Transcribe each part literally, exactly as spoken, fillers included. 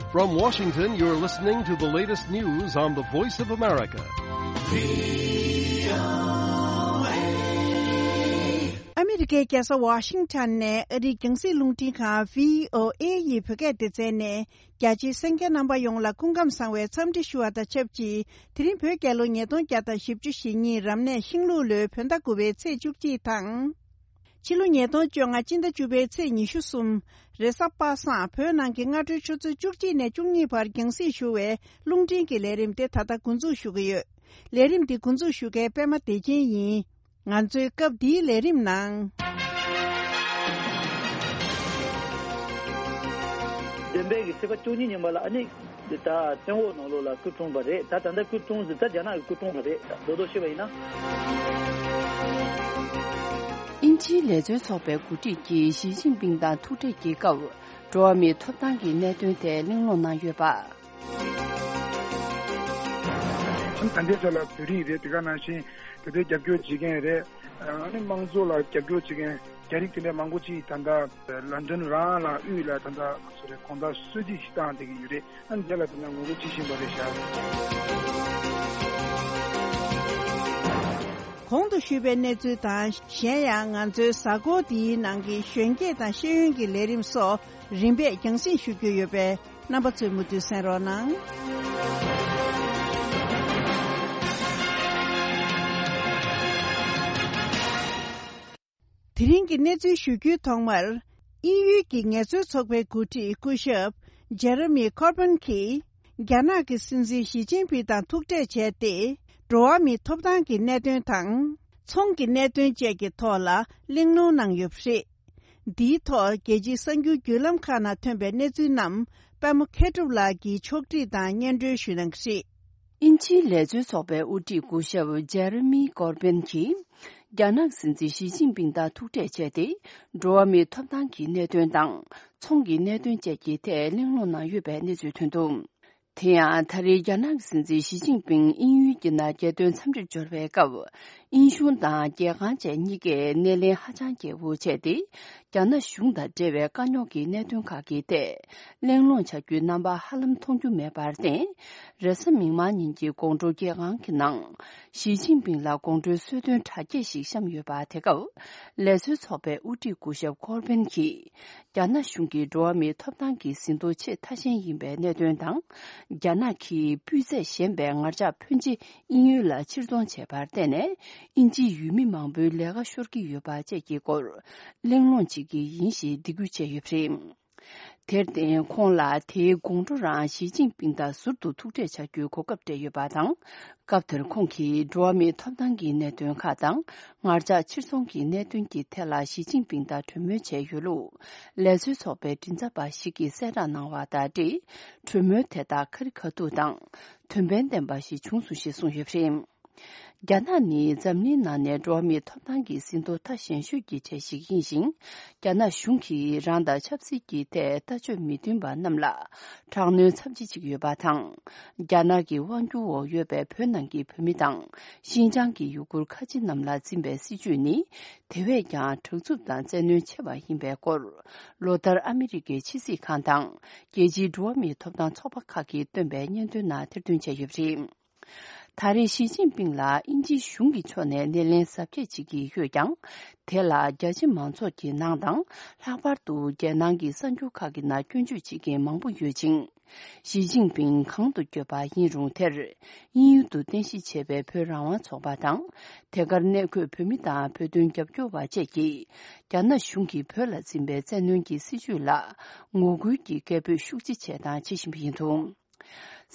From Washington, you're listening to the latest news on the Voice of America. ཨ་མི་རི་ཀའི་རྒྱལ་ས་ཝ་ཤིང་ཊོན་ནས་ཨ་རིའི་རྒྱང་སྲིང་རླུང་འཕྲིན་ཁང་བྷི་ཨོ་ཨེ་ཡི་བོད་སྐད་སྡེ་ཚན་ནས། རྒྱ་ཆེའི་གསན་མཁན་རྣམ་པ་ཡོངས་ལ་སྐུ་ཁམས་བཟང་བའི་འཚམས་འདྲི་ཞུ་བ་དང་ཆབས་ཅིག་དེ་རིང་བོད་རྒྱལ་ལོ་ཉིས་སྟོང་བརྒྱ་དང་བཞི་བཅུ་ཞེ་གཉིས་རབ་གནས་ཤིང་ལུག་ལོའི་བོད་ཟླ་དགུ་པའི་ཚེས་བཅུ་གཅིག་དང་། ཕྱི་ལོ་ཉིས་སྟོང་བཅོ་ལྔ་སྤྱི་ཟླ་བཅུ་པའི་ཚེས་ཉི་ཤུ་གསུམ། རེས་གཟའ་པ་སངས་བོད་ནང་གི་སྔ་དྲོའི་ཆུ་ཚོད་བཅུ་གཅིག་ནས་བཅུ་གཉིས་བར་རྒྱང་སྲིང་ཞུ་བའི་རླུང་འཕྲིན་གྱི་ལས་རིམ་དེ་ད་ལྟ་འགོ་འཛུགས་ཞུ་གི་ཡོད། ལས་རིམ་འདི་འགོ་འཛུགས་ཞུ་མཁན་པད་མ་བདེ་ཆེན་ཡིན། ང་ཚོའི་སྐབས་འདིའི་ལས་རིམ་ནང་། བདུན་པའི་གི་ཚེས་པ་བཅུ་གཉིས་ཉིན་པ་ལ་ཨ་ནི་ད་བཙན་འོག་ནང་ལོགས་ལ་སྐུ་འཁྲུངས་པ་རེད། ད་ད་ལྟ་སྐུ་འཁྲུངས་ཟེར་ད་རྒྱ་ནག་གི་སྐུ་འཁྲུངས་པ་རེད། རྡོག་རྡོག་བཤད་པ་ཡིན་ན། དབྱིན་ཇིའི་ལས་བཟོའི་ཚོགས་པའི་འགོ་ཁྲིད་ཀྱིས་ཞི་ཅིན་ཕིང་དང་ཐུག་འཕྲད་ཀྱི་སྐབས། འགྲོ་བ་མིའི་ཐོབ་ཐང་གི་གནད་དོན་ཐད་གླེང་སློང་གནང་ཡོད་པ། ད་ལྟའི་ཆ་ལ་བོད་རིགས་རེད། དེ་ག་ནང་བཞིན་དེ་ཚོའི་རྒྱབ་སྐྱོར་བྱེད་མཁན་རེད། ཨ་ནི་དམངས་གཙོ་ལ་རྒྱབ་སྐྱོར་བྱེད་མཁན་རྒྱ་རིགས་དེ་འདྲ་མང་པོ་ཅིག་ད་ལྟ་ལན་ཌན་རང་ལ་དབུས་ལ་ད་ལྟ་སོ་རེད་དགོང་དག་གསོལ་ཚིགས་ཤིག་བཏང་བསྡད་ཀྱི་ཡོད་རེད། ཨ་ནི་དེ་ལ་དེ་འདྲ་ངོ་རྒོལ་བྱེད་བཞིན་པ་རེད་ཤག་གོང་དུ་ཞུས་པའི་གནས་ཚུལ་དང་། གཞན་ཡང་ང་ཚོའི་གཟའ་འཁོར་འདིའི་ནང་གི་གཞོན་སྐྱེས་དང་ཤེས་ཡོན་གྱི་ལས་རིམ་སོགས་རིམ་པས་རྒྱང་སྲིང་ཞུ་རྒྱུ་ཡོད་པས། རྣམ་པ་ཚོས་མུ་མཐུད་གསན་རོགས་གནང་། དེ་རིང་གི་གནས་ཚུལ་ཞུ་རྒྱུའི་ཐོག་མར། དབྱིན་ཡུལ་གྱི་ངལ་རྩོལ་ཚོགས་པའི་འགོ་ཁྲིད་སྐུ་ཞབས་ཇེ་རེ་མི་ཀོར་པན་གྱིས། རྒྱ་ནག་གི་སྲིད་འཛིན་ཞི་ཅིན་ཕིང་དང་ཐུག་འཕྲད་བྱས་ཏེ། འགྲོ་བ་མིའི་ཐོབ་ཐང་གི་གནད་དོན་དང་། ཚོང་གི་གནད་དོན་བཅས་ཀྱི་ཐོག་ལ་གླེང་སློང་གནང་ཡོད་པ་རེད། འདིའི་ཐོག་རྒྱལ་སྤྱིའི་གསར་འགྱུར་བརྒྱུད་ལམ་ཁག་ནང་ཐོན་པའི་གནས་ཚུལ་རྣམས་པདྨ་མཁས་གྲུབ་ལགས་ཀྱིས་ཕྱོགས་སྒྲིག་དང་སྙན་སྒྲོན་ཞུ་གནང་གི་རེད། དབྱིན་ཇིའི་ལས་བཟོའི་ཚོགས་པའི་དབུ་ཁྲིད་སྐུ་ཞབས་ཇེ་རེ་མི་ཀོར་པན་གྱིས། རྒྱ་ནག་སྲིད་འཛིན་ཞི་ཅིན་ཕིང་དང་ཐུག་འཕྲད་བྱས་ཏེ། འགྲོ་བ་མིའི་ཐོབ་ཐང་གི་གནད་དོན་དང་། ཚོང་གི་གནད་དོན་བཅས་ཀྱི་ཐད་གླེང་སློང་གནང་ཡོད་པའི་གནས་ཚུལ་ཐོན་འདུག་དེ་ཡང་ད་རེས་རྒྱ་ནག་གི་སྲིད་འཛིན་ཞི་ཅིན་ཕིང་དབྱིན་ཡུལ་གྱི་ནང་རྒྱལ་དོན་འཚམས་འདྲིར་འབྱོར་བའི་སྐབས། དབྱིན་གཞུང་དང་རྒྱལ་ཁང་བཅས་གཉིས་ཀས་སྣེ་ལེན་ཧ་ཅང་རྒྱས་པོ་བྱས་ཏེ། རྒྱ་ནག་གཞུང་དང་འབྲེལ་བའི་དཀའ་རྙོག་གི་གནད་དོན་ཁག་གི་ཐད་གླེང་སློང་བྱ་རྒྱུའི་རྣམ་པ་ཧ་ལམ་མཐོང་རྒྱུ་མེད་པར་བརྟེན། རེས་གཟའ་མིག་དམར་ཉིན་གྱི་དགོང་དྲོ་རྒྱལ་ཁང་གི་ནང་། ཞི་ཅིན་ཕིང་ལ་དགོང་དྲོའི་གསོལ་སྟོན་གྲ་རྒྱས་ཤིག་བཤམས་ཡོད་པ་དེ་སྐབས། ལས་བཟོའི་ཚོགས་པའི་དབུ་ཁྲིད་སྐུ་ཞབས་ཀོར་པན་གྱིས། རྒྱ་ནག་གཞུང་གིས་འགྲོ་བ་མིའི་ཐོབ་ཐང་གི་ཟིན་ཐོ་ཆེས་མཐའ་ཞན་ཡིན་པའི་གནད་དོན་དང་། རྒྱ་ནག་གིས་སྤུས་ཚད་ཞན་པའི་ངར་ལྕགས་ཕོན་ཆེ་དབྱིན་ཡུལ་ལ་ཕྱིར་གཏོང་བྱས་པར་བརྟེན་ནས། དབྱིན་ཇིའི་ཡུལ་མི་མང་པོའི་ལས་ཀ་ཤོར་གྱི་ཡོད་པ་བཅས་ཀྱི་སྐོར། གླེང་སློང་བྱེད་ཀྱི་ཡིན་ཞེས་འདི་འགོད་བྱས་ཡོད་པ་རེད། དེར་བརྟེན་ཁོང་ལ་དེའི་དགོང་དྲོ་རང་ཞི་ཅིན་ཕིང་དང་ཟུར་དུ་ཐུག་འཕྲད་བྱ་རྒྱུའི་གོ་སྐབས་སྤྲད་ཡོད་པ་དང་། སྐབས་དེར་ཁོང་གིས་འགྲོ་བ་མིའི་ཐོབ་ཐང་གི་གནད་དོན་ཁག་དང་། ངར་ལྕགས་ཕྱིར་ཚོང་གི་གནད་དོན་གྱི་ཐད་ལ་ཞི་ཅིན་ཕིང་དང་གྲོས་མོལ་བྱས་ཡོད་ལུགས། ལས་བཟོའི་ཚོགས་པའི་མགྲིན་ཚབ་པ་ཞིག་གིས་གསལ་བསྒྲགས་གནང་བ་དང་འབྲེལ། གྲོས་མོལ་དེ་དག་ཁ་རི་ཁ་ཐུག་དང་། དོན་ཕན་ལྡན་པ་ཞིག་བྱུང་སོང་ཞེས་གསུངས་ཡོད་པ་རེད། རྒྱ་ནག་ནི་འཛམ་གླིང་ནང་ནས་འགྲོ་བ་མིའི་ཐོབ་ཐང་གི་ཟིན་ཐོ་མཐའ་ཞན་ཤོས་ཀྱི་གྲས་ཤིག་ཡིན་ཞིང་། རྒྱ་ནག་གཞུང་གིས་རང་དང་ཆབ་སྲིད་ཀྱི་ཐད་ལྟ་སྤྱོད་མི་མཐུན་པ་རྣམས་ལ་དྲག་གནོན་ཚབས་ཆེ་བྱེད་ཀྱི་ཡོད་པ་དང་། རྒྱ་ནག་གི་དབང་སྒྱུར་འོག་ཡོད་པའི་བོད་ནང་གི་བོད་མི་དང་། ཤིན་ཅང་གི་ཡུ་གུར་ཁ་ཆེ་རྣམས་ལ་འཛིན་པའི་སྲིད་བྱུས་ནི། དེ་བས་ཀྱང་དྲག་རྩུབ་དང་བཙན་གནོན་ཆེ་བ་ཡིན་པའི་སྐོར། ལོ་ལྟར་ཨ་མི་རི་ཀའི་ཕྱི་སྲིད་ཁང་དང་། རྒྱལ་སྤྱིའི་འགྲོ་བ་མིའི་ཐོབ་ཐང་ཚོགས་པ་ཁག་གིས་བཏོན་པའི་སྙན་ཐོའི་ནང་ཐེར་འདོན་བྱས་ཡོད་པ་རེད། ད་རེས་ཞི་ཅིན་ཕིང་ལ་དབྱིན་ཇིའི་གཞུང་གི་ཕྱོགས་ནས་སྣེ་ལེན་གཟབ་རྒྱས་བྱེད་ཀྱི་ཡོད་ཀྱང་། དེ་ལ་རྒྱ་ཆེ་མང་ཚོགས་ཀྱི་ནང་དང་། ལྷག་པར་དུ་རྒྱལ་ནང་གི་གསར་འགྱུར་ཁག་གི་ནང་སྐྱོན་བརྗོད་བྱེད་མཁན་མང་པོ་ཡོད་ཅིང་། ཞི་ཅིན་ཕིང་གང་དུ་བསྐྱོད་པ་ཡིན་རུང་། དེར་དབྱིན་ཡུལ་དུ་རྟེན་གཞི་བྱས་པའི་བོད་རང་དབང་ཚོགས་པ་དང་། དེ་གར་གནས་འཁོད་བོད་མི་དང་བོད་དོན་རྒྱབ་སྐྱོར་བ་བཅས་ཀྱིས། རྒྱ་ནག་གཞུང་གིས་བོད་ལ་འཛིན་པའི་བཙན་གནོན་གྱི་སྲིད་བྱུས་ལ་ངོ་རྒོལ་གྱི་སྐད་འབོད་ཤུགས་ཆེ་བྱས་དང་བྱེད་བཞིན་པ་ཡིན་འདུག་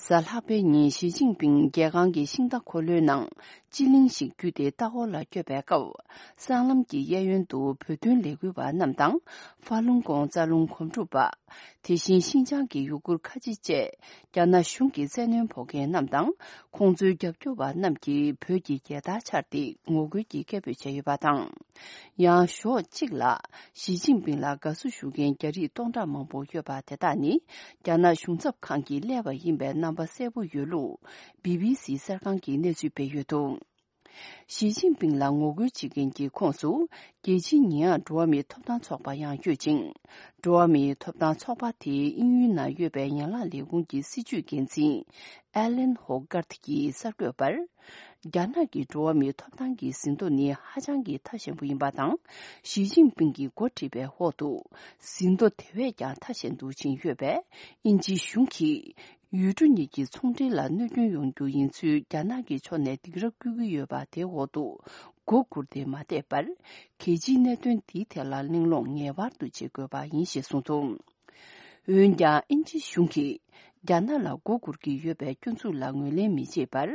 གཟའ་ལྷག་པའི་ཉིན་ཞི་ཅིན་ཕིང་རྒྱལ་ཁང་གི་ཤིང་རྟ་འཁོར་ལོའི་ནང་སྤྱི་གླིང་ཞིག་བརྒྱུད་དེ་ལྟ་སྐོར་ལ་བསྐྱོད་པའི་སྐབས། སྲང་ལམ་གྱི་གཡས་གཡོན་དུ་བོད་དོན་ལས་འགུལ་བ་རྣམས་དང་། ཧྥ་ལུང་ཀོང་རྩ་རླུང་སྒོམ་སྒྲུབ་པ། དེ་བཞིན་ཤིན་ཅང་གི་ཡུ་གུར་ཁ་ཆེ་བཅས། རྒྱ་ནག་གཞུང་གི་བཙན་གནོན་ཕོག་མཁན་རྣམས་དང་། ཁོང་ཚོའི་རྒྱབ་སྐྱོར་བ་རྣམས་ཀྱིས་བོད་ཀྱི་རྒྱལ་དར་འཕྱར་ཏེ་ངོ་རྒོལ་གྱི་སྐད་འབོད་བྱས་ཡོད་པ་དང་། ཡང་ཞོགས་གཅིག་ལ་ཞི་ཅིན་ཕིང་ལ་དགའ་བསུ་ཞུ་མཁན་རྒྱ་རིགས་སྟོང་ཕྲག་མང་པོ་ཡོད་པ་དེ་དག་ནི། རྒྱ་ནག་གཞུང་ཚབ་ཁང་གིས་གླས་པ་ཡིན་པའི་རྣམ་པ་གསལ་པོ་ཡོད་ལུགས། བི་བི་སི་གསར་ཁང་གིས་གནས་ཚུལ་སྤེལ་ཡོད་འདུག་ཞི་ཅིན་ཕིང་ལ་ངོ་རྒོལ་བྱེད་མཁན་གྱི་ཁོངས་སུ། རྒྱལ་སྤྱིའི་ཉེས་ཡངས་འགྲོ་བ་མིའི་ཐོབ་ཐང་ཚོགས་པ་ཡང་ཡོད་ཅིང་། འགྲོ་བ་མིའི་ཐོབ་ཐང་ཚོགས་པ་དེའི་དབྱིན་ཡུལ་ནང་ཡོད་པའི་ཡན་ལག་ལས་ཁུངས་ཀྱི་སྲིད་བྱུས་འགན་འཛིན་ཨེ་ལན་ཧོ་ཀར་ཐི་ཡིས་གསར་འགོད་པར། རྒྱ་ནག་གི་འགྲོ་བ་མིའི་ཐོབ་ཐང་གི་ཟིན་ཐོ་ནི་ཧ་ཅང་གི་ཐ་ཞན་པོ་ཡིན་པ་དང་། ཞི་ཅིན་ཕིང་གིས་འགོ་ཁྲིད་པའི་འོག་ཏུ། ཟིན་ཐོ་དེ་བས་ཀྱང་ཐ་ཞན་དུ་ཕྱིན་ཡོད་པས། དབྱིན་ཇིའི་གཞུང་གིས། ཡུལ་གྲུ་གཉིས་ཀྱི་ཚོང་འབྲེལ་ལ་གནོད་སྐྱོན་ཡོང་རྒྱུ་ཡིན་ཚུལ་རྒྱ་ནག་གི་ཕྱོགས་ནས་སྡིགས་ར་བསྐུལ་གྱི་ཡོད་པ་དེའི་འོག་ཏུ། མགོ་སྒུར་ཏེ་མ་བསྡད་པར། གལ་ཆེའི་གནད་དོན་འདིའི་ཐད་ལ་གླེང་སློང་ངེས་པར་དུ་བྱེད་དགོས་པ་ཡིན་ཞེས་གསུངས་འདུག་འོན་ཀྱང་། དབྱིན་ཇིའི་གཞུང་གིས། རྒྱ་ནག་ལ་མགོ་སྒུར་གྱི་ཡོད་པའི་སྐྱོན་འཛུགས་ལ་ངོས་ལེན་མི་བྱེད་པར།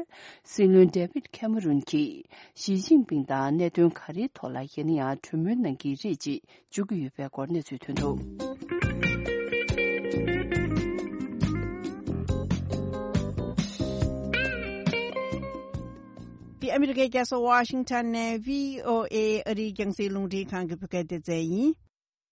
སྲིད་བློན་ཌེ་བིད་ཁེ་མ་རོན་གྱིས། ཞི་ཅིན་ཕིང་དང་གནད་དོན་ག་རེའི་ཐོག་ལ་ཡིན་ན་ཡང་གྲོས་མོལ་གནང་གི་རེད་ཅེས། བརྗོད་ཀྱི་ཡོད་པའི་སྐོར་གནས་ཚུལ་ཐོན་འདུག་འདི་ཨ་མི་རི་ཀའི་རྒྱལ་ས་ཝ་ཤིང་ཊོན་ནས་བྷི་ཨོ་ཨེ་ཨ་རིའི་རྒྱང་སྲིང་རླུང་འཕྲིན་ཁང་གི་བོད་སྐད་སྡེ་ཚན་ཡིན།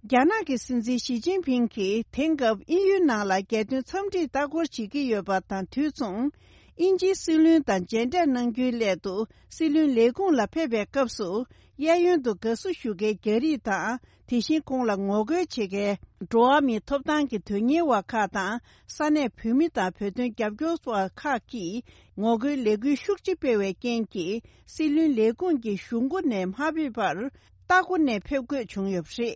རྒྱ་ནག་གི་སྲིད་འཛིན་ཞི་ཅིན་ཕིང་གིས་དེང་སྐབས་དབྱིན་ཡུལ་ནང་ལ་རྒྱལ་དོན་འཚམས་འདྲིར་ལྟ་སྐོར་བྱེད་ཀྱི་ཡོད་པ་དང་དུས་མཚུངས། དབྱིན་ཇིའི་སྲིད་བློན་དང་མཇལ་འཕྲད་གནང་རྒྱུའི་སླད་དུ་སྲིད་བློན་ལས་ཁུངས་ལ་ཕེབས་པའི་སྐབས་སུ། གཡས་གཡོན་དུ་དགའ་བསུ་ཞུ་མཁན་རྒྱ་རིགས་དང་། དེ་བཞིན་ཁོང་ལ་ངོ་རྒོལ་བྱེད་མཁན། འགྲོ་བ་མིའི་ཐོབ་ཐང་གི་དོན་གཉེར་བ་ཁག་དང་། ས་གནས་བོད་མི་དང་བོད་དོན་རྒྱབ་སྐྱོར་བ་ཁག་གིས། ངོ་རྒོལ་ལས་འགུལ་ཤུགས་ཆེ་སྤེལ་བའི་རྐྱེན་གྱིས། སྲིད་བློན་ལས་ཁུངས་ཀྱི་གཞུང་སྒོ་ནས་མ་ཕེབས་པར། ལྟ་སྒོ་ནས་ཕེབས་དགོས་བྱུང་ཡོད་པ་རེད།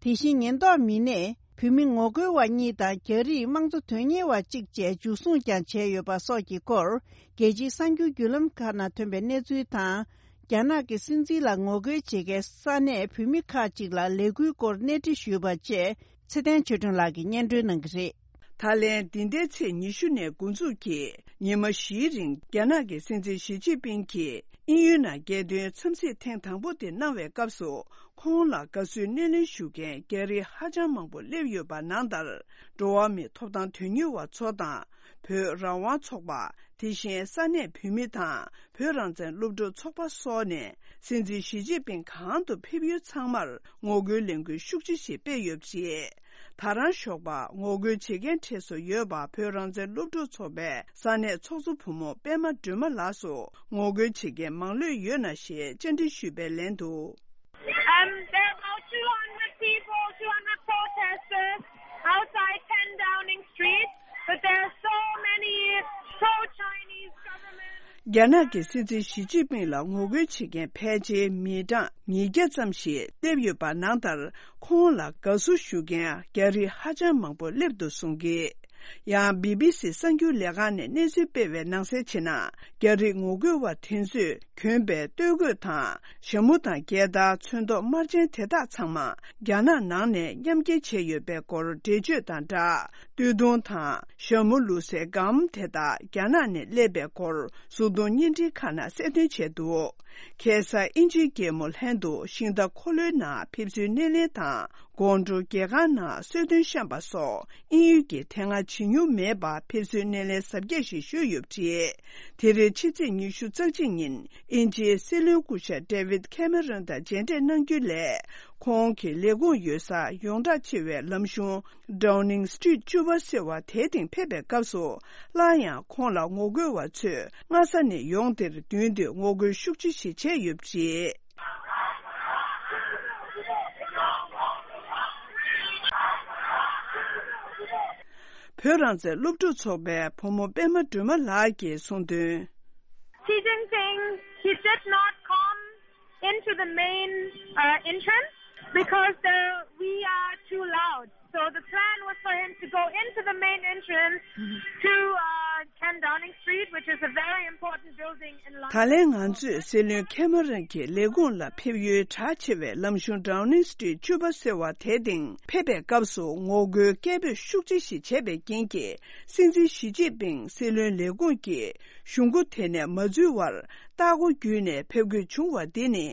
དེ་བཞིན་ཉེན་རྟོག་མི་སྣས་བོད་མི་ངོ་རྒོལ་བ་གཉིས་དང་རྒྱ་རིགས་དམངས་གཙོ་དོན་གཉེར་བ་གཅིག་བཅས་འཇུ་བཟུང་ཀྱང་བྱས་ཡོད་པ་སོགས་ཀྱི་སྐོར། རྒྱལ་སྤྱིའི་གསར་འགྱུར་བརྒྱུད་ལམ་ཁག་ནང་ཐོན་པའི་གནས་ཚུལ་དང་། རྒྱ་ནག་གི་སྲིད་འཛིན་ལ་ངོ་རྒོལ་བྱེད་མཁན་ས་གནས་བོད་མི་ཁག་ཅིག་ལ་ལས་འགུལ་སྐོར་གནས་འདྲི་ཞུས་པ་བཅས། ཚེ་བརྟན་ཆོས་སྒྲོན་ལགས་ཀྱིས་སྙན་སྒྲོན་གནང་གི་རེད། ད་ལན་འདི་ཟླའི་ཚེས་ཉི་ཤུ་ནས་འགོ་འཛུགས་ཀྱིས་ཉི་མ་བཞིའི་རིང་རྒྱ་ནག་གི་སྲིད་འཛིན་ཞི་ཅིན་ཕིང་གིས་དབྱིན་ཡུལ་ནང་རྒྱལ་དོན་འཚམས་གཟིགས་ཐེངས་དང་པོ་དེ་གནང་བའི་སྐབས་སུ། ཁོང་ལ་དགའ་བསུའི་སྣེ་ལེན་ཞུ་མཁན་རྒྱ་རིགས་ཧ་ཅང་མང་པོ་སླེབས་ཡོད་པ་ནང་ལྟར། འགྲོ་བ་མིའི་ཐོབ་ཐང་དོན་གཉེར་བ་ཚོ་དང་། བོད་རང་དབང་ཚོགས་པ། དེ་བཞིན་ས་གནས་བོད་མི་དང་། བོད་རང་བཙན་སློབ་ཕྲུག་ཚོགས་པ་སོགས་ནས། སྲིད་འཛིན་ཞི་ཅིན་ཕིང་གང་དུ་ཕེབས་ཡུལ་ཚང་མར། ངོ་རྒོལ་ལས་འགུལ་ཤུགས་ཆེ་ཞིག་སྤེལ་ཡོད་པ་རེད། ད་རང་ཞོགས་པ་ངོ་རྒོལ་བྱེད་མཁན་གྲས་སུ་ཡོད་པ། བོད་རང་བཙན་སློབ་ཕྲུག་ཚོགས་པའི་ས་གནས་ཚོགས་གཙོ་བུ་མོ་པད་མ་སྒྲོལ་མ་ལགས་སུ། ངོ་རྒོལ་བྱེད་མཁན་མང་ལོས་ཡོད་ན་ཞེས་བཅར་འདྲི་ཞུས་པའི་ལན་དུ། Um, there are about two hundred people, two hundred protesters outside ten Downing Street, but there are so many pro-Chinese government. རྒྱ་ནག་གི་སྲིད་འཛིན་ཞི་ཅིན་ཕིང་ལ་ངོ་རྒོལ་བྱེད་མཁན་ཕལ་ཆེར་མི་གྲངས་ཉིས་བརྒྱ་ཙམ་ཞིག་སླེབས་ཡོད་པ་ནང་ལྟར། ཁོང་ལ་དགའ་བསུ་ཞུ་མཁན་རྒྱ་རིགས་ཧ་ཅང་མང་པོ་སླེབས་འདུག་གསུང་གི། ཡང་བི་བི་སི་གསར་འགྱུར་ལས་ཁང་ནས་གནས་ཚུལ་སྤེལ་བའི་ནང་གསལ་བྱས་ན། རྒྱ་རིགས་ངོ་རྒོལ་བ་དེ་ཚོས་གྱོན་པའི་སྟོད་གོས་དང་། ཞྭ་མོ་དང་རྒྱལ་དར། ཚོན་མདོག་དམར་ཆེན་དེ་དག་ཚང་མ་རྒྱ་ནག་ནང་ནས་མཉམ་འཁྱེར་བྱས་ཡོད་པའི་སྐོར་འགྲེལ་བརྗོད་དང་སྦྲགས། སྟོད་ཐུང་དང་། ཞྭ་མོ་ལུག་སའི་སྒམ་དེ་དག་རྒྱ་ནག་ནས་སླེབས་པའི་སྐོར། གཟུགས་མཐོང་བརྙན་འཕྲིན་ཁག་ནང་གསལ་སྟོན་བྱས་འདུག་ཁ་སང་དབྱིན་ཇིའི་རྒྱལ་མོ་ལྷན་དུ་ཤིང་རྟ་འཁོར་ལོའི་ནང་ཕེབས་བསུའི་སྣེ་ལེན་དང་། དགོང་དྲོ་རྒྱལ་ཁང་ནང་གསོལ་སྟོན་བཤམས་པ་སོགས་དབྱིན་ཡུལ་གྱི་དེ་སྔ་བྱེད་མྱོང་མེད་པ། ཕེབས་བསུའི་སྣེ་ལེན་གཟབ་རྒྱས་ཤིག་ཞུས་ཡོད་པ་རེད། དེ་རིང་ཕྱི་ཚེས་ཉི་ཤུ་རྩ་གཅིག་ཉིན་དབྱིན་ཇིའི་སྲིད་བློན་སྐུ་ཞབས་ཌེ་བིད་ཁེ་མེ་རོན་དང་མཇལ་འཕྲད་གནང་རྒྱུའི་སླད། ཁོང་གི་ལས་ཁུངས་ཡོད་སར་ཡོངས་གྲགས་ཆེ་བའི་ལམ་གཞུང་Downing Street བཅུ་པ་ཟེར་བ་དེའི་སྟེང་ཕེབས་པའི་སྐབས་སུ། སླར་ཡང་ཁོང་ལ་ངོ་རྒོལ་བ་ཚོས་སྔ་ས་ནས་ཡོང་དེར་མདུན་དུ་ངོ་རྒོལ་ཤུགས་ཆེ་ཞིག་བྱས་ཡོད་པ་རེད། བོད་རང་བཙན་སློབ་ཕྲུག་ཚོགས་པའི་བུ་མོ་པད་མ་སྒྲོལ་མ་ལགས་ཀྱིས་གསུངས་དོན། Xi Jinping, he did not come into the main uh, entrance because the, we are too loud. So the plan was for him to go into the main entrance to uh, ten Downing Street, which is a very important building in London. ད་ལན་ང་ཚོས་སྲིད་བློན་ཁེ་མ་རོན་གྱི་ལས་ཁུངས་ལ་ཕེབས་ཡུལ་གྲགས་ཆེ་བའི་ལམ་གཞུང་Downing Street བཅུ་པ་ཟེར་བ་དེའི་སྟེང་ཕེབས་པའི་སྐབས་སུ་ངོ་རྒོལ་སྐད་འབོད་ཤུགས་ཆེ་ཞིག་བྱས་པའི་རྐྱེན་གྱིས། སྲིད་འཛིན་ཞི་ཅིན་ཕིང་སྲིད་བློན་ལས་ཁུངས་ཀྱི་གཞུང་སྒོ་དེ་ནས་མ་འཛུལ་བར། ལྟ་སྒོ་བརྒྱུད་ནས་ཕེབས་དགོས་བྱུང་བ་འདི་ནི།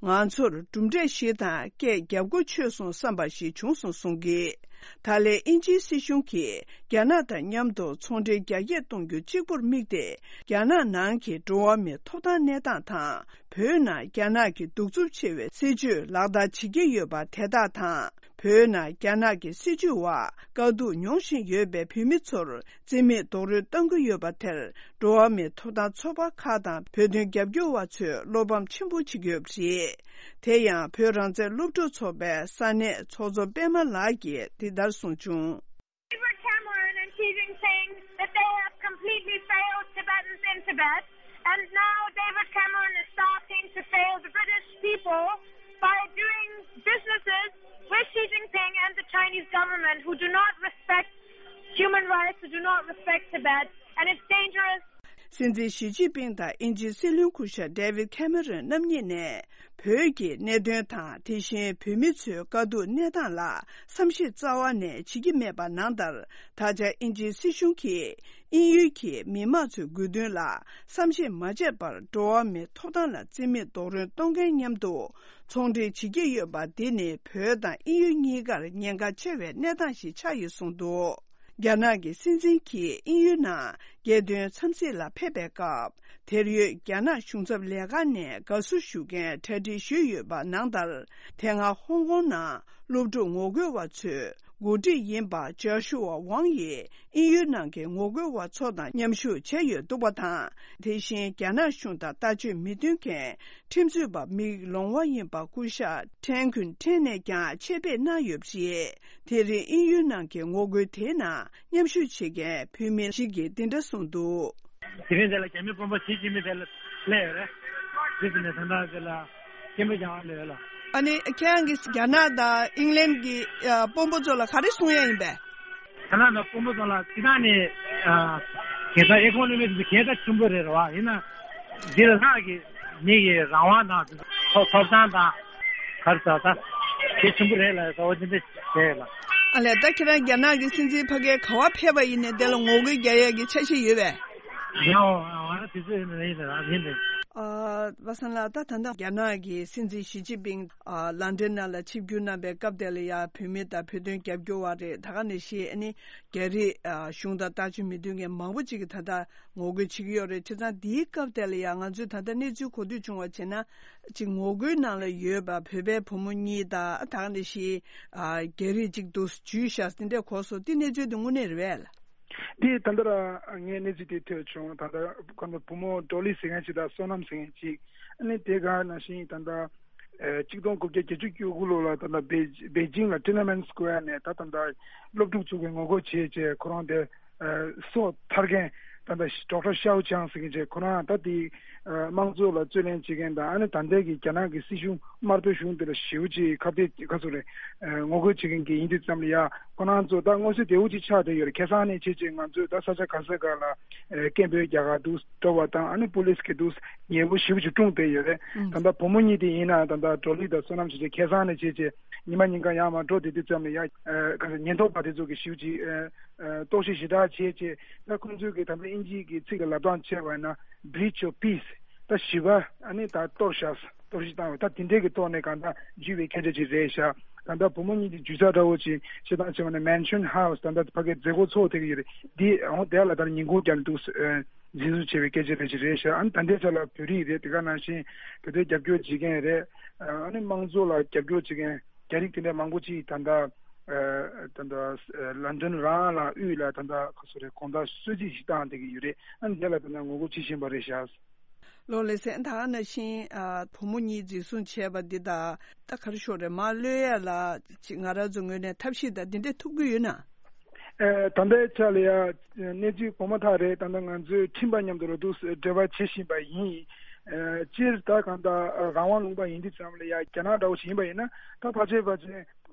ང་ཚོར་གྲུབ་འབྲས་ཤིག་དང་སྐད་རྒྱབ་སྒོ་ཆོད་སོང་བསམ་པ་ཞིག་བྱུང་སོང་གསུང་གི། ད་ལན་དབྱིན་ཇིའི་སྲིད་གཞུང་གིས་རྒྱ་ནག་དང་མཉམ་དུ་ཚོང་འབྲེལ་རྒྱ་སྐྱེད་གཏོང་རྒྱུ་གཅིག་པུར་དམིགས་ཏེ། རྒྱ་ནག་ནང་གི་འགྲོ་བ་མིའི་ཐོབ་ཐང་གནས་སྟངས་དང་། བོད་ནང་རྒྱ་ནག་གི་གདུག་རྩུབ་ཆེ་བའི་སྲིད་བྱུས་ལག་བསྟར་བྱེད་ཀྱི་ཡོད་པ་དེ་དག་དང་། བོད་ནང་རྒྱ་ནག་གི་སྲིད་བྱུས་འོག་དཀའ་སྡུག་མྱོང་བཞིན་ཡོད་པའི་བོད་མི་ཚོར་རྩིས་མེད་རྡོག་རོལ་གཏོང་གི་ཡོད་པ་དེར། འགྲོ་བ་མིའི་ཐོབ་ཐང་ཚོགས་པ་ཁག་དང་བོད་དོན་རྒྱབ་སྐྱོར་བ་ཚོས་བློ་ཕམ་ཆེན་པོ་བྱེད་ཀྱི་ཡོད་པ་རེད། དེ་ཡང་བོད་རང་བཙན་སློབ་ཕྲུག་ཚོགས་པའི་ས་གནས་ཚོགས་གཙོ་པད་མ་ལགས་ཀྱིས་འདི་ལྟར་གསུངས་བྱུང་། David Cameron and Xi Jinping that they have completely failed Tibetans in Tibet, and now David Cameron is starting to fail the British people by doing businesses with Xi Jinping and the Chinese government who do not respect human rights, who do not respect Tibet, and it's dangerous. སྲིད་འཛིན་ཞི་ཅིན་ཕིང་དང་དབྱིན་ཇིའི་སྲིད་བློན་སྐུ་ཞབས་ཌེ་ཝིད་ཁེ་མེ་རོན་རྣམ་གཉིས་ནས། བོད་ཀྱི་གནད་དོན་དང་། དེ་བཞིན་བོད་མི་ཚོའི་དཀའ་སྡུག་གནས་སྟངས་ལ་བསམ་ཤེས་རྩ་བ་ནས་བྱེད་ཀྱི་མེད་པ་ནང་ལྟར། ད་ཆ་དབྱིན་ཇིའི་སྲིད་གཞུང་གིས་དབྱིན་ཡུལ་གྱི་མི་དམངས་ཚོའི་དགོས་འདུན་ལ་བསམ་ཤེས་མ་བྱས་པར། འགྲོ་བ་མིའི་ཐོབ་ཐང་ལ་རྩིས་མེད་རྡོག་རོལ་གཏོང་མཁན་མཉམ་དུ་ཚོང་འབྲེལ་བྱེད་ཀྱི་ཡོད་པ་འདི་ནི། བོད་དང་དབྱིན་ཡུལ་གཉིས་ཀར་ཉེན་ཁ་ཆེ་བའི་གནས་སྟངས་ཤིག་ཆགས་ཡོད་གསུངས་འདུག་རྒྱ་ནག་གི་སྲིད་འཛིན་གྱིས་དབྱིན་ཡུལ་ནང་རྒྱལ་དོན་འཚམས་གཟིགས་ལ་ཕེབས་པའི་སྐབས། དེར་ཡོད་རྒྱ་ནག་གཞུང་ཚབ་ལས་ཁང་ནས་དགའ་བསུ་ཞུ་མཁན་གྲ་སྒྲིག་ཞུས་ཡོད་པ་ནང་ལྟར། དེ་སྔ་ཧོང་ཀོང་ནང་སློབ་ཕྲུག་ངོ་རྒོལ་བ་ཚོའི་འགོ་ཁྲིད་ཡིན་པ་ཅཱ་ཤུ་ཝ་ཝང་ཡིས་དབྱིན་ཡུལ་ནང་གི་ངོ་རྒོལ་བ་ཚོ་དང་མཉམ་ཞུགས་བྱས་ཡོད་འདུག་པ་དང་། དེ་བཞིན་རྒྱ་ནག་གཞུང་དང་ལྟ་སྤྱོད་མི་མཐུན་མཁན་ཁྲིམས་རྩོད་པ་མིག་ལོང་བ་ཡིན་པ་སྐུ་ཞབས་ཁྲེན་ཁུན་ཁྲེན་ནས་ཀྱང་ཆེད་ཕེབས་གནང་ཡོད་པ་རེད། དེ་རིང་དབྱིན་ཡུལ་ནང་གི་ངོ་རྒོལ་དེའི་ནང་མཉམ་ཞུགས་བྱེད་མཁན་བོད་མི་ཞིག་གིས་འདི་འདྲ་གསུངས་འདུག་དེ་རིང་དེ་ལ་རྒྱ་མི་དཔོན་པོ་ཞི་ཅིན་ཕིང་དེ་ལ་སླེབས་ཡོད་རེད། དེ་ཚོ་ནས་ད་ལྟ་དེ་ལ་སྐད་འབོད་རྒྱག་ག་སླེབས་ཡོད་ལ། ཨ་ནི་ཁྱེད་རང་གིས་རྒྱ་ནག་དང་ཨིང་ལན་གྱི་ཨ་དཔོན་པོ་ཚོ་ལ་ག་རེ་གསུང་ཡ་ཡིན་པས། ད་ལྟ་ན་དཔོན་པོ་ཚོ་ལ་སྤྱི་བཏང་ནས་ཨ་གེ་སར་ཨེ་ཁོ་ནོ་མི་དེ་གེ་སར་ཆེན་པོ་རེད་རེད་བ། ཡིན་ན་འདི་ལ་ལྷག་གི་མི་གི་རང་དབང་དང་ཐོབ་ཐོབ་ཐང་དང་ག་རེ་ཟེར་ད་གལ་ཆེན་པོ་རེད་ལ་ཟེར་བ་ཅི་འདྲ་བྱས་ལ། ཨ་ལས། ད་ཁྱེད་རང་རྒྱ་ནག་གི་སྲིད་འཛིན་ཕ་གིར་ག་པར་ཕེབས་པ་ཡིན་ནའི་དེ་ལ་ངོ་རྒོལ་རྒྱག་ཡས་ཀྱི་འཆར་གཞི་ཡོད་པས། ཡང་ང་རང་དུས་ཚོད་ཡིན་ན་ཡིན་ན་ཡིན་ནས། ཨ། པ་སངས་ལགས། ད་ད་ལྟ་རྒྱ་ནག་གི་སྲིད་འཛིན་ཞི་ཅིན་ཕིང་ཨ་ལན་ཌན་ནང་ལ་ཆིབས་བསྒྱུར་གནང་པའི་སྐབས་དེ་ལ་ཡ་བོད་མི་དང་བོད་དོན་རྒྱབ་སྐྱོར་བ་རེད། ད་ག་ནང་བཞིན་ཨ་ནི་རྒྱ་རིགས་ཨ་གཞུང་དང་ལྟ་སྤྱོད་མི་མཐུན་མཁན་མང་པོ་ཅིག་གིས་ད་ལྟ་ངོ་རྒོལ་བྱེད་ཀྱི་ཡོད་རེད། བྱས་ཙང་འདིའི་སྐབས་དེ་ལ་ཡ་ང་ཚོས་ད་ལྟ་གནས་ཚུལ་གོ་ཐོས་བྱུང་བ་བྱས་ན། ཅིག་ངོ་རྒོལ་ནང་ལ་ཡོད་པ་བོད་པའི་བུ་མོ་གཉིས་དང་། ད་ག་ནང་བཞིན་ཨ་རྒྱ་རིགས་ཅིག་འདུག་འཇུས་བཞག་འདི་འདྲས་གོ་སོང་། འདི་གནས་ཚུལ་འདི་དངོས་གནས་རེད་པས། འདི་ད་ལྟ་ར་ངས་གནས་ཚུལ་དེ་ཐོས་བྱུང་། ད་ལྟ་ཁོ་ཚོ་བུ་མོ་ཌོ་ལི་ཟེར་མཁན་ཅིག་དང་བསོད་ནམས་ཟེར་མཁན་ཅིག་ཨ་ནི་དེ་ག་ནང་བཞིན་ད་ལྟ་ཨ་གཅིག་སྟོང་དགུ་བརྒྱ་བརྒྱད་ཅུ་གྱ་དགུ་ལོ་ལ་ད་ལྟ་པེ་པེ་ཅིང་ལ་ཊེན་ཨན་མེན་སྐོར་ནས་ད་ད་ལྟ་སློབ་ཕྲུག་ཚོ་གིས་ངོ་རྒོལ་བྱས་བྱས་ཁོ་རང་དེ་ཨ་སོ་ཐར་མཁན་ད་ལྟ་ཌོག་ཊར་ཤའོ་ཅང་ཟེར་མཁན་ཅིག་ཁོ་རང་ད་དེ་ཨ་དམངས་གཙོ་ལ་རྩོད་ལེན་བྱེད་མཁན་དང་། ཨ་ནི་ད་ལྟའི་གི་རྒྱ་ནག་གི་སྲིད་གཞུང་དམར་པོའི་གཞུང་དེ་ལ་ཞེ་པོ་ཅིག་ཁ་གཏད་ཁ་ཚུགས་རེད། ཨ་ངོ་རྒོལ་བྱེད་མཁན་གྱི་ཡིན་དུས་ཙམ་ལ་ཡ་ཁོ་རང་ཚོ་ད་མངོན་གསལ་དོད་པོ་ཅིག་ཆགས་བསྡད་ཡོད་རེད། ཁ་སང་ནས་བྱས་བྱས་ང་ཚོས་ད་ས་ཆ་ག་ས་ག་ལ་ཨ་སྐད་འབོད་རྒྱག་ག་འདུག་འགྲོ་བ་དང་། ཨ་ནི་པུ་ལིས་ཀྱིས་འདུག་ཉེ་པོ་ཞེ་པོ་ཅིག་སྲུང་བསྡད་ཡོད་རེད། ཨང་། ད་ལྟ་བུ་མོ་གཉིས་དེ་ཡིན་ན་ད་ལྟ་ཌོ་ལི་དང་བསོད་ནམས་བྱས་བྱས་ཁ་སང་ནས་བྱས་བྱས་ཉི་མ་ཉིན་གང་ཡར་མར་འགྲོ་བསྡད་དུས་ཙམ་ལ་ཡ་ཨ་ག་ས་ཉེན་རྟོག་པ་དེ་ཚོ་གིས་ཞེ་པོ་ཅིག་ཨ་ཨ་རྟོག་ཞིབ་ཞེ་དྲག་བྱས་བྱས། ད་ཁོང་ཚོས་ཀྱིས་ད་ལྟ་དབྱིན་ཇིའི་གི་ཚིག་ལ་ལབ་སྟངས་བྱས་པ་ཡིན་ན་breach of peace། ད་ཞི་བ་ཨ་ནི་ད་གཏོར་བཞག་གཏོར་བཤིག་བཏང་བ། ད་དེ་འདྲའི་གི་ཐོག་ནས་གང་ལྟར་འཇུས་པའི་སྐད་ཆ་ཅིག་རེད་ཤག་ད་ལྟ་བུ་མོ་གཉིས་ཀྱི་འཇུས་ས་འདྲ་བོ་ཅིག་བཤད་སྟངས་བྱས་པ་ན་Mansion House ད་ལྟ་ཕ་གིའི་མཛད་སྒོ་ཚོགས་བསྡད་ཀྱི་ཡོད་རེད། འདི་འོང་དེ་ལ་ད་ལྟ་ཉིན་གུང་རྒྱབ་འདུག་ཨ་འཛིན་བཟུང་བྱས་པའི་སྐད་ཆ་རེད་ཅིག་རེད་ཤག་ཨ་ནི་ད་ལྟའི་ཆ་ལ་བོད་རིགས་རེད། དེ་ག་ནང་བཞིན་བོད་དོན་རྒྱབ་སྐྱོར་བྱེད་མཁན་རེད། ཨ་ནི་དམངས་གཙོ་ལ་རྒྱབ་སྐྱོར་བྱེད་མཁན་རྒྱ་རིགས་དེ་འདྲ་མང་པོ་ཅིག་ད་ལྟ་ཨ་ད་ལྟ་ཨ་ལན་ཌན་རང་ལ་དབུས་ལ་ད་ལྟ་ག་ཚོད་རེད། དགོང་དག་གསོལ་ཚིགས་ཤིག་བཏང་བསྡད་ཀྱི་ཡོད་རེད། ཨ་ནི་དེ་ལ་ད་ལྟ་ངོ་རྒོལ་བྱེད་བཞིན་པ་རེད་ཤག་ལགས་ལགས་སོ། ད་ག་ནང་བཞིན་ཨ་བུ་མོ་གཉིས་འཛིན་བཟུང་བྱས་པ་འདི་དང་ད་ག་རེ་ཞུ་དགོས་རེད། མར་གློད་ཡ་ལ་ཅིག་ང་རང་ཚོ་ངོས་ནས་ཐབས་ཤེས་དང་འདི་འདྲས་ཐུབ་ཀྱི་ཡོད་ན། ཨ་ད་ལྟའི་ཆ་ལ་ཡ་གནས་ཚུལ་གོ་མ་ཐག་རེད། ད་ལྟ་ང་ཚོས་ཁྲིམས་པ་མཉམ་དུ་ལ་འདུག་འབྲེལ་བ་བྱེད་བཞིན་པ་ཡིན། ཨ་སྤྱིར་ད་གང་ལྟར་རང་དབང་ལུང་པ་ཡིན་དུས་ཙམ་ལ་ཡ་རྒྱ་ནག་འདྲ་བོ་ཞིག་ཡིན་པ་ཡིན་ན་ད་ཕལ་ཆེར་ཕལ་ཆེར་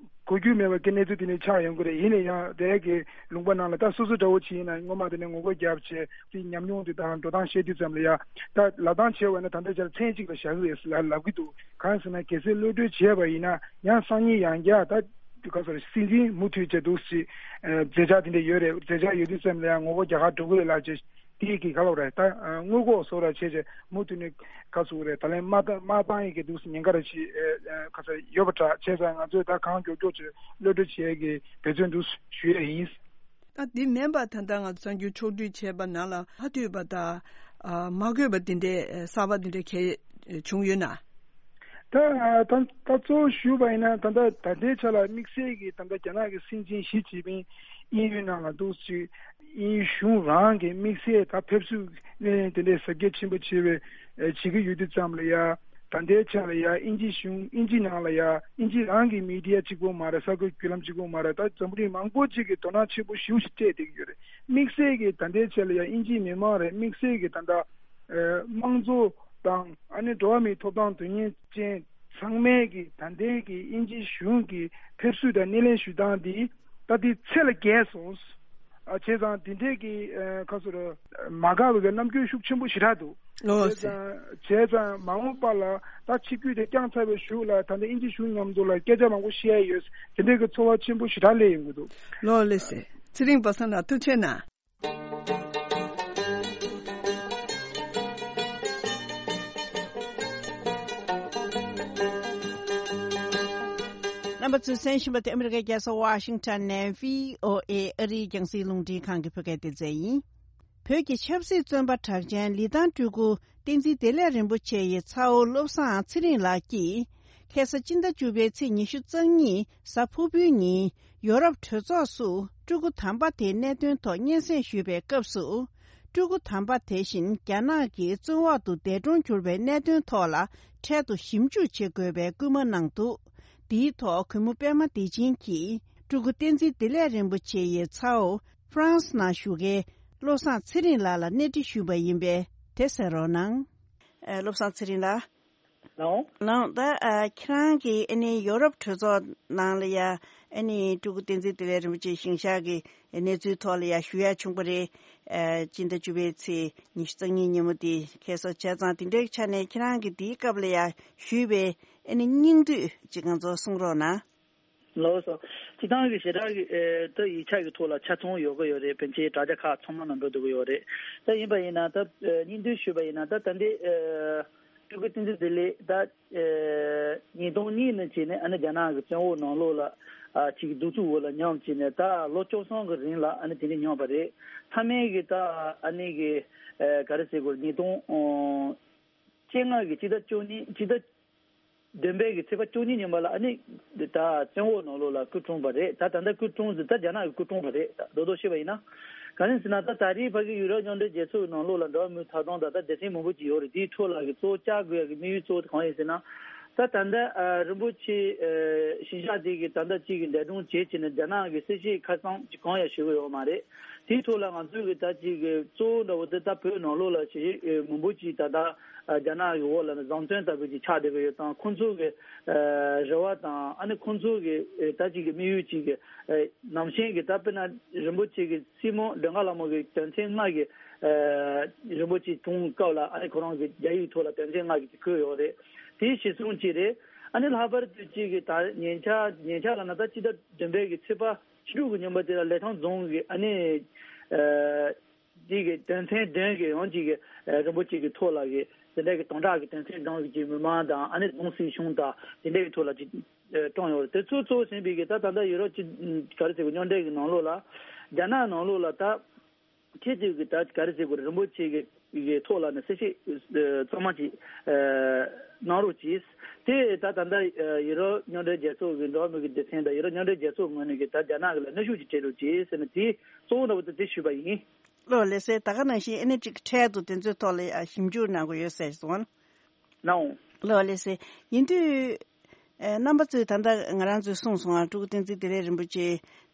གོ་རྒྱུ་མེད་པ་གི་གནས་ཚུལ་དེ་ནས་ཆགས་ཡོང་གི་རེད། ཡིན་ན་ཡང་དེ་གི་ལུང་པ་ནང་ལ་ད་སོ་སོ་འདྲ་བོ་ཅིག་ཡིན་ན་སྔོན་མ་དེ་ནས་ངོ་རྒོལ་རྒྱབ་བྱས་དེ་ཉམས་མྱོང་དེ་དང་འགྲོ་སྟངས་བཤད་དུས་ཙམ་ལ་ཡ་ད་ལབ་སྟངས་བྱས་པ་ན་ད་ལྟའི་ཆར་མཚན་གཅིག་ལ་བཞག་གི་རེད་ལབ་ལབ་གི་འདུག་གང་ཟེར་ན་གལ་སྲིད་གློད་གྲོལ་བྱས་པ་ཡིན་ན་ཡང་སང་ཉིན་ཡང་བསྐྱར་ད་ག་ཚོད་རེད། སྲིད་འཛིན་མུ་མཐུད་བྱས་འདུག་ཞེས་མཛད་འཆར་དེ་འདྲ་ཡོད་རེད། མཛད་འཆར་ཡོད་དུས་ཙམ་ལ་ཡང་ངོ་རྒོལ་རྒྱག་གར་འགྲོ་གི་རེད་ལབ་བྱས། དེ་གི་ག་ལབ་རེད། ད་དངུལ་ལྐོག་བཟོ་ར་བྱས་བྱས་མུ་མཐུད་ནས་ག་ཚོད་རེད། ད་ལན་མ་ད་མ་བཏང་ཡི་གི་འདུག་ཉེན་ཁ་ར་ཅིག་ག་ཚོད་ཡོད་པ་འདྲ། བྱས་ཙང་ང་ཚོས་ད་གང་མགྱོགས་མགྱོགས་ཅིག་གློད་གྲོལ་བྱེད་ཡ་གི་འབད་བརྩོན་འདུག་ཞུ་ཡ་ཡིན། ད་འདི་མིན་པ་ད་ལྟ་ང་ཚོ་གསར་འགྱུར་ཕྱོགས་བསྒྲིགས་བྱས་པ་ནང་ལ་མ་ཐུག་པ་དང་མ་གོ་བ་འདི་འདྲའི་གསར་པ་འདི་འདྲའི་གལ་བྱུང་ཡོད་ན། ད་ད་ད་གཙོ་བོ་ཞུས་པ་ཡིན་ན། ད་ལྟ་ད་ལྟའི་ཆ་ལ་དམིགས་བསལ་གྱི་ད་ལྟ་རྒྱ་ནག་གི་སྲིད་འཛིན་ཞི་ཅིན་ཕིང་དབྱིན་ཡུལ་ནང་ལ་འདུག་ཅིག་དབྱིན་ཡུལ་གཞུང་རང་གི་དམིགས་བསལ་ད་ཕེབས་བསུ་དེ་འདྲའི་གཟབ་རྒྱས་ཆེན་པོ་བྱེད་པའི་བྱེད་ཀྱི་ཡོད་དུས་ཙམ་ལ་ཡ། ད་ལྟའི་ཆ་ལ་ཡ་དབྱིན་ཇི་གཞུང་དབྱིན་ཇི་ནང་ལ་ཡ་དབྱིན་ཇི་རང་གི་མི་ཌི་ཡ་གཅིག་པོ་མ་རེད། གསར་འགོད་བརྒྱུད་ལམ་གཅིག་པོ་མ་རེད། ད་འཛམ་བུ་གླིང་མང་པོ་ཅིག་གིས་དོ་སྣང་ཆེན་པོ་ཞེ་པོ་ཞིག་སྤྲད་བསྡད་ཀྱི་ཡོད་རེད། དམིགས་བསལ་གྱི་ད་ལྟའི་ཆ་ལ་ཡ་དབྱིན་ཇིའི་མི་མང་རེད། དམིགས་བསལ་གྱི་ད་ལྟ་དམངས་གཙོ་དང་ཨ་ནི་འགྲོ་བ་མིའི་ཐོབ་ཐང་དོན་གཉེར་ཅན་ཚང་མས་ཀྱི་ད་ལྟའི་གི་དབྱིན་ཇི་གཞུང་གི་ཕེབས་བསུ་དང་སྣེ་ལེན་ཞུ་སྟངས་འདི་ད་འདི་ཚད་ལས་བརྒལ་སོང་། ཨ་བྱས་ཙང་འདི་འདྲའི་གི་ཁ་སོ་ར་མ་དགའ་བའི་གི་རྣམ་འགྱུར་ཤུགས་ཆེན་པོ་ཞེ་དྲག་འདུག་ལོ་བྱས་ཙང་བྱས་ཙང་མ་འོངས་པ་ལ་ད་ཆིབས་བསྒྱུར་དེ་བསྐྱངས་ཚར་བའི་གཞུག་ལ་ད་ལྟ་དབྱིན་ཇི་གཞུང་མཉམ་དུ་ལ་སྐད་ཆ་མང་པོ་བཤད་ཡ་ཡོད། དེ་འདྲའི་གི་ཚོར་བ་ཆེན་པོ་ཞེ་དྲག་སླེབས་ཡོང་གི་འདུག་ལོ་ལེ་སེ། ཚེ་རིང་པ་སངས་ལགས་ཐུགས་རྗེ་གནང་། རྣམ་པ་ཚོས་གསན་བཞིན་པ་དེ་ཨ་མི་རི་ཀའི་རྒྱལ་ས་ཝ་ཤིང་ཊོན་ནས་བྷི་ཨོ་ཨེ་ཨ་རིའི་རྒྱང་སྲིང་རླུང་འཕྲིན་ཁང་གི་བོད་སྐད་སྡེ་ཚན་ཡིན། བོད་ཀྱི་ཆབ་སྲིད་བཙོན་པ་གྲགས་ཅན་ལི་ཐང་སྤྲུལ་སྐུ་བསྟན་འཛིན་བདེ་ལེགས་རིན་པོ་ཆེ་ཡི་ཚ་བོ་བློ་བཟང་ཚེ་རིང་ལགས་ཀྱིས། ཁ་སང་སྤྱི་ཟླ་བཅུ་པའི་ཚེས་ཉི་ཤུ་རྩ་གཉིས་གཟའ་ཕུར་བུའི་ཉིན་ཡོ་རོབ་གྲོས་ཚོགས་སུ་སྤྲུལ་སྐུ་དམ་པ་དེའི་གནད་དོན་ཐོག་སྙན་སེང་ཞུས་པའི་སྐབས་སུ། སྤྲུལ་སྐུ་དམ་པ་དེ་བཞིན་རྒྱ་ནག་གི་བཙོན་འོག་ཏུ་འདས་གྲོངས་གྱུར་པའི་གནད་དོན་ཐོག་ལ་འཕྲལ་དུ་ཞིབ་འཇུག་བྱེད་དགོས་པའི་སྐུལ་མ་གནང་འདུག་འདིའི་ཐོག་གུས་མོ་པད་མ་བདེ་ཆེན་གྱིས་སྤྲུལ་སྐུ་བསྟན་འཛིན་བདེ་ལེགས་རིན་པོ་ཆེ་ཡི་ཚ་བོ་ཧྥ་རན་སི་ནང་བཞུགས་མཁན་བློ་བཟང་ཚེ་རིང་ལགས་ལ་གནས་འདྲི་ཞུས་པ་ཡིན་པས་དེ་གསན་རོགས་གནང་། ཨ། བློ་བཟང་ཚེ་རིང་ལགས། ལའོ། ལའོ། ད་ཨ་ཁྱེད་རང་གིས་ཨ་ནི་ཡོ་རོབ་གྲོས་ཚོགས་ནང་ལ་ཡ་ཨ་ནི་སྤྲུལ་སྐུ་བསྟན་འཛིན་བདེ་ལེགས་རིན་པོ་ཆེ་ཞིང་གཤེགས་ཀྱི་གནས་ཚུལ་ཐོག་ལ་ཡ་ཞུ་ཡ་བྱུང་པ་རེད། ཨ་སྤྱི་ཟླ་བཅུ་པའི་ཚེས་ཉི་ཤུ་རྩ་གཉིས་ཉིན་མོ་དེ་ཁ་སང་བྱས་ཙང་དེ་འདྲའི་ཆ་ནས་ཁྱེད་རང་གིས་དེའི་སྐབས་ལ་ཡ་ཞུས་པའི་ཨ་ནི་སྙིང་བསྡུས་ཅིག་ང་ཚོར་གསུང་རོགས་གནང་། ལགས་སོ། སྤྱིར་བཏང་གི་ཞེ་དྲག་གི་ཨེ་ད་ཡིག་ཆ་གི་ཐོག་ལ་ཆ་ཚང་ཡོད་ཀྱི་ཡོད་རེད། ཕལ་ཆེར་དྲ་རྒྱ་ཁག་ཚང་མ་ནང་འགྲོ་སྡོད་ཀྱི་ཡོད་རེད། ད་ཡིན་པ་ཡིན་ན་ད་ཨེ་སྙིང་བསྡུས་ཞུས་པ་ཡིན་ན་ད་ད་ལྟའི་ཨེ་སྤྲུལ་སྐུ་བསྟན་འཛིན་བདེ་ལེགས་ད་ཨེ་ཉིས་སྟོང་གཉིས་ནས་བྱས་ནས་ཨ་ནི་རྒྱ་ནག་གི་བཙོན་འོག་ནང་ལོགས་ལ་ཨ་ཅིག་གདུག་རྩུབ་འོག་ལ་མཉམ་བྱས་ནས་ད་ལོ་བཅུ་གསུམ་གི་རིང་ལ་ཨ་ནི་དེ་འདྲ་མྱོང་བ་རེད། མཐའ་མའི་གི་ད་ཨ་ནི་གི་ཨེ་ག་རེ་ཟེར་དགོས་རེད། ཉིས་སྟོང་ཨོ་བཅོ་ལྔ་གི་སྤྱི་ཟླ་བཅུ་གཉིས་སྤྱི་ཟླ་བདུན་པའི་གི་ཚེས་པ་བཅུ་གཉིས་ཉིན་པ་ལ་ཨ་ནི་ད་བཙོན་འོག་ནང་ལོགས་ལ་སྐུ་གྲོངས་པ་རེད། ད་ད་ལྟ་སྐུ་གྲོངས་ཟེར་ད་རྒྱ་ནག་གི་སྐུ་གྲོངས་པ་རེད། ད་རྡོག་རྡོག་བཤད་པ་ཡིན་ན། ག་རེ་ཟེར་ན་ད་ད་རེས་ཕ་གི་ཡུ་རོབ་མཉམ་འབྲེལ་རྒྱལ་ཚོགས་ནང་ལོགས་ལ་འགྲོ་བ་མིའི་ཐོབ་ཐང་དང་ད་སྡེ་ཚན་མང་པོ་ཅིག་ཡོད་རེད། དེའི་ཁྲོད་ལ་གི་གཙོ་བོ་བཅར་དགོས་ཡ་གི་དམིགས་ཡུལ་གཙོ་བོ་དེ་གང་ཡིན་ཟེར་ན། ད་ད་ལྟ་ཨ་རིན་པོ་ཆེ་ཨ་ཞིང་གཤེགས་དེ་གི་ད་ལྟ་གཅིག་གི་འདས་གྲོངས་བྱས་བྱས་ནས་རྒྱ་ནག་གི་སྲིད་བྱུས་ཁ་གསང་ཅིག་གང་ཡང་ཞུ་གི་ཡོད་མ་རེད། དེའི་ཐོག་ལ་ང་ཚོའི་གི་ད་ཅིག་གི་གཙོ་བོ་འདྲ་བོ་དེ་ད་བོད་ནང་ལོགས་ལ་ཞིག་མང་པོ་ཅིག་ད་ལྟ་རྒྱ་ནག་གི་འོག་ལ་ནི་བཟང་བཙོན་ལྟ་བུ་ཅིག་ཆགས་བསྡད་ཀྱི་ཡོད་ཙང་ཁོང་ཚོ་གི་རེ་བ་དང་ཨ་ནི་ཁོང་ཚོ་གི་ད་ཅིག་གི་དམིགས་ཡུལ་ཅིག་གི་ནང་བཞིན་གི་ད་དཔེར་ན་རིན་པོ་ཆེ་གི་སྲིང་མོ་མགྲོན་ཁང་ལྷ་མོ་གི་དོན་ཚན་ལྔ་གི་རིན་པོ་ཆེ་གྲོངས་སྐབས་ལ་ཨ་ནི་ཁོ་རང་གི་རྒྱ་ཡིག་ཐོག་ལ་དོན་ཚན་ལྔ་གི་ཅིག་བཀོད་ཡོད་རེད། དེ་གཞིར་བཟུང་ཅིག་རེད། ཨ་ནི་ལྷག་པར་དུ་ཅིག་གི་ད་ཉེ་ཆར་ཉེ་ཆར་ལ་ན་ད་སྤྱི་ཟླ་བདུན་པའི་གི་ཚེས་པ་བཅུ་དྲུག་གི་ཉིན་མོ་དེ་ལ་ལི་ཐང་རྫོང་གི་ཨ་ནི་ཨ་དེ་གི་དོན་ཚན་བདུན་གི་ཡང་ཅིག་གི་ཨ་རིན་པོ་ཆེ་གི་ཐོག་ལ་གི་དེ་འདྲ་གི་དམ་དྲག་གི་དོན་ཚན་བདུན་གི་ཅིག་མི་མང་དང་ཨ་ནི་རྫོང་སྲིད་གཞུང་དང་དེ་འདྲ་གི་ཐོག་ལ་ཅིག་ཨ་བཀྲམ་ཡོད་རེད། དེ་ཚོ་གཙོ་བོ་ཟིན་པའི་གི་ད་ད་ལྟ་ཡུ་རོབ་ཅིག་ག་རེ་ཟེར་དགོས་མཉམ་འབྲེལ་གི་ནང་ལོགས་ལ་རྒྱ་ནག་ནང་ལོགས་ལ་ད། ཁྱེད་ཚོས་ཀྱི་ད་ག་རེ་ཟེར་དགོས་རེད། རིན་པོ་ཆེ་གི་གི་ཐོག་ལ་ནི་གསལ་བཤད་ཨ་གཙང་མ་ཅིག་ཨ་གནང་རོགས་གྱིས། དེ་ད་ད་ལྟ་ཨ་ཡུ་རོབ་མཉམ་འབྲེལ་རྒྱལ་ཚོགས་ཀྱི་འགྲོ་བ་མི་གི་སྡེ་ཚན་དང་ཡུ་རོབ་མཉམ་འབྲེལ་རྒྱལ་ཚོགས་ངོས་ནས་ཀྱི་ད་རྒྱ་ནག་གི་ལ་གནོན་ཤུགས་ཅིག་སྤྲད་རོགས་གྱིས་ཟེར་ནས་དེ་གཙོ་བོ་འདྲ་བོ་དེ་དེ་ཞུས་པ་ཡིན། ལགས་ལགས་སེ། ད་ག་ནང་བཞིན་ཨ་ནི་ཅིག་འཕྲལ་དུ་དེ་ཚོའི་ཐོག་ལ་ཡ་ཞིབ་འཇུག་གནང་དགོས་ཡོད་ཟེར་སོང་། ནའོ། ལགས་ལགས་སེ། ཡིན་དུས། ཨེ་རྣམ་པ་ཚོས་ད་ལྟ་ང་རང་ཚོས་གསུངས་སོང་ང་། སྤྲུལ་སྐུ་བསྟན་འཛིན་བདེ་ལེགས་རིན་པོ་ཆེ་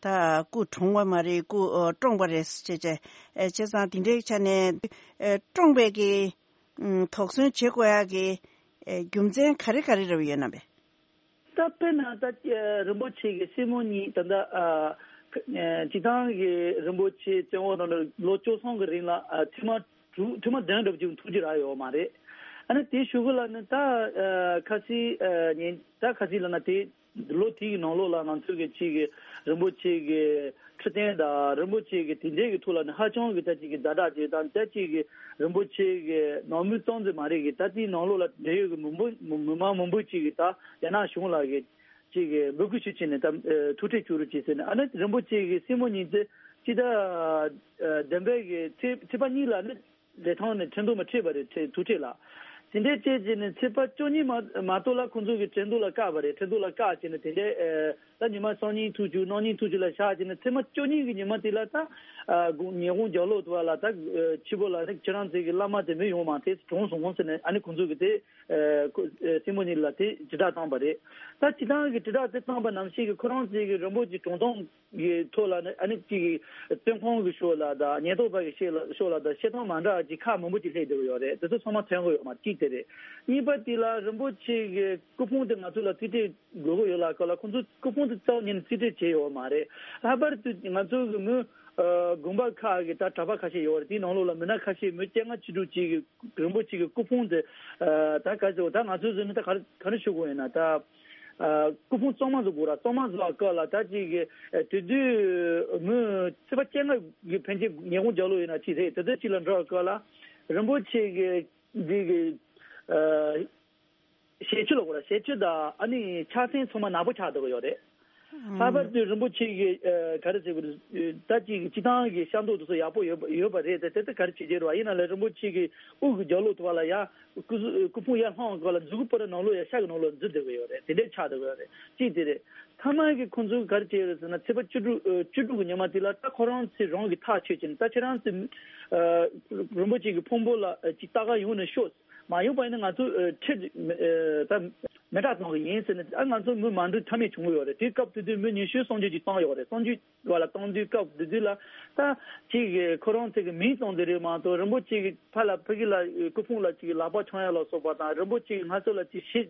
ད་སྐུ་གྲོངས་པ་མ་རེད། སྐུ་ཨོ་བཀྲོངས་པ་རེད་ཟེར་བྱས་བྱས། ཨེ་བྱས་ཙང་དེ་འདྲའི་ཆ་ནས་ཨེ་བཀྲོངས་པའི་གི་ཨམ་དོགས་ཟོན་བྱེད་དགོས་ཡ་གི་ཨེ་རྒྱུ་མཚན་ག་རེ་ག་རེ་རེ་བ་ཡོད་ན་བས། ད་དཔེར་ན་ད་ཨེ་རིན་པོ་ཆེ་གི་སྲིང་མོ་གཉིས་ད་ལྟ་ཨ་ཨེ་སྤྱིར་བཏང་གི་རིན་པོ་ཆེ་བཙོན་འོག་ནང་ལ་ལོ་བཅུ་གསུམ་གི་རིང་ལ་ཨ་ཐེངས་མ་དྲུག་ཐེངས་མ་བདུན་འགྲུབ་ཀྱི་ཐུགས་རྗེ་རག་ཡོད་མ་རེད། ཨ་ནི་དེའི་གཞུག་གུ་ལ་ནི་ད་ཨ་ཁ་སང་ཨ་ཉིན་ད་ཁ་སང་ལ་ན་དེ་ལོ་དེའི་ནང་ལོགས་ལ་ང་ཚོ་གི་ཅིག་གི་རིན་པོ་ཆེ་གི་འཕྲོད་བསྟེན་དང་རིན་པོ་ཆེ་གི་དེ་འདྲའི་གི་ཐོག་ལ་ནི་ཧ་ཅང་གི་ད་ཅིག་གི་ཛ་དྲག་ཅིག་དང་ད་ཅིག་གི་རིན་པོ་ཆེ་གི་ནང་མི་ཙམ་ཟིག་མ་རེད་གི་ད་དེའི་ནང་ལོགས་ལ་འབྲེལ་ཡོད་གི་མི་འབོར་མི་མང་མང་པོ་ཅིག་གི་ད་རྒྱ་ནག་གཞུང་ལ་གི་ཅིག་གི་འབོད་སྐུལ་ཞུ་བྱས་ནས་ད་ཨ་ཐུག་འཕྲད་བཅུག་རོགས་བྱས་ཟེར་ནས། ཨ་ནི་རིན་པོ་ཆེ་གི་སྲིང་མོ་གཉིས་དེ་སྤྱི་ཟླ་ཨ་བདུན་པའི་གི་ཚེས་ཚེས་པ་གཉིས་ལ་ནི་ལི་ཐང་ནས་ཁྲིན་ཏུའུ་མ་ཁྲིད་པ་རེད། ཁྲིད་ཐུག་ཁྲིད་ལ། དེ་འདྲའི་བྱས་བྱས་ནས་ཚེས་པ་བཅུ་གཉིས་མ་མ་གཏོགས་ལ་ཁོང་ཚོ་གི་ཁྲི་འདུག་ལ་བཀག་པ་རེད། ཁྲི་འདུག་ལ་བཀག་བྱས་ནས་དེ་འདྲའི་ཨ་ད་ཉི་མ་སང་ཉིན་ཐུག་བཅུག་གནངས་ཉིན་ཐུག་བཅུག་ལ་བཞག་བྱས་ནས་ཚེས་མ་བཅུ་གཉིས་ཀྱི་ཉི་མ་དེ་ལ་ད་ཨ་དགོང་ཉི་གུང་རྒྱབ་ལོགས་དུ་བ་ལ་ད་ཨ་ཕྱི་པོ་ལ་ནི་ཁྱེད་རང་ཚོའི་གི་བླ་མ་དེ་མི་ཡོང་མ་དེ་གྲོངས་སོང་ཟེར་ནས་ཨ་ནི་ཁོང་ཚོ་གི་དེ་ཨ་ཁོ་ཨ་སྲིང་མོ་གཉིས་ལ་དེ་དྲིལ་བསྒྲགས་བཏང་པ་རེད། ད་སྤྱི་བཏང་གི་དྲིལ་བསྒྲགས་དེ་བཏང་པ་ནང་བཞིན་གི་ཁོ་རང་ཚོའི་གི་རིན་པོ་ཆེ་གྲོངས་སྟངས་གི་ཐོག་ལ་ནི་ཨ་ནི་གཅིག་གི་བཙོན་ཁང་གི་ཕྱོགས་ལ་དང་ཉེན་རྟོག་པ་གི་ཕྱོགས་ལ་ཕྱོགས་ལ་དང་བཤད་སྟངས་མ་འདྲ་ཅིག་ཁག་མང་པོ་ཅིག་སླེབས་བསྡད་ཀྱི་ཡོད་རེད། དེ་ཚོ་ཚང་མ་ཐོན་གྱི་ཡོད་མ་གཅིག་དེ་རེད། གཉིས་པ་དེ་ལ་རིན་པོ་ཆེ་གི་སྐུ་ཕུང་དེ་ང་ཚོ་ལ་རྩིས་སྤྲོད་དགོས་ཀྱི་ཡོད་ལ་ཁ་ལ་ཁོང་ཚོ་སྐུ་ཕུང་དེ་རྩ་བ་ཉིད་ནས་རྩིས་སྤྲོད་བྱས་ཡོད་མ་རེད། ལྷག་པར་དུ་ང་ཚོ་གི་མི་ཨ་དགོན་པ་ཁག་གི་ད་གྲྭ་པ་ཁ་ཤས་ཡོད་རེད། དེའི་ནང་ལོགས་ལ་མི་སྣ་ཁ་ཤས་མི་བཅོ་ལྔ་བཅུ་དྲུག་ཅིག་གི་རིན་པོ་ཆེ་གི་སྐུ་ཕུང་དེ་ཨ་ད་ག་ཚོད་ད་ང་ཚོ་ཚོ་ནི་ད་ག་རེ་ག་རེ་ཞུ་དགོས་ཡིན་ན་ད། ཨ་སྐུ་ཕུང་གཙང་མ་བཟོ་དགོས་ར། གཙང་མ་བཟོ་བ་སྐབས་ལ་ད་ཅིག་གི་ཨ་དེ་དུས་མི་ཚེས་པ་བཅོ་ལྔ་གི་ཕན་ཆད་ཉིན་གུང་རྒྱབ་ལོགས་ཡིན་ན་ཅིག་རེད། དེ་དུས་ཅིག་ལ་འགྲོ་བ་སྐབས་ལ་རིན་པོ་ཆེ་གི་འདི་གི་ཨ་ཞལ་ཆུ་ལ་གོ་ར་ཞལ་ཆུ་དང་ཨ་ནི་ཕྱག་མཚན་ཚང་མ་ནག་པོ་ཆགས་བསྡད་ཀྱི་ཡོད་རེད། ལྷག་པར་དུ་རིན་པོ་ཆེ་གི་ཨ་ག་རེ་ཟེར་དགོས་རེད། ད་ཅིག་གི་སྤྱི་བཏང་གི་ཤ་མདོག་དེ་ཚོ་ཡག་པོ་ཡོད་པ་ཡོད་པ་རེད། དེ་དེ་ཚོ་ག་རེ་བྱེད་ཀྱི་རེད་བ། ཡིན་ན་ལས་རིན་པོ་ཆེ་གི་དབུ་གི་རྒྱབ་ལོགས་དུ་བ་ལ་ཡ། སྐུ་སྐུ་ཕུང་ཡར་ལྷུང་བ་ལ་མཛུ་གུ་པོ་ར་ནང་ལོགས་ཡ་ཤ་གི་ནང་ལོགས་འཛུལ་བསྡད་ཀྱི་ཡོད་རེད། དེ་འདྲའི་ཆགས་བསྡད་ཀྱི་ཡོད་རེད། གཅིག་དེ་རེད། ཐ་མ་གི་ཁོང་ཚོས་ག་རེ་བྱས་ཡོད་རེད་ཟེར་ན་ཚེས་པ་བཅུ་དྲུག་ཨ་བཅུ་དྲུག་གི་ཉི་མ་དེ་ལ་ད་ཁོ་རང་ཚོས་རང་གི་ཐག་ཆོད་ཀྱིན་ད་ཁྱེད་རང་ཚོས་ཨ་རིན་པོ་ཆེ་གི་ཕུང་པོ་ལ་ཨ་ཅིག་ལྟ་ག་ཡོང་ནས་ཤོག་མ་ཡོང་བ་ཡིན་ན་ང་ཚོ་ཨ་ཁྲིད་ཨ་ད་མེ་སྲེག་གཏོང་གི་ཡིན་ཟེར་ནས་ཨ་ང་ཚོ་མི་མ་འགྲོ་ཐབས་མེད་བྱུང་གི་ཡོད་རེད། དེའི་སྐབས་དེ་དུས་མི་ཉི་ཤུ་སུམ་ཅུ་ཅིག་བཏང་ཡོད་རེད། སུམ་ཅུ་བ་ལ་བཏང་དུས་སྐབས་དེ་དུས་ལ་ད་ཅིག་གི་ཁོ་རང་ཚོ་གི་མིང་བཏང་དེ་རེད་མ་གཏོགས་རིན་པོ་ཆེ་གི་ཕར་ལ་ཕ་གི་ལ་སྐུ་ཕུང་ལ་ཅིག་ལག་པ་འཆང་ཡ་ལ་སོགས་པ་དང་རིན་པོ་ཆེ་གི་སྔ་སོ་ལ་ཅིག་ཞེ་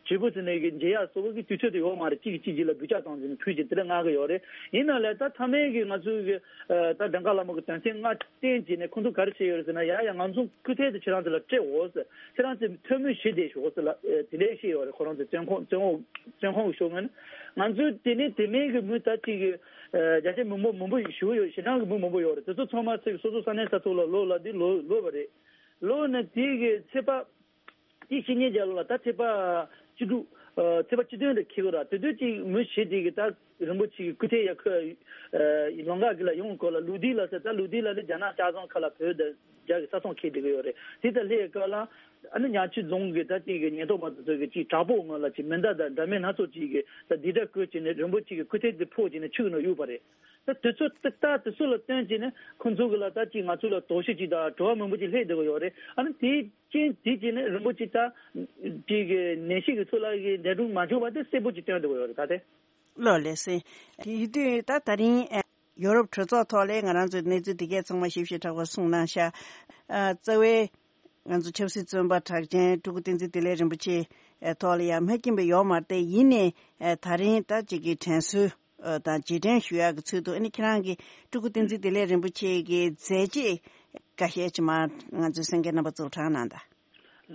ལྗིད་པོ་ཟེར་ནས་གི་མཇལ་ཡ་སོགས་པ་གི་དུས་ཚོད་དེ་ཡོད་མ་རེད། གཅིག་གིས་གཅིག་གཅིག་ལ་སྒུལ་ལྕགས་བཏང་ཟིན་ཕུལ་གྱི་དེ་འདྲ་མངགས་གི་ཡོད་རེད། ཡིན་ན་ལས་ད་མཐའ་མའི་གི་ང་ཚོའི་གི་ད་བྲང་ཁ་ལ་མོ་གི་དོན་ཚན་ལྔ་བསྟན་བྱས་ནས་ཁོང་ཚོ་ག་རེ་བྱས་ཡོད་རེད་ཟེར་ན་ཡ་ཡ་ང་ཚོ་སྐུ་ཐལ་དེ་ཁྱེད་རང་ཚོ་ལ་སྤྲད་འོ་ཟེར། ཁྱེད་རང་ཚོས་ཐོན་མི་ཞིག་བསྡད་ཤོག་ཟེར་ལ་དེ་འདྲའི་བཤད་ཡོད་རེད། ཁོ་རང་ཚོ་བཙོན་ཁང་བཙོན་འོག་བཙོན་ཁང་གི་ཤོག་ངོས་ནས་ང་ཚོས་དེ་ནས་དེ་མིན་གི་མི་ད་ཅིག་གི་རྒྱ་ཆེ་མི་འབོར་མི་འབོར་ཞུ་ཡོད། ཞེ་དྲག་གི་མི་མང་པོ་ཡོད་རེད། དེ་ཚོ་ཚང་མ་ཚེ་སོ་སོ་ས་གནས་ས་ཐོག་ལ་ལོག་ལ་དེ་ལོ་ལོ་བ་རེད། ལོ་ནས་དེ་གི་ཚེས་པ་དེ་ཕྱི་ཉིན་རྒྱབ་ལ་ད་ཚེས་པ་བཅུ་དྲུག་ཚེས་པ་བཅུ་བདུན་རེ་འཁེལ་གི་ར། དེ་དུས་ཅིག་མི་ཞིག་དེ་གི་ད་རིན་པོ་ཆེ་གི་སྐུ་ཐལ་ཡ་ཁོས་ལམ་ཁ་གི་ལ་ཡོང་གོ་ལ་ལུག་དིག་ལ་ཟེར། ད་ལུག་དིག་ལ་ནི་རྒྱ་ནག་ལྕགས་ཟམ་ཁ་ལ་བོད་དང་རྒྱ་གི་ས་མཚམས་འཁེལ་བསྡད་གི་ཡོད་རེད། དེ་ད་ལྷའི་སྐབས་ལ་ཨ་ནི་ཉག་ཆུ་རྫོང་གི་ད་ཅིག་གི་ཉེན་རྟོག་པ་དེ་ཚོ་གི་ཅིག་དྲག་པོ་ངོས་ལ་ཅིག་མེ་མདའ་དང་འདྲ་མིན་སྣ་ཚོགས་ཅིག་གི་ད་དེ་འདྲ་བཀོལ་བྱས་ནས་རིན་པོ་ཆེ་གི་སྐུ་ཐལ་དེ་ཕོག་བྱས་ནས་ཆུ་གི་ནང་གཡུགས་པ་རེད། ད་དེ་ཚོ་ད་ད་དེ་ཚོ་ལ་བརྟེན་བྱས་ནས་ཁོང་ཚོ་གི་ལ་ད་ཅིག་ང་ཚོ་ལ་དོགས་གཞི་ཅིག་དང་དྲི་བ་མང་པོ་ཅིག་སླེབས་བསྡད་ཀྱི་ཡོད་རེད། ཨ་ནི་དེའི་རྐྱེན་དེ་བྱས་ནས་རིན་པོ་ཆེ་ད་ཅིག་གི་ནད་གཞི་གི་ཚོ་ལ་གི་འདས་གྲོངས་མ་བྱུང་བ་དེ་གསལ་པོ་ཅིག་སྟོན་བསྡད་ཀྱི་ཡོད་རེད། ད་དེ། ལགས་ལགས་སེ། དེ་ཡིན་དུས་ད་ད་རིང་ཡོ་རོབ་གྲོས་ཚོགས་ཐོག་ལས་ང་རང་ཚོའི་གནས་ཚུལ་དེ་གས་ཚང་མ་ཞིབ་ཞིབ་ཕྲ་བ་གསུངས་གནང་ཤག་ཨ་རྩ་བའི་ང་ཚོ་ཆབ་སྲིད་བཙོན་པ་གྲགས་ཅན་སྤྲུལ་སྐུ་བསྟན་འཛིན་བདེ་ལེགས་རིན་པོ་ཆེ་ཐོག་ལ་ཡང་མ་མཁྱེན་པ་ཡོད་མ་རེད་དེ། ཡིན་ནའི་ད་རིང་ད་ཅིག་གི་དྲན་གསོ་དང་རྗེས་དྲན་ཞུ་ཡག་གི་ཚུལ་དུ་ཨ་ནི་ཁྱེད་རང་གིས་སྤྲུལ་སྐུ་བསྟན་འཛིན་བདེ་ལེགས་རིན་པོ་ཆེ་གི་མཛད་རྗེས་འགའ་ཤས་ཅིག་མར་ང་ཚོའི་གསན་མཁན་རྣམ་པ་ཚོར་དྲངས་གནང་དང་།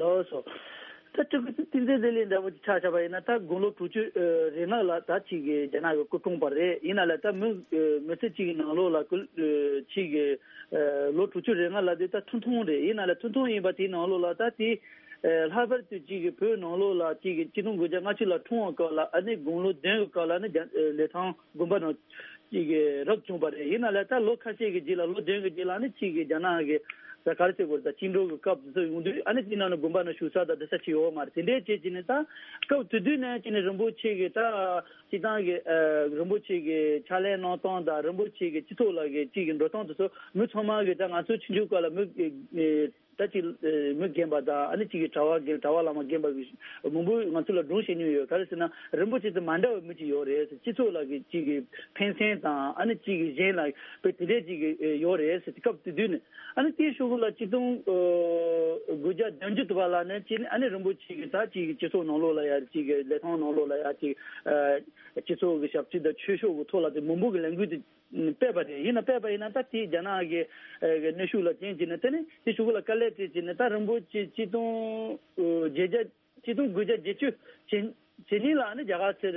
ལགས་སོ། ད་སྤྲུལ་སྐུ་བསྟན་འཛིན་བདེ་ལེགས་འདྲ་བོ་ཅིག་ཆ་བཞག་པ་ཡིན་ན་ད་དགུང་ལོ་དྲུག་ཅུ་རེ་ལྔ་ལ་ད་ཅིག་གི་རྒྱ་ནག་གི་སྐུ་གྲོངས་པ་རེད། ཡིན་ན་ལ་ད་མི་མི་ཚེ་གཅིག་གི་ནང་ལོགས་ལ་སྐུ་ཅིག་གི་ལོ་དྲུག་ཅུ་རེ་ལྔ་ལ་དེ་ད་ཐུང་ཐུང་རེད། ཡིན་ན་ལ་ཐུང་ཐུང་ཡིན་པ་དེའི་ནང་ལོགས་ལ་ད་དེ་ལྷག་པར་དུ་ཅིག་གི་བོད་ནང་ལོགས་ལ་ཅིག་གི་ཆིག་སྟོང་དགུ་བརྒྱ་ལྔ་བཅུ་ལ་འཁྲུངས་པ་སྐབས་ལ་ཨ་ནི་དགུང་ལོ་བདུན་གི་སྐབས་ལ་ཨ་ནི་རྒྱ་ལི་ཐང་དགོན་པ་ནང་ཅིག་གི་རབ་བྱུང་བ་རེད། ཡིན་ན་ལ་ད་ལོ་ཁ་ཤས་ཀྱི་རྗེས་ལ་ལོ་བདུན་གྱི་རྗེས་ལ་ཨ་ནི་ཅིག་གི་རྒྱ་ནག་གི་ད་ག་རེ་ཟེར་དགོས་རེད། ད་བཅིངས་འགྲོལ་གྱི་སྐབས་དེ་ཚོ་ཡོང་དུས་ཨ་ནི་དེ་ནང་ནས་དགོན་པ་ནང་བཞུགས་ས་དང་བསྡད་ས་ཅིག་ཡོད་མ་རེད། དེ་འདྲའི་བྱས་བྱས་ནས་ད་སྐབས་དེ་དུས་ནས་བྱས་ནས་རིན་པོ་ཆེ་གི་ད་སྤྱི་བཏང་གི་རིན་པོ་ཆེ་གི་ཕྱག་ལས་གནང་སྟངས་དང་རིན་པོ་ཆེ་གི་སྤྱི་ཚོགས་ལ་གི་ཅིག་གི་འགྲོ་སྟངས་དེ་ཚོ་མི་ཚང་མ་གི་ད་ང་ཚོ་ཆུང་ཆུང་སྐབས་ལ་མི་ད་ཅིག་མི་རྒན་པ་དང་ཨ་ནི་ཅིག་གི་གྲྭ་བ་རྒན་གྲྭ་བ་བླ་མ་རྒན་པ་གི་མང་པོ་ང་ཚོ་ལ་སྒྲུང་བཤད་མྱོང་ཡོད། ག་རེ་ཟེར་ན་རིན་པོ་ཆེ་དེ་མ་འདྲ་བའི་མི་ཅིག་ཡོད་རེད། སྤྱི་ཚོགས་ལ་གི་ཅིག་གི་ཕན་སེམས་དང་ཨ་ནི་ཅིག་གི་གཞན་ལ་དཔེ་དེ་འདྲས་ཅིག་གི་ཡོད་རེད་ཟེར་སྐབས་དེ་དུས་ནས་ཨ་ནི་དེའི་གཞུག་ལ་ཆིག་སྟོང་དགུ་བརྒྱ་བདུན་ཅུ་དུ་བ་ལ་ནས་ཅིག་ཨ་ནི་རིན་པོ་ཆེ་གི་ད་ཅིག་གི་སྤྱི་ཚོགས་ནང་ལོགས་ལ་ཡ་ཅིག་གི་ལི་ཐང་ནང་ལོགས་ལ་ཡ་ཅིག་སྤྱི་ཚོགས་ཀྱི་ཞབས་ཕྱི་དང་ཆོས་ཕྱོགས་ཀྱི་ཐོག་ལ་དེ་མང་པོ་གི་ལས་འགུལ་དེ་སྤེལ་བ་རེད། ཡིན་ན་སྤེལ་བ་ཡིན་ན་ད་དེ་རྒྱ་ནག་གི་གནོན་ཤུགས་ལ་བརྟེན་བྱས་ནས་དེ་ནས་དེ་གཞུག་ལ་དཀའ་ལས་སྤྲད་བྱས་ནས་ད་རིན་པོ་ཆེ་ཆིག་སྟོང་བརྒྱད་བརྒྱ་ཆིག་སྟོང་དགུ་བརྒྱ་བརྒྱད་ཅུ་བྱེད་བྱེད་གཉིས་ལ་ནི་རྒྱ་གར་ཚུར་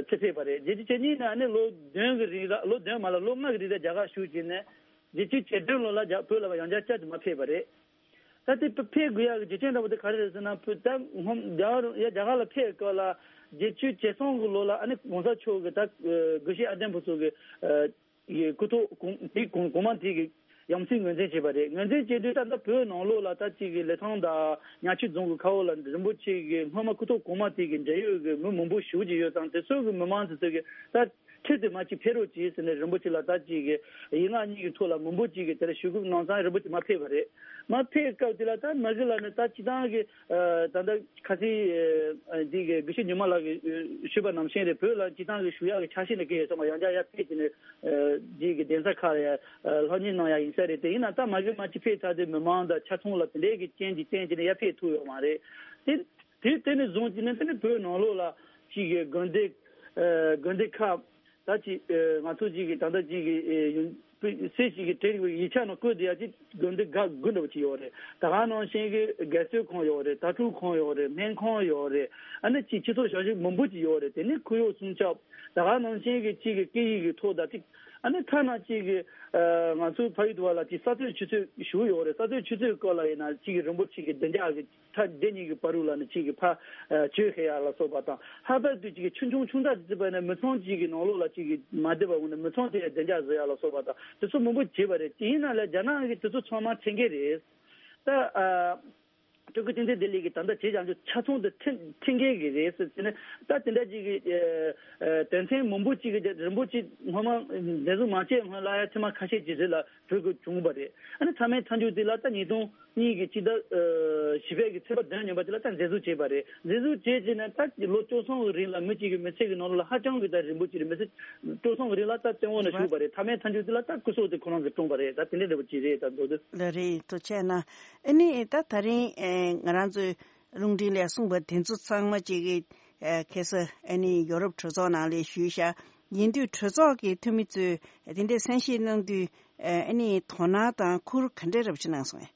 ཚུར་ཕེབས་པ་རེད། བརྒྱད་ཅུ་བྱེད་གཉིས་ནས་ནི་ལོ་བདུན་གི་རིང་ལ་ལོ་བདུན་མ་ལ་ལོ་ལྔ་གི་རིང་ལ་རྒྱ་གར་བཞུགས་བྱས་ནས་བརྒྱད་ཅུ་བྱེད་བདུན་ལོ་ལ་རྒྱ་བོད་ལ་ཡང་བསྐྱར་བསྐྱར་དུ་མ་ཕེབས་པ་རེད། ད་དེ་ཕེབས་དགོས་ཡག་གི་རྒྱུ་རྐྱེན་འདྲ་པོ་དེ་ག་རེ་རེད་ཟེར་ན། བོད་ད་སྔོན་རྒྱ་གར་ཡ་རྒྱ་གར་ལ་ཕེབས་སྐབས་ལ་བརྒྱད་ཅུ་གྱ་གསུམ་གི་ལོ་ལ་ཨ་ནི་གོང་ས་མཆོག་གི་ད་དགེ་བཤེས་ཨ་བརྟན་ཕུན་ཚོགས་ཀྱི་ཡི་སྐུ་ཐོག་གོང་དེ་གོང་གོང་མ་དེ་གི་ ཡ་མཚན་ངོས་འཛིན་བྱས་པ་རེད། ངོས་འཛིན་བྱས་དུས་ད་ལྟ་བོད་ནང་ལོགས་ལ་ད་ཅིག་གི་ལི་ཐང་དང་ཉག་ཆུ་རྫོང་གི་ཁ་འོག་ལ་རིན་པོ་ཆེ་གི་སྔོན་མ་སྐུ་ཐོག་གོང་མ་དེ་གི་འབྲེལ་ཡོད་ཀྱི་མི་མང་པོ་ཞེ་པོ་ཅིག་ཡོད་ཙང་། དེ་ཚོ་གི་མི་མང་དེ་ཚོ་གི་ད་ཁྲིད་དེ་མ་ཅིག་ཕེབས་རོགས་གྱིས་ཟེར་ནས་རིན་པོ་ཆེ་ལ་ད་ཅིག་གི་ཡིག་ངག་གཉིས་ཀྱི་ཐོག་ལ་མང་པོ་ཅིག་གི་དེར་ཞུ་སྐུལ་གནང་ཙང་རིན་པོ་ཆེ་མ་ཕེབས་པ་རེད། མ་ཕེབས་སྐབས་དེ་ལ་ད་མ་གཞི་ལ་ནི་ད་སྤྱི་བཏང་གི་ད་ལྟ་ཁ་སང་འདི་གི་དགེ་བཤེས་ཉི་མ་ལགས་ཀྱིས་ཞུས་པ་ནང་བཞིན་རེད། བོད་ལ་སྤྱི་བཏང་གི་ཞུ་ཡག་གི་ཆ་ཤས་ནི་གི་ཡོད་ཚང་མ་ཡང་བསྐྱར་ཡར་ཕེབས་ཀྱི་ནི་འདི་གི་གདན་ས་ཁག་ལ་ཡང་སློབ་གཉེར་གནང་ཡག་ཡིན་ས་རེད། དེ་ཡིན་ན་ད་མ་གཞི་མ་ཅིག་ཕེབས་ཚར་དུས་མི་མང་དང་ཆ་ཚང་ལ་དེ་འདྲའི་གི་རྐྱེན་གྱིས་བརྟེན་བྱས་ནས་ཡར་ཕེབས་ཐུབ་ཡོད་མ་རེད། དེ་དེ་དེ་ནས་བཟུང་བྱས་ནས་དེ་ནི་བོད་ནང་ལོགས་ལ་ཅིག་གི་དགོན་སྡེ་དགོན་སྡེ་ཁག་ད་ཅིག་ང་ཚོ་ཅིག་གི་ད་ལྟ་ཅིག་གི་ཡུན་སྲས་ཅིག་གི་དྲན་ཡིག་ཆ་ནང་བཀོད་བསྡད་ཡག་ཅིག་དགོན་སྡེ་འགའ་དགུ་འདྲ་བོ་ཅིག་ཡོད་རེད། ད་ག་ནང་བཞིན་གི་དགེ་ཚུལ་ཁང་ཡོད་རེད། དྭ་ཕྲུག་ཁང་ཡོད་རེད། སྨན་ཁང་ཡོད་རེད། ཨ་ནི་ཅིག་སྤྱི་ཚོགས་ཞབས་ཞུ་མང་པོ་ཅིག་ཡོད་རེད། དེ་ནི་ཁོར་ཡུག་སྲུང་སྐྱོབ། ད་ག་ནང་བཞིན་གི་ཅིག་གི་སྐད་ཡིག་གི་ཐོག་ད་ཅིག་ཨ་ནི་ཐ་ན་ཅིག་གི་ང་ཚོའི་ཕ་ཡུལ་དུ་བ་ལ་ཅིག་ས་རྩོད་ཆུ་རྩོད་ཞུ་ཡོད་རེད། ས་རྩོད་ཆུ་རྩོད་སྐོར་ལ་ཡིན་ན་ཅིག་གི་རིན་པོ་ཆེ་གི་བདེ་འཇགས་གི་ཐག་འདི་གཉིས་ཀྱི་བར་དུ་ལ་ནི་གཅིག་གི་ཕ་ཆོས་ཤེས་ཡག་ལ་སོགས་པ་དང་། ལྷག་པར་དུ་གཅིག་གི་ཆུང་ཆུང་ཆུང་ཙག་ཅིག་བྱས་པ་ནི་མི་ཚང་གཅིག་གི་ནང་ལོགས་ལ་གཅིག་གི་མ་བསྡད་པ་འོང་ན་མི་ཚང་དེ་བདེ་འཇགས་བཟོ་ཡག་ལ་སོགས་པ་དང་དེ་ཚོ་མང་པོ་བྱས་པ་རེད། དེ་ཡིན་ན་ལས་རྒྱ་ནག་གི་དེ་ཚོ་ཚང་མ་མཁྱེན་གྱི་རེད། ད་ཨ་སྤྲུལ་སྐུ་བསྟན་འཛིན་བདེ་ལེགས་ཀྱིས་ད་ལྟ་བྱས་ཀྱང་ཆ་ཚང་དུ་མཁྱེན་མཁྱེན་གྱི་རེད་ཟེར་ཟེར་ནས། ད་དེ་འདྲ་ཅིག་གི་དོན་ཚན་མང་པོ་ཅིག་གི་རིན་པོ་ཆེ་སྔོན་མ་འཛིན་བཟུང་མ་བྱས་སྔོན་ལ་ཡ་ཐེངས་མ་ཁ་ཤས་ཀྱི་རིང་ལ་བོད་ཀྱི་བྱུང་བ་རེད། ཨ་ནི་མཐའ་མའི་མཐའ་མཇུག་དེ་ལ་ད་ཉིས་སྟོང་གཉིས་ཀྱི་སྤྱི་ཟླ་བཞི་པའི་གི་ཚེས་པ་བདུན་ཉིན་པ་དེ་ལ་ད་འཛིན་བཟུང་བྱས་པ་རེད། འཛིན་བཟུང་བྱས་རྗེས་ནས་ད་ལོ་བཅུ་གསུམ་གི་རིང་ལ་མི་གཅིག་གི་མི་ཚེ་གི་ནང་ལ་ཧ་ཅང་གི་ད་རིན་པོ་ཆེ་རེད། མི་ཚེ་བཅུ་གསུམ་གི་རིང་ལ་ད་བཙོན་འོག་ན་བཞུགས་པ་རེད། མཐའ་མའི་མཐའ་མཇུག་དེ་ལ་ད་སྐུ་སྲོག་དེ་ཁོ་རང་གིས་བཀྲོངས་པ་རེད། ད་དེ་འདྲའི་འདྲ་པོ་ཅིག་རེད། ད་མདོར་བསྡུས། ལགས་རེད། ཐུགས་རྗེ་གནང་། ཨ་ནི་ད་ད་རིང་ཨེ་ང་རང་ཚོའི་རླུང་འཕྲིན་ལས་གསུངས་པ་དེ་ཚོ་ཚང་མ་ཅིག་གི་ཨེ་ཁ་སང་ཨ་ནི་ཡོ་རོབ་གྲོས་ཚོགས་ནང་ལ་ཞུས་ཤག་ཡིན་དུས་གྲོས་ཚོགས་ཀྱི་འཐུས་མི་ཚོས་དེ་འདྲའི་གསན་བཞེས་གནང་དུས་ཨ་ནི་དོ་སྣང་དང་ཁུར་ག་འདྲའི་རབ་ཞུ་གནང་སོང་ངས།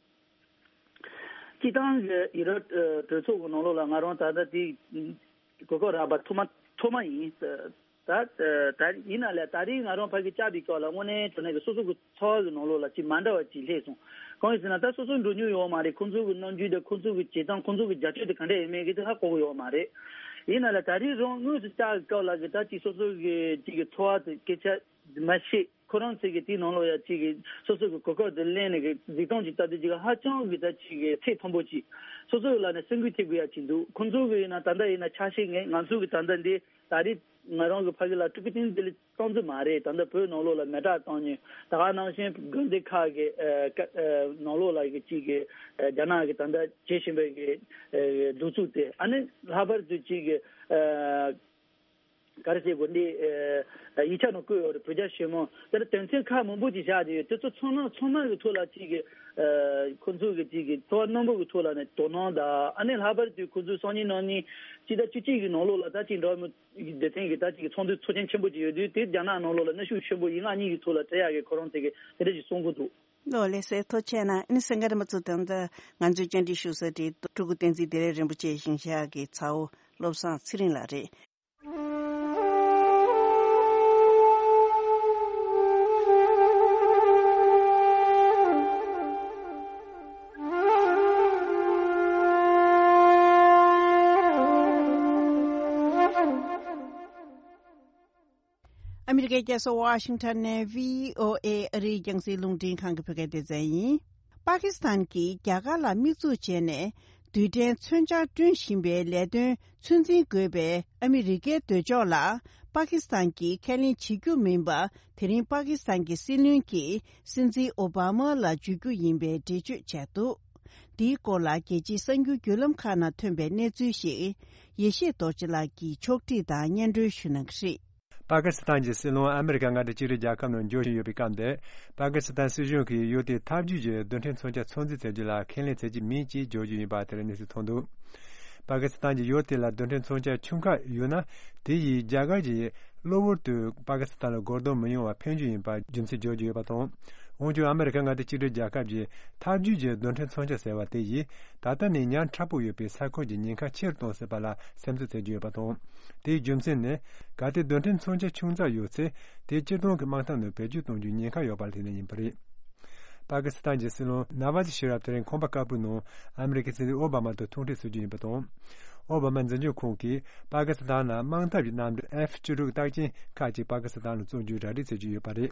སྤྱི་བཏང་གི་ཡུ་རོབ་གྲོས་ཚོགས་ཀྱི་ནང་ལོགས་ལ་ང་རང་ད་ལྟ་དེ་གོ་སྐབས་རག་པ་ཐོག་མ་ཐོག་མ་ཡིན། ད་ད་ཡིན་ན་ལས་ད་རེས་ང་རང་ཕ་གི་བཅར་བའི་སྐབས་ལ་དངོས་གནས་དྲང་གནས་ཀྱི་སོ་སོ་གི་འཚོ་བ་གི་ནང་ལོགས་ལ་ཅིག་མ་འདྲ་བ་ཅིག་སླེབས་སོང་། གང་ཡིན་ཟེར་ན་ད་སོ་སོ་འགྲོ་མྱོང་ཡོད་མ་རེད། ཁོང་ཚོ་གི་རྣམ་འགྱུར་དང་ཁོང་ཚོ་གི་བྱེད་སྟངས་ཁོང་ཚོ་གི་རྒྱབ་སྐྱོར་དེ་ག་འདྲ་ཡིན་མིན་གི་དེ་ཧ་གོ་གི་ཡོད་མ་རེད། ཡིན་ན་ལས་ད་རེས་རང་དངོས་སུ་བཅར་བའི་སྐབས་ལ་གི་ད་ཅིག་སོ་སོ་གི་ཅིག་གི་འཚོ་བ་དེ་སྐད་ཆ་མ་བཤད། ཁོ་རང་ཚོ་གི་དེའི་ནང་ལོགས་ཡ་ཅིག་གི་སོ་སོ་གི་གོ་སྐབས་དེ་ལེན་ནས་གི་གཟིགས་སྟངས་ཅིག་ལྟ་དུས་ཅིག་ཧ་ཅང་གི་ད་ཅིག་གི་ཚད་མཐོན་པོ་ཅིག་སོ་སོ་ལ་ནས་སེམས་འགུལ་ཐེབས་དགོས་ཡ་ཅིག་འདུག་ཁོང་ཚོ་གི་ཡིན་ན་ད་ལྟ་ཡིན་ན་ཆ་ཤས་ངས་ང་ཚོ་གི་ད་ལྟ་འདི་ད་རེས་ང་རང་གི་ཕ་གི་ལ་སྤྲུལ་སྐུ་བསྟན་འཛིན་བདེ་ལེགས་གཏོང་རྩིས་མ་རེད། ད་ལྟ་བོད་ནང་ལོགས་ལ་མེ་སྲེག་བཏང་ཉེན་ད་ག་ནང་བཞིན་དགོན་སྡེ་ཁག་གི་ཨ་ཀ་ཨ་ནང་ལོགས་ལ་གི་ཅིག་གི་ཨ་རྒྱ་ནག་གི་ད་ལྟ་བྱེད་བཞིན་པའི་གི་ཨ་གདུག་རྩུབ་དེ་ཨ་ནི་ལྷག་པར་དུ་ཅིག་གི་ཨ་ག་རེ་བྱེད་དགོས་འདི་ཨ་ཡིག་ཆ་ནང་བཀོད་ཡོད་རེད། བོད་རྒྱ་ཞི་མོལ་དེ་ལ་དོན་ཚན་ཁག་མང་པོ་ཅིག་བཞག་བསྡད་ཡོད། དེ་ཚོ་ཚང་མ་ཚང་མ་གི་ཐོག་ལ་ཅིག་གི་ཨ་ཁོང་ཚོ་གི་ཅིག་གི་འཚོ་བ་རྣོན་པོ་གི་ཐོག་ལ་ནས་དོ་སྣང་དང་ཨ་ནི་ལྷག་པར་དུ་ཁོང་ཚོའི་སང་ཉིན་གནངས་ཉིན་སྤྱི་ཟླ་བཅུ་གཅིག་གི་ནང་ལོགས་ལ་ད་ཅིག་འགྲོ་བ་མི་སྡེ་ཚན་གྱི་ད་ཅིག་ཚོགས་འདུ་ཚོགས་ཆེན་ཆེན་པོ་ཅིག་ཡོད་དུས་དེ་རྒྱ་ནག་ནང་ལོགས་ལ་གནོན་ཤུགས་ཆེན་པོ་ཡིག་ངག་གཉིས་ཀྱི་ཐོག་ལ་སྤྲད་ཡག་གི་ཁོ་རང་ཚོ་གི་དེ་འདྲ་ཞིག་གསུང་གི་འདུག་ལགས་སོ། ལགས་སེ་ཐུགས་རྗེ་གནང་། ཨ་ནི་སེང་གེ་རིན་པོ་ཆེ་དང་ད་ང་ཚོའི་བཅར་འདྲི་ཞུ་ས་དེ་སྤྲུལ་སྐུ་བསྟན་འཛིན་བདེ་ལེགས་རིན་པོ་ཆེ་ཞིང་གཤེགས་ཀྱི་ཚ་བོ་བློ་བཟང་ཚེ་རིང་ལགས་རེད། ཨ་མི་རི་ཀའི་རྒྱལ་ས་ཝ་ཤིང་ཊོན་ནས་བྷི་ཨོ་ཨེ་ཨ་རིའི་རྒྱང་སྲིང་རླུང་འཕྲིན་ཁང་གི་བོད་སྐད་སྡེ་ཚན་ཡིན། པ་ཀི་སི་ཐན་གྱིས་རྒྱ་གར་ལ་དམིགས་འཛུགས་བྱས་ནས་རྡུལ་ཕྲན་མཚོན་ཆ་བསྐྲུན་བཞིན་པའི་ལས་དོན་ཚོད་འཛིན་དགོས་པའི་ཨ་མི་རི་ཀའི་འདོད་ཕྱོགས་ལ་པ་ཀི་སི་ཐན་གྱིས་ཁས་ལེན་བྱེད་རྒྱུ་མིན་པ། དེ་རིང་པ་ཀི་སི་ཐན་གྱི་སྲིད་བློན་གྱིས་སྲིད་འཛིན་ཨོ་བྷ་མ་ལ་བརྗོད་རྒྱུ་ཡིན་པའི་འགྲེལ་བརྗོད་བྱས་འདུག་འདིའི་སྐོར་ལ་རྒྱལ་སྤྱིའི་གསར་འགྱུར་བརྒྱུད་ལམ་ཁག་ནང་ཐོན་པའི་གནས་ཚུལ་ཞིག་ཡེ་ཤེས་རྡོ་རྗེ་ལགས་ཀྱིས་ཕྱོགས་སྒྲིག་དང་སྙན་སྒྲོན་ཞུ་གནང་གི་རེད། པ་ཀི་སི་ཐན་གྱི་སྲིད་བློན་ཨ་མེ་རི་ཀ་མངའ་སྡེ་གཅིག་སྒྲིལ་རྒྱལ་ཁབ་ནང་འབྱོར་བཞིན་ཡོད་པའི་སྐབས་འདིར། པ་ཀི་སི་ཐན་སྲིད་གཞུང་གིས་ཡུལ་དེའི་འཐབ་ཇུས་ཀྱི་རྡུལ་ཕྲན་མཚོན་ཆ་ཚོད་འཛིན་བྱ་རྒྱུ་ལ་ཁས་ལེན་བྱེད་ཀྱི་མིན་ཅེས་བརྗོད་རྒྱུ་ཡིན་པ་དེར་གནས་ཚུལ་ཐོན་འདུག་པ་ཀི་སི་ཐན་གྱིས་ཡུལ་དེ་ལ་རྡུལ་ཕྲན་མཚོན་ཆ་ཆུང་ཁག་ཡོད་ན། དེ་ཡིས་རྒྱ་གར་གྱིས་གློ་བུར་དུ་པ་ཀི་སི་ཐན་ལ་རྒོལ་རྡུང་མི་ཡོང་བར་ཕན་རྒྱུ་ཡིན་པར་རྒྱུ་མཚན་བརྗོད་ཀྱི་ཡོད་པ་དང་། འོན་ཀྱང་ཨ་མེ་རི་ཀ་མངའ་སྡེ་གཅིག་སྒྲིལ་རྒྱལ་ཁབ་ཀྱིས་འཐབ་ཇུས་ཀྱི་རྡུལ་ཕྲན་མཚོན་ཆ་ཟེར་བ་དེ་ཡིས་ད་ལྟ་ནས་ཉག་ཕྲ་པོ་ཡོད་པའི་ས་ཁུལ་གྱི་ཉེན་ཁ་ཆེ་རུ་གཏོང་སྲིད་པ་ལ་སེམས་འཚབ་བྱེད་ཀྱི་ཡོད་པ་དང་། དེའི་རྒྱུ་མཚན་ནི། གལ་ཏེ་རྡུལ་ཕྲན་མཚོན་ཆ་ཆུང་ཙག་ཡོད་ཚེ། དེ་སྤྱིར་བཏང་གི་དམག་འཐབ་ནང་བེད་སྤྱོད་གཏོང་རྒྱུའི་ཉེན་ཁ་ཡོད་པ་ལ་བརྟེན་ནས་ཡིན་པ་རེད། པ་ཀི་སི་ཐན་གྱི་སྲིད་བློན་ནཱ་ཝ་ཛི་ཤི་རབ་དེ་རིང་ཁང་པ་དཀར་པོའི་ནང་ཨ་མི་རི་ཀའི་སྲིད་འཛིན་ཨོ་བྷ་མ་དང་ཐུག་འཕྲད་བྱེད་རྒྱུ་ཡིན་པ་དང་། ཨོ་བྷ་མ་འཛིན་སྐྱོང་ཁང་གིས་པ་ཀི་སི་ཐན་ནང་དམག་འཐབ་ཀྱི་གནམ་གྲུ་ཨེཕ་བཅུ་དྲུག་རྟགས་ཅན་ཁག་ཅིག་པ་ཀི་སི་ཐན་ལ་བཙོང་རྒྱུའི་གྲ་སྒྲིག་བྱེད་ཀྱི་ཡོད་པ་རེད།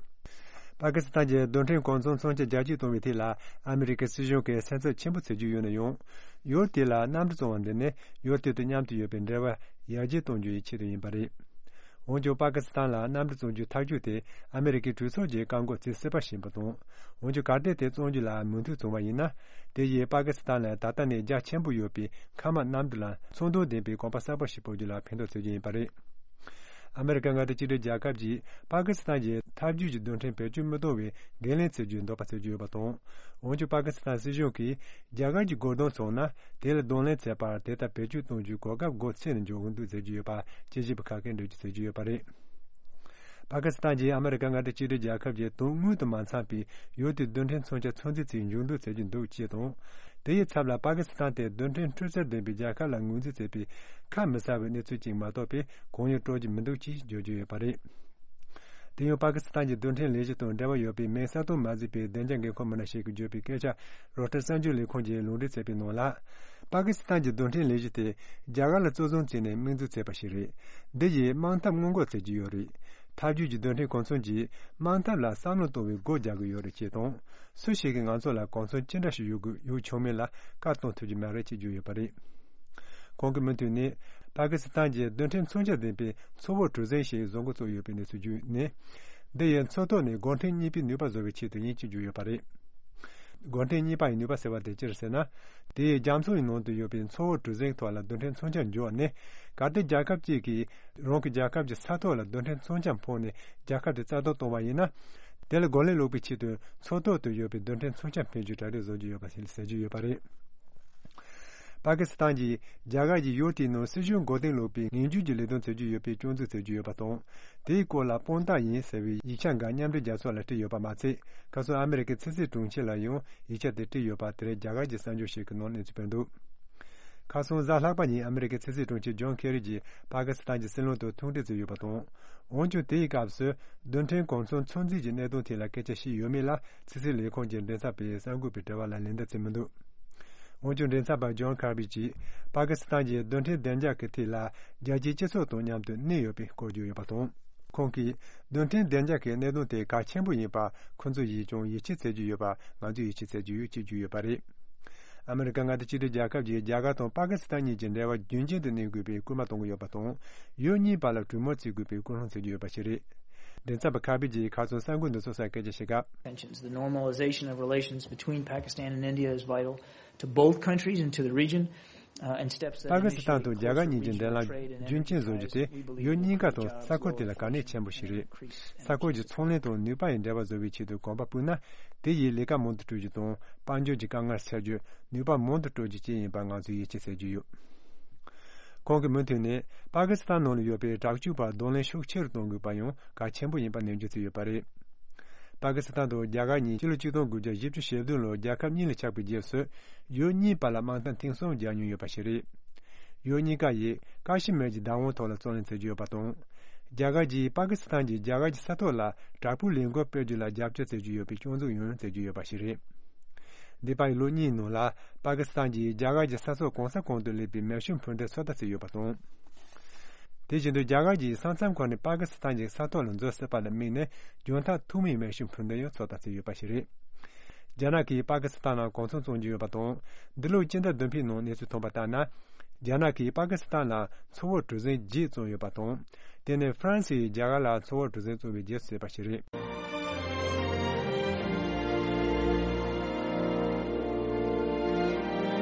པ་ཀི་སི་ཐན་གྱི་རྡུལ་ཕྲན་གོ་མཚོན་མཚོན་ཆ་རྒྱ་སྐྱེད་གཏོང་བའི་ཐད་ལ་ཨ་མི་རི་ཀའི་སྲིད་གཞུང་གིས་སེམས་འཚབ་ཆེན་པོ་བྱེད་ཀྱི་ཡོད་ན་ཡང་། ཡུལ་དེ་ལ་གནམ་གྲུ་བཙོང་བ་འདི་ནི་ཡུལ་དེ་དང་མཉམ་དུ་ཡོད་པའི་འབྲེལ་བ་ཡར་རྒྱས་གཏོང་རྒྱུ་ཡི་ཆེད་དུ་ཡིན་པ་རེད། འོན་ཀྱང་པ་ཀི་སི་ཐན་ལ་གནམ་གྲུ་བཙོང་རྒྱུའི་ཐབས་ཇུས་དེ་ཨ་མི་རི་ཀའི་གྲོས་ཚོགས་ཀྱིས་བཀག་འགོག་བྱེད་སྲིད་པ་ཞིག་ཡིན་པ་དང་། འོན་ཀྱང་གལ་ཏེ་དེ་བཙོང་རྒྱུ་ལ་མོས་མཐུན་བྱུང་བ་ཡིན་ན། དེ་ཡིས་པ་ཀི་སི་ཐན་ལ་ད་ལྟ་ནས་རྒྱ་ཆེན་པོ་ཡོད་པའི་མཁའ་དམག་གནམ་གྲུ་ལ་མཚོན་དོན་ལྡན་པའི་གོམ་པ་གསར་པ་ཞིག་སྤོ་རྒྱུ་ལ་ཕན་ཐོགས་བྱེད་རྒྱུ་ཡིན་པ་རེད། ཨ་མི་རི་ཀ་མངའ་སྡེ་གཅིག་སྒྲིལ་རྒྱལ་ཁབ་ཀྱིས་པ་ཀི་སི་ཐན་གྱི་འཐབ་ཇུས་ཀྱི་རྡུལ་ཕྲན་བེད་སྤྱོད་མི་གཏོང་བའི་འགན་ལེན་བྱེད་རྒྱུའི་འདོད་པ་བྱེད་ཀྱི་ཡོད་པ་དང་། འོན་ཀྱང་པ་ཀི་སི་ཐན་སྲིད་གཞུང་གིས་རྒྱ་གར་གྱི་རྒོལ་རྡུང་སོང་ན་དེ་ལ་གདོང་ལེན་བྱས་པར་དེ་ལྟར་བེད་སྤྱོད་གཏོང་རྒྱུའི་གོ་སྐབས་སྒོ་ཕྱེ་ནས་འཇོག་གི་འདུག་ཟེར་གྱི་ཡོད་པ་དཔྱད་ཞིབ་པ་ཁག་གིས་འགྲེལ་བརྗོད་བྱེད་ཀྱི་ཡོད་པ་རེད། པ་ཀི་སི་ཐན་གྱིས་ཨ་མི་རི་ཀ་མངའ་སྡེ་གཅིག་སྒྲིལ་རྒྱལ་ཁབ་ཀྱི་དོན་དངོས་དང་མ་འཚམས་པའི་ཡུལ་དེའི་རྡུལ་ཕྲན་མཚོན་ཆ་ཚོད་འཛིན་བྱེད་མཇུག་སྒྲིལ་བྱེད་རྒྱུ་འདུག་ཅེས་དང་། དེ་ཡི་ཚབ་ལ་པ་ཀི་སི་ཐན་དེ་རྡུལ་ཕྲན་འཕྲུལ་རྩལ་ལྡན་པའི་རྒྱལ་ཁབ་ལ་ངོས་འཛིན་བྱེད་པའི་ཁ་མི་གསལ་བའི་གནས་ཚུལ་ཅིག་མ་གཏོགས་པའི་གང་ཡང་སྤྲོད་ཀྱི་མི་འདུག་ཅེས་བརྗོད་ཀྱི་ཡོད་པ་རེད། དེ་ཡང་པ་ཀི་སི་ཐན་གྱི་རྡུལ་ཕྲན་ལས་གཞི་དང་འབྲེལ་བ་ཡོད་པའི་མིང་གསལ་སྟོན་མ་བྱས་པའི་བདེ་འཇགས་འགན་འཁུར་མི་སྣ་ཞིག་གིས་བརྗོད་པའི་སྐད་ཆ་རོའི་ཊར་གསར་འགྱུར་ལས་ཁུངས་ཀྱིས་ལུང་འདྲེན་བྱས་པའི་ནང་ལ། པ་ཀི་སི་ཐན་གྱི་རྡུལ་ཕྲན་ལས་གཞི་དེ་རྒྱ་གར་ལ་གཙོ་བཟུང་བྱས་ནས་དམིགས་འཛུགས་བྱས་པ་ཞིག་རེད། འདི་ཡིས་དམག་འཐབ་སྔོན་འགོག་བྱེད་ཀྱི་ཡོད་རེད། འཐབ་ཇུས་ཀྱི་རྡུལ་ཕྲན་གོ་མཚོན་གྱིས་དམག་འཐབ་ལ་བསམ་བློ་གཏོང་བའི་སྒོ་རྒྱག་གི་ཡོད་རེད་ཅེས་དང་། སུ་ཞིག་གིས་ང་ཚོ་ལ་གོ་མཚོན་ཅི་འདྲ་ཞིག་ཡོད་དགོས་ཡོད་ཆོག་མིན་ལ་བཀའ་གཏོང་ཐུབ་ཀྱི་མ་རེད་ཅེས་བརྗོད་ཡོད་པ་རེད། ཁོང་གིས་མུ་མཐུད་ནས། པ་ཀི་སི་ཐན་གྱིས་རྡུལ་ཕྲན་མཚོན་ཆ་ལྡན་པའི་མཚོ་བོད་གྲུ་གཟིངས་ཤིག་བཟོ་འགོ་བཙུགས་ཡོད་པའི་གནས་ཚུལ་བརྒྱུད་ནས། འདི་ཡི་མཚོ་ཐོག་ནས་སྒོ་ཕྲན་གཉིས་པའི་ནུས་པ་བཟོ་བའི་ཆེད་དུ་ཡིན་ཅེས་བརྗོད་ཡོད་པ་རེད། སྒོ་ཕྲན་གཉིས་པ་ཡི་ནུས་པ་ཟེར་བ་དེ་ཅི་རེད་ཟེར་ན། དེ་ཡི་རྒྱ་མཚོ་ཡི་ནང་དུ་ཡོད་པའི་མཚོ་བོད་གྲུ་གཟིངས་ཐོག་ལ་རྡུལ་ཕྲན་མཚོན་ཆ་འཇོག་ནས། གལ་ཏེ་རྒྱལ་ཁབ་ཅིག་གིས་རང་གི་རྒྱལ་ཁབ་ཀྱི་ས་ཐོག་ལ་རྡུལ་ཕྲན་མཚོན་ཆ་འཕངས་ནས་རྒྱལ་ཁབ་དེ་རྩ་གཏོར་བཏང་བ་ཡིན་ན། དེ་ལ་རྒོལ་ལན་སློག་པའི་ཆེད་དུ་མཚོ་ཐོག་ཏུ་ཡོད་པའི་རྡུལ་ཕྲན་མཚོན་ཆ་འཕེན་རྒྱུའི་གྲ་སྒྲིག་བཟོ་རྒྱུ་ཡོད་པ་ཞིག་ཟེར་རྒྱུ་ཡོད་པ་རེད། པ་ཀི་སི་ཐན་གྱིས་རྒྱ་གར་གྱིས་ཡུལ་དེའི་ནང་སྲིད་གཞུང་མགོ་རྟིང་སློག་པའི་ངན་ཇུས་ཀྱི་ལས་དོན་བྱེད་ཀྱི་ཡོད་པའི་སྐྱོན་འཛུགས་བྱེད་ཀྱི་ཡོད་པ་དང་། དེའི་སྐོར་ལ་དཔང་རྟགས་ཡིན་ཟེར་བའི་ཡིག་ཆ་འགའ་མཉམ་འབྲེལ་རྒྱལ་ཚོགས་ལ་སྤྲད་ཡོད་པ་མ་ཚད། ཁ་སང་ཨ་མི་རི་ཀའི་ཕྱི་སྲིད་དྲུང་ཆེ་ལ་ཡང་ཡིག་ཆ་དེ་སྤྲད་ཡོད་པ་དེ་རིང་རྒྱ་གར་གྱི་གསར་འགྱུར་ཞིག་གི་ནང་གནས་ཚུལ་སྤེལ་འདུག་ཁ་སང་གཟའ་ལྷག་པ་ཉིན་ཨ་མི་རི་ཀའི་ཕྱི་སྲིད་དྲུང་ཆེ་ཇོན་ཁེ་རི་གྱིས་པ་ཀི་སི་ཐན་གྱི་སྲིད་བློན་དང་ཐུག་འཕྲད་བྱས་ཡོད་པ་དང་། འོན་ཀྱང་དེའི་སྐབས་སུ་རྡུལ་ཕྲན་གོ་མཚོན་ཚོད་འཛིན་གྱི་གནད་དོན་ཐད་ལ་སྐད་ཆ་བཤད་ཡོད་མེད་ལ་ཕྱི་སྲིད་ལས་ཁུངས་ཀྱི་མགྲིན་ཚབ་པས་གསར་འགོད་པའི་དྲི་བ་ལ་ལན་འདེབས་བྱས་མི་འདུག་འོན་ཀྱང་མགྲིན་ཚབ་པ་ཇོན་ཁར་བི་གྱིས་པ་ཀི་སི་ཐན་གྱིས་རྡུལ་ཕྲན་བདེ་འཇགས་ཀྱི་ཐད་ལ་རྒྱལ་སྤྱིའི་སྤྱི་ཚོགས་དང་མཉམ་དུ་གནས་ཡོད་པའི་སྐོར་བརྗོད་ཡོད་པ་དང་། ཁོང་གིས་རྡུལ་ཕྲན་བདེ་འཇགས་ཀྱི་གནད་དོན་དེ་གལ་ཆེན་པོ་ཡིན་པ་ཁོང་ཚོ་ཡིས་ཀྱང་ཡིད་ཆེས་བྱེད་ཀྱི་ཡོད་པ་ང་ཚོས་ཡིད་ཆེས་བྱེད་ཀྱི་ཡོད་ཅེས་བརྗོད་ཡོད་པ་རེད། ཨ་མི་རི་ཀ་མངའ་སྡེ་གཅིག་སྒྲིལ་རྒྱལ་ཁབ་ཀྱིས་རྒྱ་གར་དང་པ་ཀི་སི་ཐན་གཉིས་ཀྱི་འབྲེལ་བ་རྒྱུན་ཆད་དུ་གནས་དགོས་པའི་སྐུལ་མ་གཏོང་གི་ཡོད་པ་དང་། ཡུལ་གཉིས་བར་ལ་གྲོས་མོལ་བྱེད་དགོས་པའི་སྐུལ་སློང་བྱེད་ཀྱི་ཡོད་པ་ཞིག་རེད། མགྲིན་ཚབ་པ་ཁར་བི་གྱིས་ཁ་སང་གསར་འགོད་འདི་ཚོ་སར་སྐད་ཆ་བཤད་སྐབས། Tensions. The normalization of relations between Pakistan and India is vital to both countries and to the region. Uh, and steps that པ་ཀི་སི་ཐན་དང་རྒྱ་གར་གཉིས་ཀྱི་འབྲེལ་ལམ་རྒྱུན་ཆད་བཟོ་རྒྱུ་དེ་ཡུལ་གཉིས་ཀ་དང་ས་ཁུལ་དེ་ལ་གལ་གནད་ཆེན་པོ་ཞིག་རེད། ས་ཁུལ་གྱི་ཚོང་ལས་དང་ནུས་པ་ཡི་འབྲེལ་བ་བཟོ་བའི་ཆེད་དུ་གོམ་པ་སྤོས་ན། དེ་ཡིས་ལས་ཀ་མང་དུ་སྤྲོད་རྒྱུ་དང་དཔལ་འབྱོར་གྱི་དཀའ་ངལ་སེལ་རྒྱུ། ནུས་པ་མང་དུ་སྤྲོད་རྒྱུ་བཅས་ཡིན་པ་ང་ཚོས་ཡིད་ཆེས་བྱེད་ཀྱི་ཡོད། ཁོང་གིས་མུ་མཐུད་ནས་པ་ཀི་སི་ཐན་ནང་ལ་ཡོད་པའི་དྲག་སྤྱོད་པར་གདོང་ལེན་ཤུགས་ཆེ་རུ་གཏོང་དགོས་པ་ཡང་གལ་ཆེན་པོ་ཡིན་པ་ནན་བརྗོད་བྱས་ཡོད་པ་རེད། པ་ཀི་སི་ཐན་དང་རྒྱ་གར་གཉིས་ཕྱི་ལོ་ཆིག་སྟོང་དགུ་བརྒྱ་བཞི་བཅུ་ཞེ་བདུན་ལོར་རྒྱལ་ཁབ་གཉིས་ལ་ཆགས་པའི་རྗེས་སུ། ཡུལ་གཉིས་བར་ལ་དམག་འཐབ་ཐེངས་གསུམ་རྒྱག་མྱོང་ཡོད་པ་ཞིག་རེད། ཡུལ་གཉིས་ཀ་ཡིས་ཀ་ཤི་མིར་གྱི་བདག་དབང་ཐོག་ལ་རྩོད་ལེན་བྱེད་ཀྱི་ཡོད་པ་དང་། རྒྱ་གར་གྱིས་པ་ཀི་སི་ཐན་གྱིས་རྒྱ་གར་གྱི་ས་ཐོག་ལ་དྲག་པོའི་ལས་འགུལ་སྤེལ་རྒྱུ་ལ་རྒྱབ་སྐྱོར་བྱེད་ཀྱི་ཡོད་པའི་སྐྱོན་འཛུགས་ཡང་བྱེད་ཀྱི་ཡོད་པ་ཞིག་རེད། འདས་པའི་ལོ་གཉིས་ནང་ལ་པ་ཀི་སི་ཐན་གྱིས་རྒྱ་གར་གྱི་ས་ཕྱོགས་གང་ས་གང་དུ་སླེབས་པའི་མེ་ཤུགས་འཕུར་མདེལ་ཚོད་ལྟ་བྱས་ཡོད་པ་དང་། དེ་བཞིན་དུ་རྒྱ་གར་གྱིས་ས་མཚམས་ཁག་ནས་པ་ཀི་སི་ཐན་གྱི་ས་ཐོག་ལ་འཛུལ་སྲིད་པ་ལ་དམིགས་ནས་རྒྱང་ཐག་ཐུང་མའི་མེ་ཤུགས་འཕུར་མདེལ་ཡང་ཚོད་ལྟ་བྱས་ཡོད་པ་ཞིག་རེད། རྒྱ་ནག་གིས་པ་ཀི་སི་ཐན་ནང་གོ་མཚོན་བཙོང་རྒྱུ་ཡོད་པ་དང་། འདི་ལོའི་སྤྱི་ཟླ་བདུན་པའི་ནང་གནས་ཚུལ་ཐོན་པ་ལྟར་ན། རྒྱ་ནག་གིས་པ་ཀི་སི་ཐན་ལ་མཚོ་བོད་གྲུ་གཟིངས་བརྒྱད་བཙོང་ཡོད་པ་དང་། དེ་ནི་ཧྥ་རན་སིས་རྒྱ་གར་ལ་མཚོ་བོད་གྲུ་གཟིངས་བཙོང་བའི་རྗེས་སུ་བྱས་པ་ཞིག་རེད།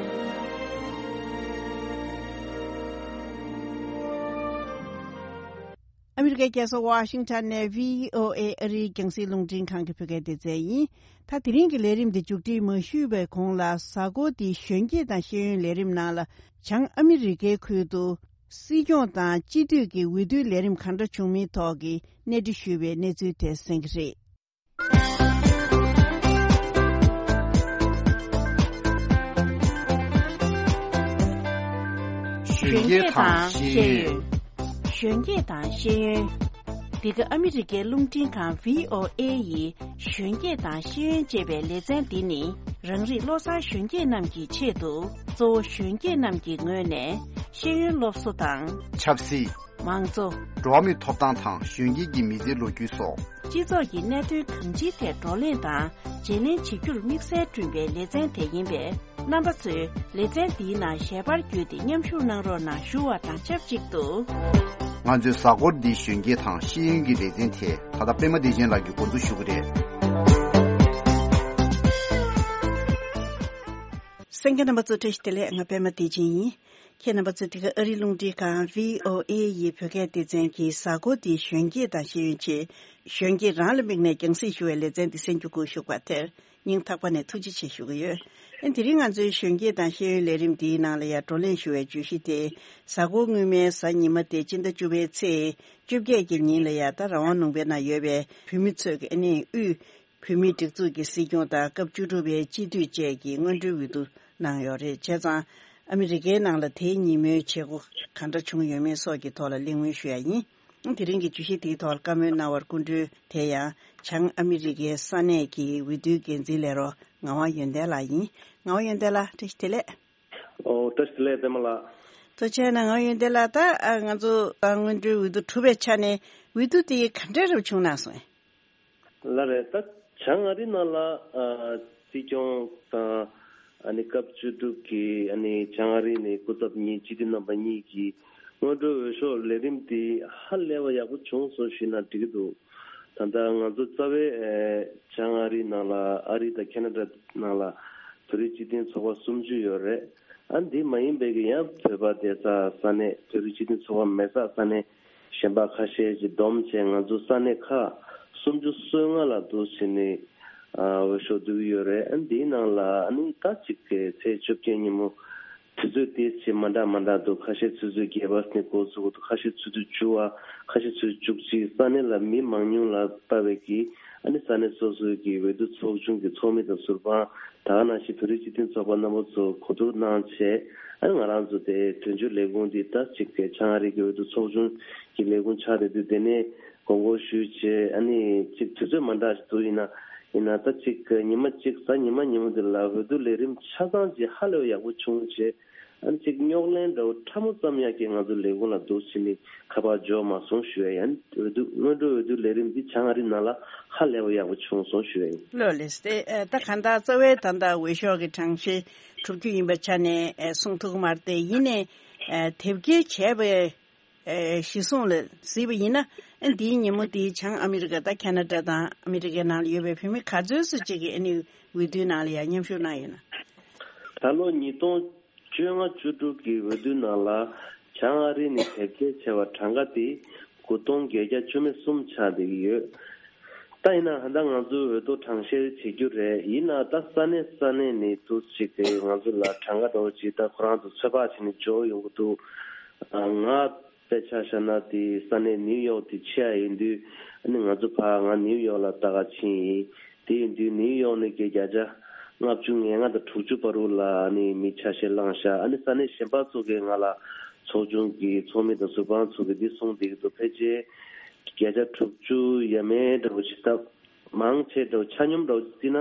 ཨ་མི་རི་ཀའི་རྒྱལ་ས་ཝ་ཤིང་ཊོན་ནས་བྷི་ཨོ་ཨེ་ཨ་རིའི་རྒྱང་སྲིང་རླུང་འཕྲིན་ཁང་གི་བོད་སྐད་སྡེ་ཚན་ཡིན། ད་དེ་རིང་གི་ལས་རིམ་འདི་མཇུག་སྒྲིལ་མ་ཞུས་པའི་གོང་ལ་གཟའ་འཁོར་འདིའི་གཞོན་སྐྱེས་དང་ཤེས་ཡོན་ལས་རིམ་ནང་ལ་བྱང་ཨ་མི་རི་ཀའི་ཁུལ་དུ་སྲིད་སྐྱོང་དང་སྤྱི་འཐུས་ཀྱི་འོས་བསྡུའི་ལས་རིམ་ག་འདྲ་བྱུང་མིན་ཐོག་གི་གནས་འདྲི་ཞུས་པའི་གནས་ཚུལ་དེ་གསན་གྱི་རེད། གཞོན་སྐྱེས་དང་ཤེས་ཡོན། གཞོན་སྐྱེས་དང་ཤེས་ཡོན། འདི་ག་ཨ་མི་རི་ཀའི་རླུང་འཕྲིན་ཁང་བྷི་ཨོ་ཨེ་ཡི་གཞོན་སྐྱེས་དང་ཤེས་ཡོན་ཅེས་པའི་ལེ་ཚན་འདི་ནི། རང་རིགས་བློ་བཟང་གཞོན་སྐྱེས་རྣམས་ཀྱི་ཆེད་དུ། གཙོ་བོ་གཞོན་སྐྱེས་རྣམས་ཀྱི་ངོས་ནས་ཤེས་ཡོན་སློབ་གསོ་དང་། ཆབ་སྲིད། མང་གཙོ། འགྲོ་བ་མིའི་ཐོབ་ཐང་དང་གཞོན་སྐྱེས་ཀྱི་མི་ཚེའི་ལོ་རྒྱུས་སོགས། སྤྱི་ཚོགས་ཀྱི་གནད་དོན་གང་ཅིའི་ཐད་བགྲོ་གླེང་དང་བརྗེ་ལེན་བྱེད་རྒྱུར་དམིགས་བསལ་བསྐྲུན་པའི་ལེ་ཚན་དེ་ཡིན་པས། རྣམ་པ་ཚོས་ལེ་ཚན་འདིའི་ནང་ཞལ་པར་བརྒྱུད་དེ་མཉམ་ཞུགས་གནང་རོགས་གནང་ཞུ་བ་དང་ཆབས་ཅིག་ཏུ། ང་ཚོའི་གཟའ་འཁོར་འདིའི་གཞོན་སྐྱེས་དང་ཤེས་ཡོན་གྱི་ལེ་ཚན་དེ་ད་ལྟ་པད་མ་བདེ་ཆེན་ལགས་ཀྱིས་འགོ་འཛུགས་ཞུ་གི་རེད། གསན་མཁན་རྣམ་པ་ཚོ་བཀྲ་ཤིས་བདེ་ལེགས། ང་པད་མ་བདེ་ཆེན་ཡིན། ཁྱེད་རྣམ་པ་ཚོ་འདི་ག་ཨ་རིའི་རླུང་འཕྲིན་ཁང་བྷི་ཨོ་ཨེ་ཡི་བོད་སྐད་སྡེ་ཚན་གྱི་གཟའ་འཁོར་འདིའི་གཞོན་སྐྱེས་དང་ཤེས་ཡོན་ཆེད་གཞོན་སྐྱེས་རང་ལ་དམིགས་ནས་རྒྱང་སྲིང་ཞུ་བའི་ལེ་ཚན་འདི་གསན་རྒྱུ་སྒུག་བཞུགས་པ་དེར་སྙིང་ཐག་པ་ནས་ཐུགས་རྗེ་ཆེ་ཞུ་གི་ཡོད། ཨ་དེ་རིང་ང་ཚོའི་གཞོན་སྐྱེས་དང་ཤེས་ཡོན་ལས་རིམ་འདིའི་ནང་ལ་ཡང་བགྲོ་གླེང་ཞུ་བའི་བརྗོད་གཞི་དེ་གཟའ་འཁོར་སྔོན་མའི་གཟའ་ཉི་མ་སྟེ་སྤྱི་ཟླ་བཅུ་པའི་ཚེས་བཅོ་བརྒྱད་ཀྱི་ཉིན་ལ་ཡང་ད་རང་དབང་ལུང་པའི་ནང་ཡོད་པའི་བོད་མི་ཚོས་ཀྱི་ཨ་ནི་དབུས་བོད་མིའི་སྒྲིག་འཛུགས་ཀྱི་སྲིད་སྐྱོང་དང་སྐབས་བཅུ་དྲུག་པའི་སྤྱི་འཐུས་བཅས་ཀྱི་སྔོན་འགྲོའི་འོས་བསྡུ་གནང་ཡོད་རེད། བྱས་ཙང་ཨ་མི་རི་ཀའི་ནང་ལ་དེའི་ཉིན་མོའི་བྱེད་སྒོ་ག་འདྲ་བྱུང་ཡོད་མེད་སོགས་ཀྱི་ཐོག་ལ་གླེང་མོལ་ཞུ་ཡ་ཡིན། དེ་རིང་གི་བརྗོད་གཞི་དེའི་ཐོག་ལ་བཀའ་མོལ་གནང་བར་སྐུ་མགྲོན་དེ་ཡང་བྱང་ཨ་མི་རི་ཀའི་ས་གནས་ཀྱི་འོས་བསྡུའི་འགན་འཛིན་ལས་རོགས་ངག་དབང་ཡོན་ཏན་ལགས་ཡིན། ངག་དབང་ཡོན་ཏན་ལགས་བཀྲ་ཤིས་བདེ་ལེགས། ཨོ་བཀྲ་ཤིས་བདེ་ལེགས་པད་མ་ལགས། ཐུགས་རྗེ་གནང་། ངག་དབང་ཡོན་ཏན་ལགས། ད་ང་ཚོ་སྔོན་འགྲོའི་འོས་བསྡུ་གྲུབ་པའི་ཆ་ནས་འོས་བསྡུ་དེ་ག་འདྲ་རབ་བྱུང་གནང་སོང་། ལགས་རེད། ད་བྱང་ཨ་རི་ནང་ལ་ཨ་སྲིད་སྐྱོང་དང་ཨ་ནི་སྐབས་བཅུ་དྲུག་གི་ཨ་ནི་བྱང་ཨ་རི་ནས་སྐུ་ཚབ་གཉིས་སྤྱི་འཐུས་རྣམ་པ་གཉིས་ཀྱི་སྔོན་འགྲོའི་འོས་ཤོག་ལས་རིམ་དེ་ཧ་ལས་པ་ཡག་པོ་བྱུང་སོང་ཞུས་ན་འགྲིག་གི་འདུག་ད་ལྟ་ང་ཚོ་རྩ་བའི་ཨ་བྱང་ཨ་རི་ནང་ལ་ཨ་རི་དང་ཁེ་ན་ཌ་ནང་ལ་བོད་རིགས་སྤྱི་མཐུན་ཚོགས་པ་སུམ་ཅུ་ཡོད་རེད། ཨ་འདི་མ་ཡིན་པའི་གི་ཡང་བོད་པ་སྡོད་ས་ས་གནས་བོད་རིགས་སྤྱི་མཐུན་ཚོགས་པ་མེད་ས་ས་གནས་གཞན་པ་ཁ་ཤས་ཀྱིས་བསྡོམས་བྱས་ང་ཚོ་ས་གནས་ཁག་སུམ་ཅུ་སོ་ལྔ་ལ་འདུག་བྱས་ནས་ཨ་འོས་ཤོག་བསྡུ་གི་ཡོད་རེད། ཨ་འདིའི་ནང་ལ་ཨ་ནི་ད་ཅིག་གི་ཚེས་བཅོ་བརྒྱད་ཉིན་མོ་དུས་ཚོད་ཏོག་ཙམ་མ་འདྲ་མ་འདྲ་འདུག་ཁ་ཤས་ཆུ་ཚོད་བརྒྱད་པ་ནས་འགོ་ཚུགས་འདུག་ཁ་ཤས་ཆུ་ཚོད་བཅུ་པ། ཁ་ཤས་ཆུ་ཚོད་བཅུ་གཅིག་ས་གནས་ལ་མི་མང་ཉུང་ལ་ལྟ་བའི་གི་ཨ་ནི་ས་གནས་སོ་སོའི་གི་འོས་བསྡུ་ཚོགས་ཆུང་གི་ཚོགས་མི་དང་ཟུར་དཔང་ད་ག་ནང་བཞིན་བོད་རིགས་སྤྱི་མཐུན་ཚོགས་པ་རྣམ་པ་ཚོ་གོ་བསྡུར་གནང་བྱས། ཨ་ནི་ང་རང་ཚོ་དེ་དོན་གཅོད་ལས་ཁུངས་འདི་ད་ཅིག་གི་བྱང་ཨ་རི་གི་འོས་བསྡུ་ཚོགས་ཆུང་གི་ལས་ཁུངས་ཆགས་བསྡད་དུས་དེ་ནས་དགོངས་སྐོར་ཞུས་བྱས། ཨ་ནི་ཅིག་དུས་ཚོད་མ་འདྲ་ཞིག་འདུག་ཡིན་ན་ཡིན་ན་ད་ཅིག་གི་ཉི་མ་གཅིག་གཟའ་ཉི་མ་ཉིན་མོ་འདི་ལ་འོས་བསྡུ་ལས་རིམ་ཆ་ཚང་ཅིག་ཧ་ལས་པ་ཡག་པོ་བྱུང་བྱས། ཨ་ནི་ཅིག་རྙོག་གླེང་འདྲ་བོ་ཕྲ་མོ་ཙམ་ཡང་གི་ང་ཚོ་ལས་ཁུངས་ལ་འདུག་ཕྱིན་ནས་ཁ་པར་འབྱོར་མ་སོང་ཞུ་ཡ་ཡིན། འོས་བསྡུ་སྔོན་འགྲོའི་འོས་བསྡུ་ལས་རིམ་འདི་བྱང་ཨ་རི་ནང་ལ་ཧ་ལས་པ་ཡག་པོ་བྱུང་སོང་ཞུ་ཡ་ཡིན། ལགས་ལགས་སེ། ཨ་ད་གང་ལྟར་རྩ་བའི་ད་ལྟ་འོས་ཤོག་གི་གྲངས་ཤིག་གྲུབ་རྒྱུ་ཡིན་པའི་ཆ་ནས་ཨ་གསུང་ཐུབ་ཀྱི་མ་རེད་དེ། ཡིན་ནའི་ཨ་དེབ་སྐྱེལ་བྱས་པའི་ཨ་གཞི་བཟུང་ལ་གཟིགས་པ་ཡིན་ན། ཨ་འདིའི་ཉིན་མོ་འདིའི་བྱང་ཨ་མི་རི་ཀ་དང་ཁེ་ན་ཌ་དང་ཨ་མི་རི་ཀའི་ནང་ལ་ཡོད་པའི་བོད་མི་ག་ཚོད་ཙམ་ཅིག་གིས་ཨ་ནི་འོས་བསྡུའི་ནང་ལ་ཡང་མཉམ་ཞུགས་གནང་ཡོད་ན། ད་ལོ་ཉིས་སྟོང་བཅོ་ལྔ་བཅུ་དྲུག་གི་འོས་བསྡུ་ནང་ལ་བྱང་ཨ་རི་ནས་དེབ་སྐྱེལ་བྱས་པ་གྲངས་ཀ་དེ་དགུ་སྟོང་བརྒྱད་བརྒྱ་བཅུ་མེད་གསུམ་ཆགས་བསྡད་ཀྱི་ཡོད། ད་ཡིན་ན་ད་ང་ཚོའི་འོས་ཐོབ་གྲངས་བཤེར་བྱེད་རྒྱུ་རེད། ཡིན་ན་ད་ས་གནས་ས་གནས་ནས་འདུག་ཅིག་གིས་ང་ཚོ་ལ་གྲངས་ཀ་འདྲ་བོ་ཅིག་ད་ཁོ་རང་ཚོ་ཚོད་དཔག་བྱས་ནས་འབྱོར་ཡོང་གི་འདུག་ང་དཔེ་ཆ་བཞག་ན་དེ་ས་གནས་ནིའུ་ཡོག་དེ་ཆེ་ཡ་ཡིན་དུས། ཨ་ནི་ང་ཚོ་ཕར་ང་ནིའུ་ཡོག་ལ་ལྟ་ག་ཕྱིན་ཡིན། དེ་ཡིན་དུས་ནིའུ་ཡོག་ནས་ཀྱི་བརྒྱ་ཆ་ལྔ་བཅུ་ང་ལྔ་དང་དྲུག་ཅུ་བར་དུ་ལ་ཨ་ནི་མི་ཆ་ཤས་བླངས་ཤག་ཨ་ནི་ས་གནས་གཞན་པ་ཚོ་གིས་ང་ལ་ཚོགས་ཆུང་གི་ཚོགས་མི་དང་ཟུར་དཔང་ཚོ་གིས་འདི་གསུངས་བསྡད་ཀྱི་འདུག་ཕལ་ཆེར་བརྒྱ་ཆ་དྲུག་ཅུ་ཡས་མས་འདྲ་བོ་ཅིག་སྟབས་མང་ཆེ་འདྲ་བོ་ཆ་སྙོམས་འདྲ་བོ་ཅིག་བརྩིས་ན་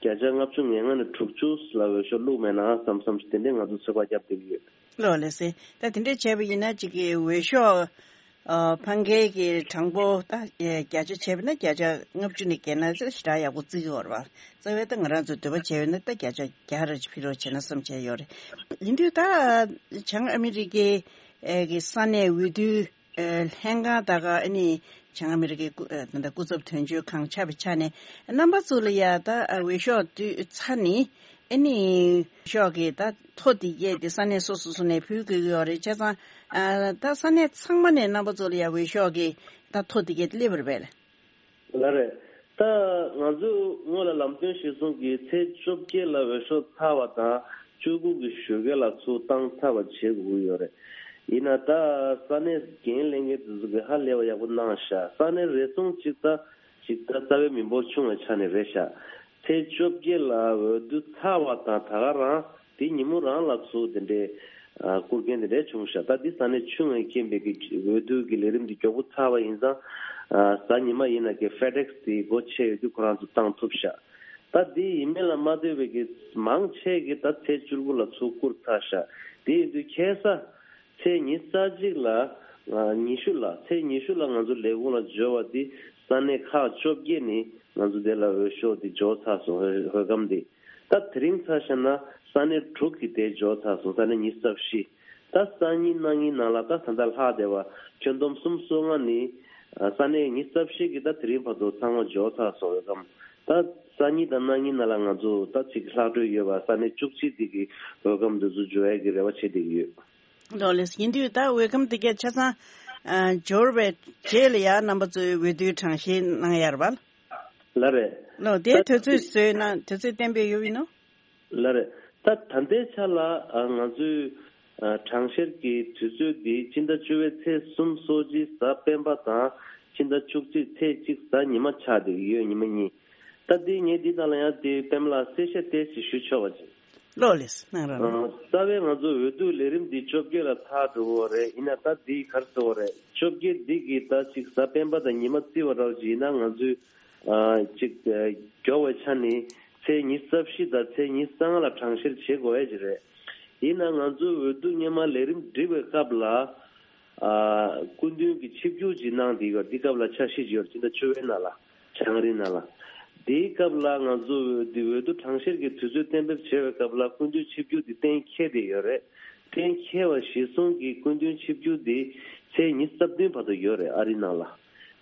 བརྒྱ་ཆ་ལྔ་བཅུ་ང་ལྔ་ནས་དྲུག་ཅུ་ལ་འོས་ཤོག་བླུགས་མེད་ན་བསམ་བསམ་ཞིག་དེ་འདྲས་ང་ཚོ་ཚོད་དཔག་བརྒྱབ་བསྡད་ཀྱི་ཡོད། ལགས་ལགས་སེ། ད་དེ་འདྲས་བྱས་པ་ཡིན་ན་ཅིག་གི་འོས་ཤོག་ཨ་འཕང་མཁན་གྱི་གྲངས་འབོར་ད་ཨེ་བརྒྱ་ཆ་བྱས་པ་ན་བརྒྱ་ཆ་ལྔ་བཅུ་ནས་བརྒལ་ན་ཞེ་དྲག་ཡག་པོ་བརྩི་གི་ཡོད་རེད་པ། རྩ་བའི་ད་ང་རང་ཚོའི་འདོད་པ་བྱས་པ་ན་ད་བརྒྱ་ཆ་བརྒྱ་རེ་ཕུལ་རོགས་བྱས་ན་བསམ་བྱས་ཡོད་རེད། ཡིན་དུས་ད་བྱང་ཨ་མི་རི་ཀའི་ཨེ་གི་ས་གནས་འོས་བསྡུའི་ཨེ་ལྷན་ཁང་ད་ག་ཨ་ནི་བྱང་ཨ་མི་རི་ཀའི་སྐུ་ཨེ་ད་ལྟ་སྐུ་ཚབ་དོན་གཅོད་ཁང་ཆགས་པའི་ཆ་ནས་རྣམ་པ་ཚོ་ལ་ཡ་ད་ཨ་འོས་ཤོག་བསྡུས་ཚར་ནི། ཨ་ནི་ཤོག་གི་ད་ཐོ་འདི་གས་དེ་ས་གནས་སོ་སོ་སོ་ནས་ཕུལ་དགོས་ཀྱི་ཡོད་རེད། བྱས་ཙང་ཨ་ད་ས་གནས་ཚང་མ་ནས་རྣམ་པ་ཚོ་ལ་ཡ་འོས་ཤོག་གི་ད་ཐོ་འདི་གས་དེ་སླེབས་པ་རེད་པས། ལགས་རེད། ད་ང་ཚོས་སྔོན་ལ་ལམ་སྟོན་གཞིར་བཟུང་གིས་ཚེས་བཅོ་བརྒྱད་ལ་འོས་ཤོག་ཚར་བ་དང་བཅུ་དགུ་གི་ཞོགས་ཀས་ལ་ཚུར་བཏང་ཚར་བ་བྱེད་དགོས་ཀྱི་ཡོད་རེད། ཡིན་ན་ད་ས་གནས་འགན་ལེན་མཁན་དེ་ཚོ་གིས་ཧ་ལས་པ་ཡག་པོ་གནང་ཤག་ས་གནས་རེ་ཟུང་གཅིག་ད་གཅིག་ད་རྩ་བའི་མི་འབོར་ཆུང་བའི་ཆ་ནས་རེད་ཤག་ཚེས་བཅོ་བརྒྱད་ལ་འོས་བསྡུ་ཚར་བ་དང་ད་ག་རང་དེ་ཉིན་མོ་རང་ལ་ཚུར་དེ་འདྲའི་ཨ་བསྐུར་མཁན་དེ་འདྲའི་བྱུང་ཤག་ད་འདི་ས་གནས་ཆུང་བའི་རྐྱེན་པས་ཀྱི་འོས་བསྡུ་གི་ལས་རིམ་འདི་མགྱོགས་པོ་ཚར་བ་ཡིན་ཙང་། ཨ་གཟའ་ཉི་མ་ཡིན་ན་ཀྱི་ཕེ་ཌེག་སི་དེ་སྒོ་ཕྱེ་ཡོད་དུས་ཁོ་རང་ཚོ་བཏང་ཐུབ་ཤག་ད་འདི་ཡིན་མིན་ལ་མ་ལྟོས་པའི་གི་མང་ཆེ་གི་ད་ཚེས་བཅུ་དགུ་ལ་ཚུར་བསྐུར་ཚར་ཤག་དེ་ཡིན་དུས་ཁ་སང་ཚེས་ཉི་ཤུ་རྩ་གཅིག་ལ་ ཉི་ཤུ་ལ་ཚེས་ཉི་ཤུ་ལ་ང་ཚོ་ལས་ཁུངས་ལ་འབྱོར་བ་དེ་ས་གནས་ཁག་བཅོ་བརྒྱད་ནས་ང་ཚོ་དེ་ལ་འོས་ཤོག་དེ་འབྱོར་ཚར་སོང་། འོས་འོས་སྒམ་དེ། ད་དེ་རིང་ཆ་བཞག་ན་ས་གནས་དྲུག་གི་དེ་འབྱོར་ཚར་སོང་། ས་གནས་ཉི་ཤུ་རྩ་བཞི། ད་སང་ཉིན་གནངས་ཉིན་ནང་ལ་ད་ད་ལྟ་ལྷག་བསྡད་པ་ཁྱོན་བསྡོམས་སུམ་ཅུ་སོ་ལྔ་ནི་ས་གནས་ཉི་ཤུ་རྩ་བཞི་གི་ད་དེ་རིང་བར་དུ་ཚང་མ་འབྱོར་ཚར་སོང་། འོས་སྒམ་ད་སང་ཉིན་དང་གནངས་ཉིན་ནང་ལ་ང་ཚོ་ད་ཅིག་ལྷག་འཕྲོས་ཡོད་པ་ས་གནས་བཅུ་གཅིག་དེ་གི་འོས་སྒམ་དེ་ཚོ་འབྱོར་ཡས་ཀྱི་རེ་བ་བྱེད་བསྡད་ཀྱི་ཡོད། ལགས་ལགས། ཡིན་དུས་ད་འོས་སྒམ་དེ་གས་ཆ་ཚང་ཨ་འབྱོར་བའི་རྗེས་ལ་ཡང་རྣམ་པ་ཚོས་འོས་བསྡུའི་གྲངས་བཤེར་གནང་ཡ་རེད་པ། ལགས་རེད། ལགས། དེའི་ད་དུས་ཚོད་བཟོས་ན་དུས་ཚོད་གཏན་འབེབས་ཡོད་པ་ཡིན་ནོ། ལགས་རེད། ད་ད་ལྟའི་ཆ་ལ་ཨ་ང་ཚོའི་ཨ་གྲངས་བཤེར་གྱི་དུས་ཚོད་འདི་སྤྱི་ཟླ་བཅུ་པའི་ཚེས་གསུམ་སོ་གཅིག་གཟའ་སྤེན་པ་དང་སྤྱི་ཟླ་བཅུ་གཅིག་ཚེས་གཅིག་གཟའ་ཉི་མ་ཆགས་བསྡད་ཡོད། ཉི་མ་གཉིས། ད་འདི་ངས་འདི་དང་ལ་ཡང་དེ་པད་མ་ལགས་གསལ་བཤད་ཏོག་ཙམ་ཞུ་ཆོག་པ་ཅིག། ལགས་ལགས། གནང་རོགས་གནང་། ཨ་རྩ་བའི་ང་ཚོ་འོས་བསྡུ་ལས་རིམ་འདི་བཅོ་བརྒྱད་ལ་ཚར་འགྲོ་གི་ཡོད་རེད། ཡིན་ན་ད་འདི་ག་རེ་ཟེར་དགོས་རེད། བཅོ་བརྒྱད་འདི་གི་ད་ཅིག་གཟའ་སྤེན་པ་དང་ཉི་མ་བརྩི་བ་འདྲ་བོ་ཅིག་ཡིན་ན་ང་ཚོས་ཨ་ཅིག་ཨ་མགྱོགས་པའི་ཆ་ནས་ཚེས་ཉི་ཤུ་རྩ་བཞི་དང་ཚེས་ཉི་ཤུ་རྩ་ལྔ་ལ་གྲངས་བཤེར་བྱེད་དགོས་ཡ་ཅིག་རེད། ཡིན་ན་ང་ཚོའི་འོས་བསྡུ་སྔོན་མ་ལས་རིམ་སྒྲིག་པའི་སྐབས་ལ་ཨ་སྐུ་མདུན་གྱིས་ཆིབས་བསྒྱུར་ཅིག་གནང་བསྡད་ཡོད། འདི་སྐབས་ལ་འཆར་གཞི་ཅིག་ཡོད་རེད། སྤྱི་ཟླ་བཅུ་པའི་ནང་ལ། བྱང་རིམ་ནང་ལ། དེའི་སྐབས་ལ་ང་ཚོ་འོས་བསྡུ་འོས་བསྡུ་གྲངས་བཤེར་གྱི་དུས་ཚོད་གཏན་འབེབས་བྱས་པའི་སྐབས་ལ་སྐུ་མདུན་ཆིབས་བསྒྱུར་དེ་གཏན་འཁེལ་བསྡད་ཡོད་རེད། གཏན་འཁེལ་བ་གཞིར་བཟུང་གིས་སྐུ་མདུན་ཆིབས་བསྒྱུར་དེ་ཚེས་ཉི་ཤུ་རྩ་བདུན་བར་དུ་ཡོད་རེད། ཨ་རིའི་ནང་ལ།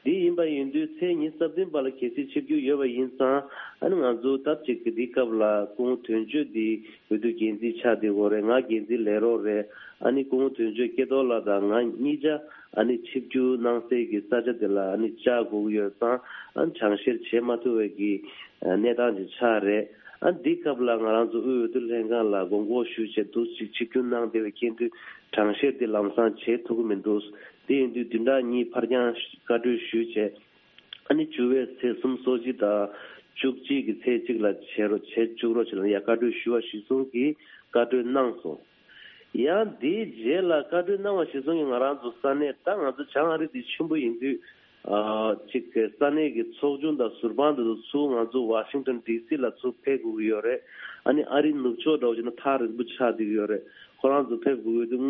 དེ་ཡིན་པ་ཡིན་དུས་ཚེས་ཉི་ཤུ་རྩ་བདུན་བར་ལ་གལ་སྲིད་ཆིབས་བསྒྱུར་ཡོད་པ་ཡིན་ཙང་ཨ་ནི་ང་ཚོ་སྟབས་གཅིག་གི་འདིའི་སྐབས་ལ་སྐུ་ངོ་དོན་གཅོད་དེ་འོས་བསྡུ་འགན་འཛིན་ཆགས་བསྡད་ཡོད་རེད། ང་འགན་འཛིན་ལས་རོགས་རེད། ཨ་ནི་སྐུ་ངོ་དོན་གཅོད་སྐལ་རྡོར་ལགས་དང་ང་གཉིས་ཆ་ཨ་ནི་ཆིབས་བསྒྱུར་གནང་སའི་གི་ས་ཆ་དེ་ལ་ཨ་ནི་བཅར་དགོས་ཀྱི་ཡོད་ཙང་། ཨ་ནི་གྲངས་བཤེར་བྱེད་མ་ཐུབ་པའི་གི་གནས་སྟངས་ཅིག་ཆགས་རེད། ཨ་ནི་འདིའི་སྐབས་ལ་ང་རང་ཚོ་དབུས་འོས་བསྡུ་ལྷན་ཁང་ལ་དགོངས་སྐོར་ཞུས་བྱས་འདུག་ཅིག་ཆིབས་བསྒྱུར་གནང་བསྡད་པའི་རྐྱེན་དུས་གྲངས་བཤེར་དེ་ལམ་སང་བྱེད་ཐུབ་ཀྱི་མི་འདུག། དེ་ཡིན་དུས་བདུན་ཕྲག་གཉིས་ཕར་འགྱངས་བཀའ་འཁྲོལ་ཞུས་བྱས། ཨ་ནི་བཅུ་པའི་ཚེས་གསུམ་སོ་གཅིག་དང་བཅུ་གཅིག་གི་ཚེས་གཅིག་ལ་བྱེད་རོགས་བྱེད་བཅུག་རོགས་བྱེད་ལ་ཡ་བཀའ་འཁྲོལ་ཞུ་བ་གཞིར་བཟུང་གིས་བཀའ་འཁྲོལ་གནང་སོང་། ཡང་དེའི་རྗེས་ལ་བཀའ་འཁྲོལ་གནང་བ་གཞིར་བཟུང་གིས་ང་རང་ཚོ་ས་གནས་ད་ང་ཚོ་བྱང་ཨ་རི་འདི་ཆེན་པོ་ཡིན་དུས་ཨ་ཅིག་ས་གནས་ཀྱི་ཚོགས་ཆུང་དང་ཟུར་དཔང་དེ་ཚོ་ཚུར་ང་ཚོ་ཝ་ཤིང་ཊོན་ཌི་སི་ལ་ཚུར་ཕེབས་དགོས་ཀྱི་ཡོད་རེད། ཨ་ནི་ཨ་རིའི་ནུབ་ཕྱོགས་འདྲ་བོ་བྱས་ན་ཐག་རིང་པོ་ཆགས་བསྡད་ཀྱི་ཡོད་རེད། ཁོ་རང་ཚོ་ཕེབས་དགོས་ཀྱི་འདུག།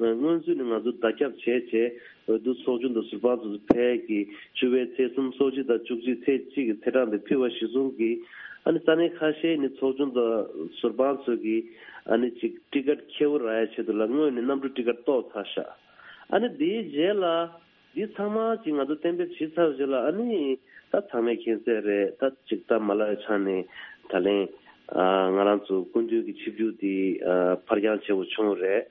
སྔོན་སྔོན་ཚུད་ནས་ང་ཚོ་བརྡ་ཁྱབ་བྱས་བྱས་འོས་བསྡུ་ཚོགས་ཆུང་དང་ཟུར་དཔང་ཚོ་ཕེབས་ཀྱི་བཅུ་པའི་ཚེས་གསུམ་སོ་གཅིག་དང་བཅུ་གཅིག་ཚེས་གཅིག་གི་ཚེས་གྲངས་དེ་ཕུལ་བ་གཞིར་བཟུང་གིས་ཨ་ནི་ས་གནས་ཁ་ཤས་ནི་ཚོགས་ཆུང་དང་ཟུར་དཔང་ཚོ་གིས་ཨ་ནི་ཅིག་ཊི་ཀེ་ཊི་ཁེ་པོ་རག་ཡ་ཆེད་དུ་ལ་སྔོན་ནས་གནམ་གྲུ་ཊི་ཀེ་ཊི་གཏོར་ཚར་ཤག། ཨ་ནི་དེའི་རྗེས་ལ་འདི་ཚང་མ་ཅིག་ང་ཚོ་གཏན་འབེབས་བྱས་ཚར་རྗེས་ལ་ཨ་ནི་ད་ཚང་མས་མཁྱེན་གསལ་རེད། ད་ཅིག་ད་མ་ལག་ཆ་ནས་ད་ལན་ཨ་ང་རང་ཚོ་སྐུ་མདུན་གྱི་ཆིབས་བསྒྱུར་འདི་ཨ་ཕར་འགྱངས་བྱེད་དགོས་བྱུང་རེད།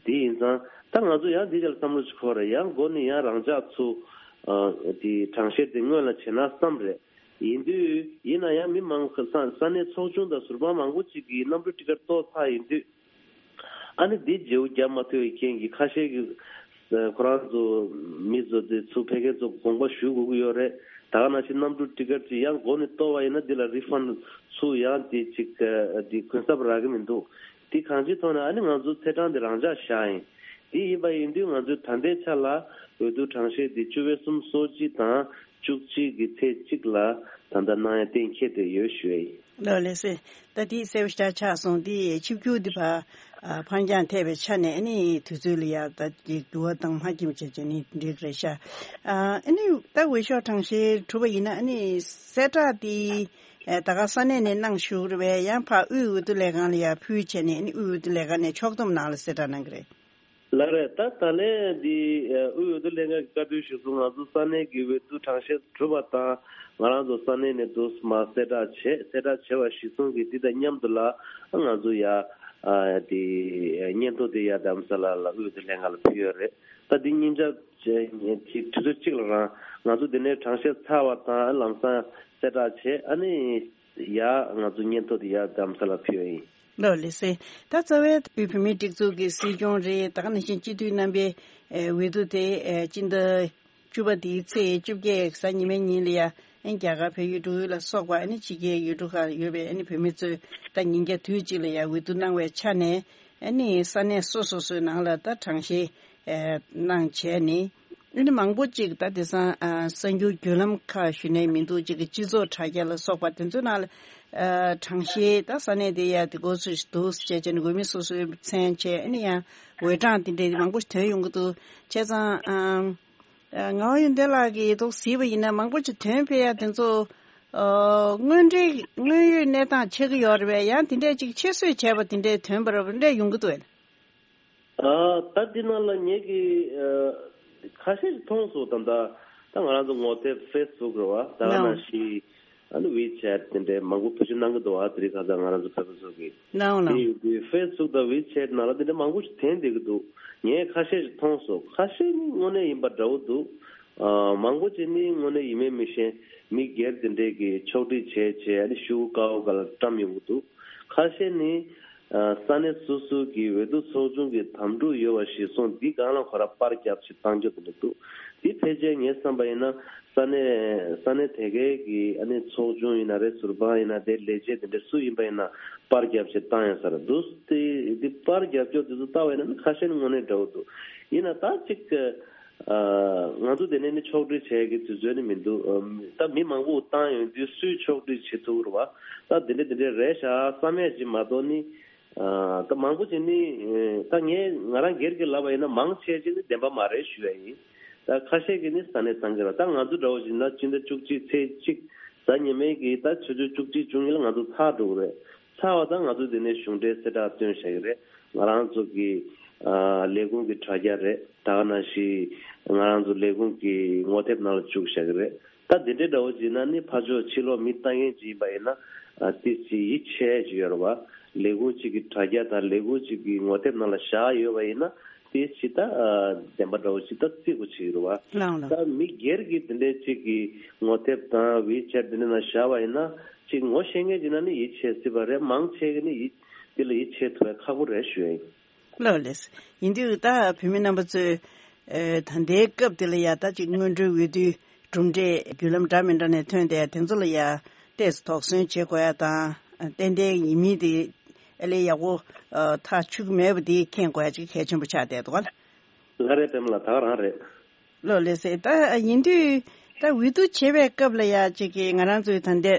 དེ་ཡིན་ཙང་ད་ང་ཚོ་ཡང་འདི་ཆ་ལ་བསམ་བློ་ཅིག་འཁོར་རེད། ཡང་འགོ་ནས་ཡང་རང་འཇགས་ཚུགས་ཨ་དེ་གྲངས་བཤེར་དེ་སྔོན་ལ་བྱས་ན་བསམ་རེད། ཡིན་དུས་ཡིན་ན་ཡང་མི་མང་ས་ས་གནས་ཚོགས་ཆུང་དང་ཟུར་དཔང་མང་པོ་ཅིག་གིས་གནམ་གྲུ་ཊི་ཀེ་ཊི་གཏོར་ཚར་ཡིན་དུས། ཨ་ནི་འདི་བརྗེ་པོ་བརྒྱབ་མ་ཐུབ་པའི་རྐྱེན་གྱིས་ཁ་ཤས་ཀྱིས་ཁོ་རང་ཚོ་མི་ཚོ་དེ་ཚུར་ཕེབས་མཁན་ཚོ་དགོངས་པ་ཞུ་དགོས་ཀྱི་ཡོད་རེད། ད་ག་ནང་བཞིན་གནམ་གྲུ་ཊི་ཀེ་ཊི་ཅིག་ཡང་འགོ་ནས་གཏོར་བ་ཡིན་ན་འདི་ལ་རི་ཕན་ཌི་ཚུར་ཡང་དེ་ཅིག་དེ་གུན་གསབ་རག་གི་མི་འདུག། དེ་གང་ཅིའི་ཐོག་ནས་ཨ་ནི་ང་ཚོ་ཚེས་གྲངས་དེ་རང་འཇགས་བཞག་ཡིན། དེ་ཡིན་པ་ཡིན་དུས་ང་ཚོས་ད་ལྟའི་ཆ་ལ་འོས་བསྡུ་གྲངས་བཤེར་དེ་བཅུ་པའི་གསུམ་སོ་གཅིག་དང་བཅུ་གཅིག་གི་ཚེས་གཅིག་ལ་ད་ལྟ་གནང་ཡ་གཏན་འཁེལ་བསྡད་ཡོད་ཞུ་ཡ་ཡིན། ལགས་ལགས་སེ། ད་དེ་གསལ་པོ་ཞེ་དྲག་ཆགས་སོང་། དེ་ཆིབས་བསྒྱུར་དེ་ཕར་ཨ་ཕར་འགྱངས་ཐེབས་པའི་ཆ་ནས་ཨ་ནི་དུས་ཚོད་ལ་ཡ་ད་དེ་འགྱུར་བ་བཏང་མ་ཁྱིམ་བྱས་བྱས་ནི་འགྲིག་རེད་ཤག། ཨ་ཨ་ནི་ད་འོས་ཤོག་གྲངས་བཤེར་གྲུབ་པ་ཡིན་ན་ཨ་ནི་གསལ་བསྒྲགས་དེ་ཨ་ད་ག་ས་གནས་ནས་གནང་བཞུགས་རེད་པས། ཡང་ཕར་དབུས་འོས་བསྡུ་ལས་ཁང་ལ་ཡ་ཕུལ་བྱས་ནས་ཨ་ནི་དབུས་འོས་བསྡུ་ལས་ཁང་ནས་ཕྱོགས་བསྡོམས་ནང་ལ་གསལ་བསྒྲགས་གནང་གི་རེད། ལགས་རེད། ད་ད་ལན་འདི་དབུས་འོས་བསྡུ་ལྷན་ཁང་གི་བཀའ་འཁྲོལ་གཞིར་བཟུང་ང་ཚོ་ས་གནས་ཀྱི་འོས་བསྡུ་གྲངས་བཤེར་གྲུབ་པ་དང་ང་རང་ཚོ་ས་གནས་ནས་འདུག་སེ་མར་གསལ་བསྒྲགས་བྱས། གསལ་བསྒྲགས་བྱས་པ་གཞིར་བཟུང་གིས་འདི་དང་མཉམ་དུ་ལ་ང་ཚོ་ཡ་ཨ་དེ་སྙན་ཐོ་དེ་ཡ་རྡ་རམ་ས་ལ་ལ་དབུས་འོས་བསྡུ་ལྷན་ཁང་ལ་ཕུལ་ཡོད་རེད། ད་འདི་ཉིན་ཆ་གཅིག་དུས་ཚོད་གཅིག་ལ་རང་ང་ཚོ་འདི་ནས་གྲངས་བཤེར་ཚར་བ་དང་ལམ་སང་གསལ་བསྒྲགས་བྱས། ཨ་ནི་ཡ་ང་ཚོ་སྙན་ཐོ་དེ་ཡ་རྡ་རམ་ས་ལ་ཕུལ་ཡོད་ཡིན། ལགས་ལགས་སེ། ད་རྩ་བའི་དབུས་བོད་མིའི་སྒྲིག་འཛུགས་ཀྱི་སྲིད་སྐྱོང་རེད། ད་ག་ནང་བཞིན་སྤྱི་འཐུས་རྣམ་པའི་ཨེ་འོས་བསྡུ་དེ་ཨེ་སྤྱི་ཟླ་བཅུ་པ་འདིའི་ཚེས་བཅོ་བརྒྱད་གཟའ་ཉི་མའི་ཉིན་ལ་ཡ་ཨེ་རྒྱ་གར་བལ་ཡུལ་འབྲུག་ཡུལ་ལ་སོགས་པ་ཨ་ནི་ཕྱི་རྒྱལ་ཡུལ་གྲུ་ཁག་ཡོད་པའི་ཨ་ནི་བོད་མི་ཚོས་ད་ཉིན་རྒྱབ་དུས་གཅིག་ལ་ཡ་འོས་བསྡུ་གནང་བའི་ཆ་ནས་ཨ་ནི་ས་གནས་སོ་སོ་སོའི་ནང་ལ་ད་གྲངས་བཤེར་ཨེ་གནང་བྱས་ནས། ཨ་ནི་མང་པོ་ཅིག་ད་དེང་སང་ཨ་གསར་འགྱུར་བརྒྱུད་ལམ་ཁག་ཞུས་ནས་མི་འདུག་ཅིག་གི་སྤྱི་ཚོགས་དྲ་རྒྱ་ལ་སོགས་པ་དེ་ཚོའི་ནང་ལ་ཨ་གྲངས་བཤེར་ད་ས་གནས་དེ་ཡ་དེ་གོ་ཚོད་ཞིག་འདུག་ཟེར་བྱས་བྱས་ནས་འགོ་མི་སོ་སོའི་མཚན་བྱས་ཨ་ནི་ཡང་འོས་གྲངས་དེ་འདྲའི་མང་པོ་ཞིག་ཐོན་ཡོང་གི་འདུག་བྱས་ཙང་ཨ་ཨ་ངག་དབང་ཡོན་ཏན་ལགས་ཀྱིས་ཐུགས་གཟིགས་པ་ཡིན་ན་མང་པོ་ཅིག་ཐོན་ཕེབས་ཡ་དེ་ཚོ་ཨ་དངོས་འབྲེལ་དངོས་ཡོད་གནས་སྟངས་ཆགས་ཀྱི་ཡོད་རེད་པས། ཡང་དེ་འདྲས་ཅིག་ཆེད་བཟོས་བྱས་པ་དེ་འདྲས་ཐོན་པ་རེད་པ། དེ་འདྲས་ཡོང་གི་འདུག་གས། ཨ། ད་འདི་ནང་ལ་ངེད་ཀྱི་ཨ་ཁ་ཤས་ཤིག་མཐོང་སོང་། ད་ལྟ་ད་ང་རང་ཚོ་ངོ་དེབ་ཕེ་སི་བུག་རེད་བ། ད་ག་ནང་བཞིན་ཨ་ནི་ཝི་ཆེ་ཊི་དེ་འདྲའི་མང་པོ་བེད་སྤྱོད་གནང་གི་འདུག་བ། དེ་རིང་ཁ་སང་ང་རང་ཚོ་བོད་པ་ཚོ་གིས། ལའོ་ལའོ། དེ་ཡིན་དུས་ཕེ་སི་བུག་དང་ཝི་ཆེ་ཊི་ནང་ལ་དེ་འདྲ་མང་པོ་ཞིག་ཐོན་བསྡད་ཀྱི་འདུག་ངས་ཁ་ཤས་ཤིག་མཐོང་སོང་། ཁ་ཤས་ནི་དངོས་གནས་ཡིན་པ་འདྲ་བོ་འདུག་ཨ། མང་པོ་ཅིག་ནི་དངོས་གནས་ཡིན་མིན་མི་ཤེས། མི་སྒེར་དེ་འདྲས་ཀྱིས་ཕྱོགས་སྒྲིག་བྱས་བྱས་ཨ་ནི་ཤོག་གུ་དཀར་པོ་སྒང་ལ་བཀྲམ་ཡོང་གི་འདུག་ཁ་ཤས་ནི་ཨ་ས་གནས་སོ་སོ་གི་འོས་བསྡུ་ཚོགས་ཆུང་གི་དམ་ཕྲུག་ཡོད་པ་ཞིག་སོང་། འདི་སྒང་ལ་ཁོ་ར་པར་བརྒྱབ་བྱས་བཏང་རྒྱུ་དེ་འདྲ་འདུག་འདི་ཕལ་ཆེར་ངས་བསམ་པ་ཡིན་ན་ས་གནས་ས་གནས་དེ་གའི་གི་ཨ་ནི་ཚོགས་ཆུང་ཡིན་ན་རེད། ཟུར་དཔང་ཡིན་ན་རེད། ལས་བྱེད་དེ་འདྲ་སུ་ཡིན་པ་ཡིན་ན་པར་བརྒྱབ་བྱས་བཏང་ཡོང་ས་རེད་འདུག་དེ་འདི་པར་བརྒྱབ་ཀྱོག་དེ་ཚོ་ལྟ་བ་ཡིན་ན་ནི་ཁ་ཤས་ནི་དངོས་གནས་འདྲ་བོ་འདུག་ཡིན་ན་ད་ཅིག་ཨ། ང་ཚོ་དེ་ནས་ནི་ཕྱོགས་སྒྲིག་བྱས་ཀྱི་དུས་ཚོད་ནི་མི་འདུག་ཨམ། ད་མི་མང་པོ་བཏང་ཡོང་དུས་སུས་ཕྱོགས་སྒྲིག་བྱེད་ཐུབ་རེད་བ། ད་དེ་འདྲ་དེ་འདྲ་རེད་ཤག་བསམ་ཡས་ཅིག་མ་གཏོགས་ནི། ཨ། ད་མང་པོ་ཅིག་ནི་ད་ངས་ང་རང་སྒེར་གྱི་ལབ་པ་ཡིན་ན་མང་ཆེ་ཅིག་ནི་བདེན་པ་མ་རེད་ཞུ་ཡ་ཡིན། ད་ཁ་ཤས་ཀྱིས་ནི་ས་གནས་གཏང་གི་རེད། ད་ང་ཚོ་འདྲ་བོ་ཞིག་ན་སྤྱི་ཟླ་བཅུ་གཅིག་ཚེས་གཅིག་གཟའ་ཉི་མའི་གི་ད་ཆུ་ཚོད་བཅུ་གཅིག་བཅུ་གཉིས་ལ་ང་ཚོ་ཚར་འགྲོ་གི་རེད། ཚར་བ་དང་ང་ཚོ་དེ་ནས་གཞུང་འབྲེལ་གསལ་བསྒྲགས་བཏོན་བཞག་གི་རེད། ང་རང་ཚོ་གི་ཨ་ལས་ཁུངས་ཀྱི་དྲ་རྒྱ་རེད། ད་ག་ནང་བཞིན་ང་རང་ཚོ་ལས་ཁུངས་ཀྱི་ངོ་དེབ་ནང་ལ་བཅུག་བཞག་གི་རེད། ད་དེ་འདྲའི་འདྲ་བོ་བྱས་ན་ནི་ཕར་ཕྱོགས་ཕྱི་ལོགས་མི་ལྟ་མཁན་ཅིག་ཡིན་པ་ཡིན་ན་ཨ་ཏོག་ཙམ་ཡིད་ཆེས་ཅིག་ཡོད་རེད་བ། ལས་ཁུངས་གཅིག་གི་དྲ་རྒྱ་དང་ལས་ཁུངས་གཅིག་གི་ངོ་དེབ་ནང་ལ་བཞག་ཡོད་པ་ཡིན་ན་ཏོག་ཙམ་ད་ཨ་བདེན་པ་འདྲ་བོ་ཞིག་ད་བརྩི་དགོས་ཅིག་ཡོད་རེད་བ། ལའོ་ལའོ། ད་མི་སྒེར་གྱི་དེ་འདྲའི་གཅིག་གི་ངོ་དེབ་དང་ཝི་ཆེ་ཊི་དེ་འདྲ་ནང་བཞག་པ་ཡིན་ན། ཅིག་ངོ་ཤེས་མཁན་ཅིག་ན་ནི་ཡིད་ཆེས་སྲིད་པ་རེད། མང་ཆེ་གི་ནི་ཡིད་འདི་ལ་ཡིད་ཆེས་ཐུབ་པ་ཁག་པོ་རེད་ཞུ་ཡ་ཡིན། ལགས་ལགས། ཡིན་དུས་ད་བོད་མི་རྣམ་པ་ཚོས་ཨེ་ད་ལྟའི་སྐབས་འདི་ལ་ཡ་ད་ཅིག་སྔོན་འགྲོའི་འོས་བསྡུའི་གྲུབ་འབྲས་བརྒྱུད་ལམ་འདྲ་མི་འདྲ་ནས་ཐོན་ཏེ་དེ་ཚོ་ལ་ཡ་ཏོག་ཙམ་དོགས་ཟོན་བྱེད་དགོས་ཡ་དང་ཏན་ཏན་ཡིན་མིན་དེ་ཨ་ལས་ཡག་པོ་ཨ་ཐག་ཆོད་ཀྱི་མེད་པ་དེ་མཁྱེན་དགོས་ཡ་ཅིག་གལ་ཆེན་པོ་ཆགས་བསྡད་འདུག་ག་ལ། ལགས་རེད། པད་མ་ལགས་ད་ག་རང་རེད། ལགས་ལགས་སེ། ད་ཡིན་དུས་ད་འོས་བསྡུ་བྱེད་པའི་སྐབས་ལ་ཡ་གཅིག་གིས་ང་རང་ཚོའི་ད་ལྟའི་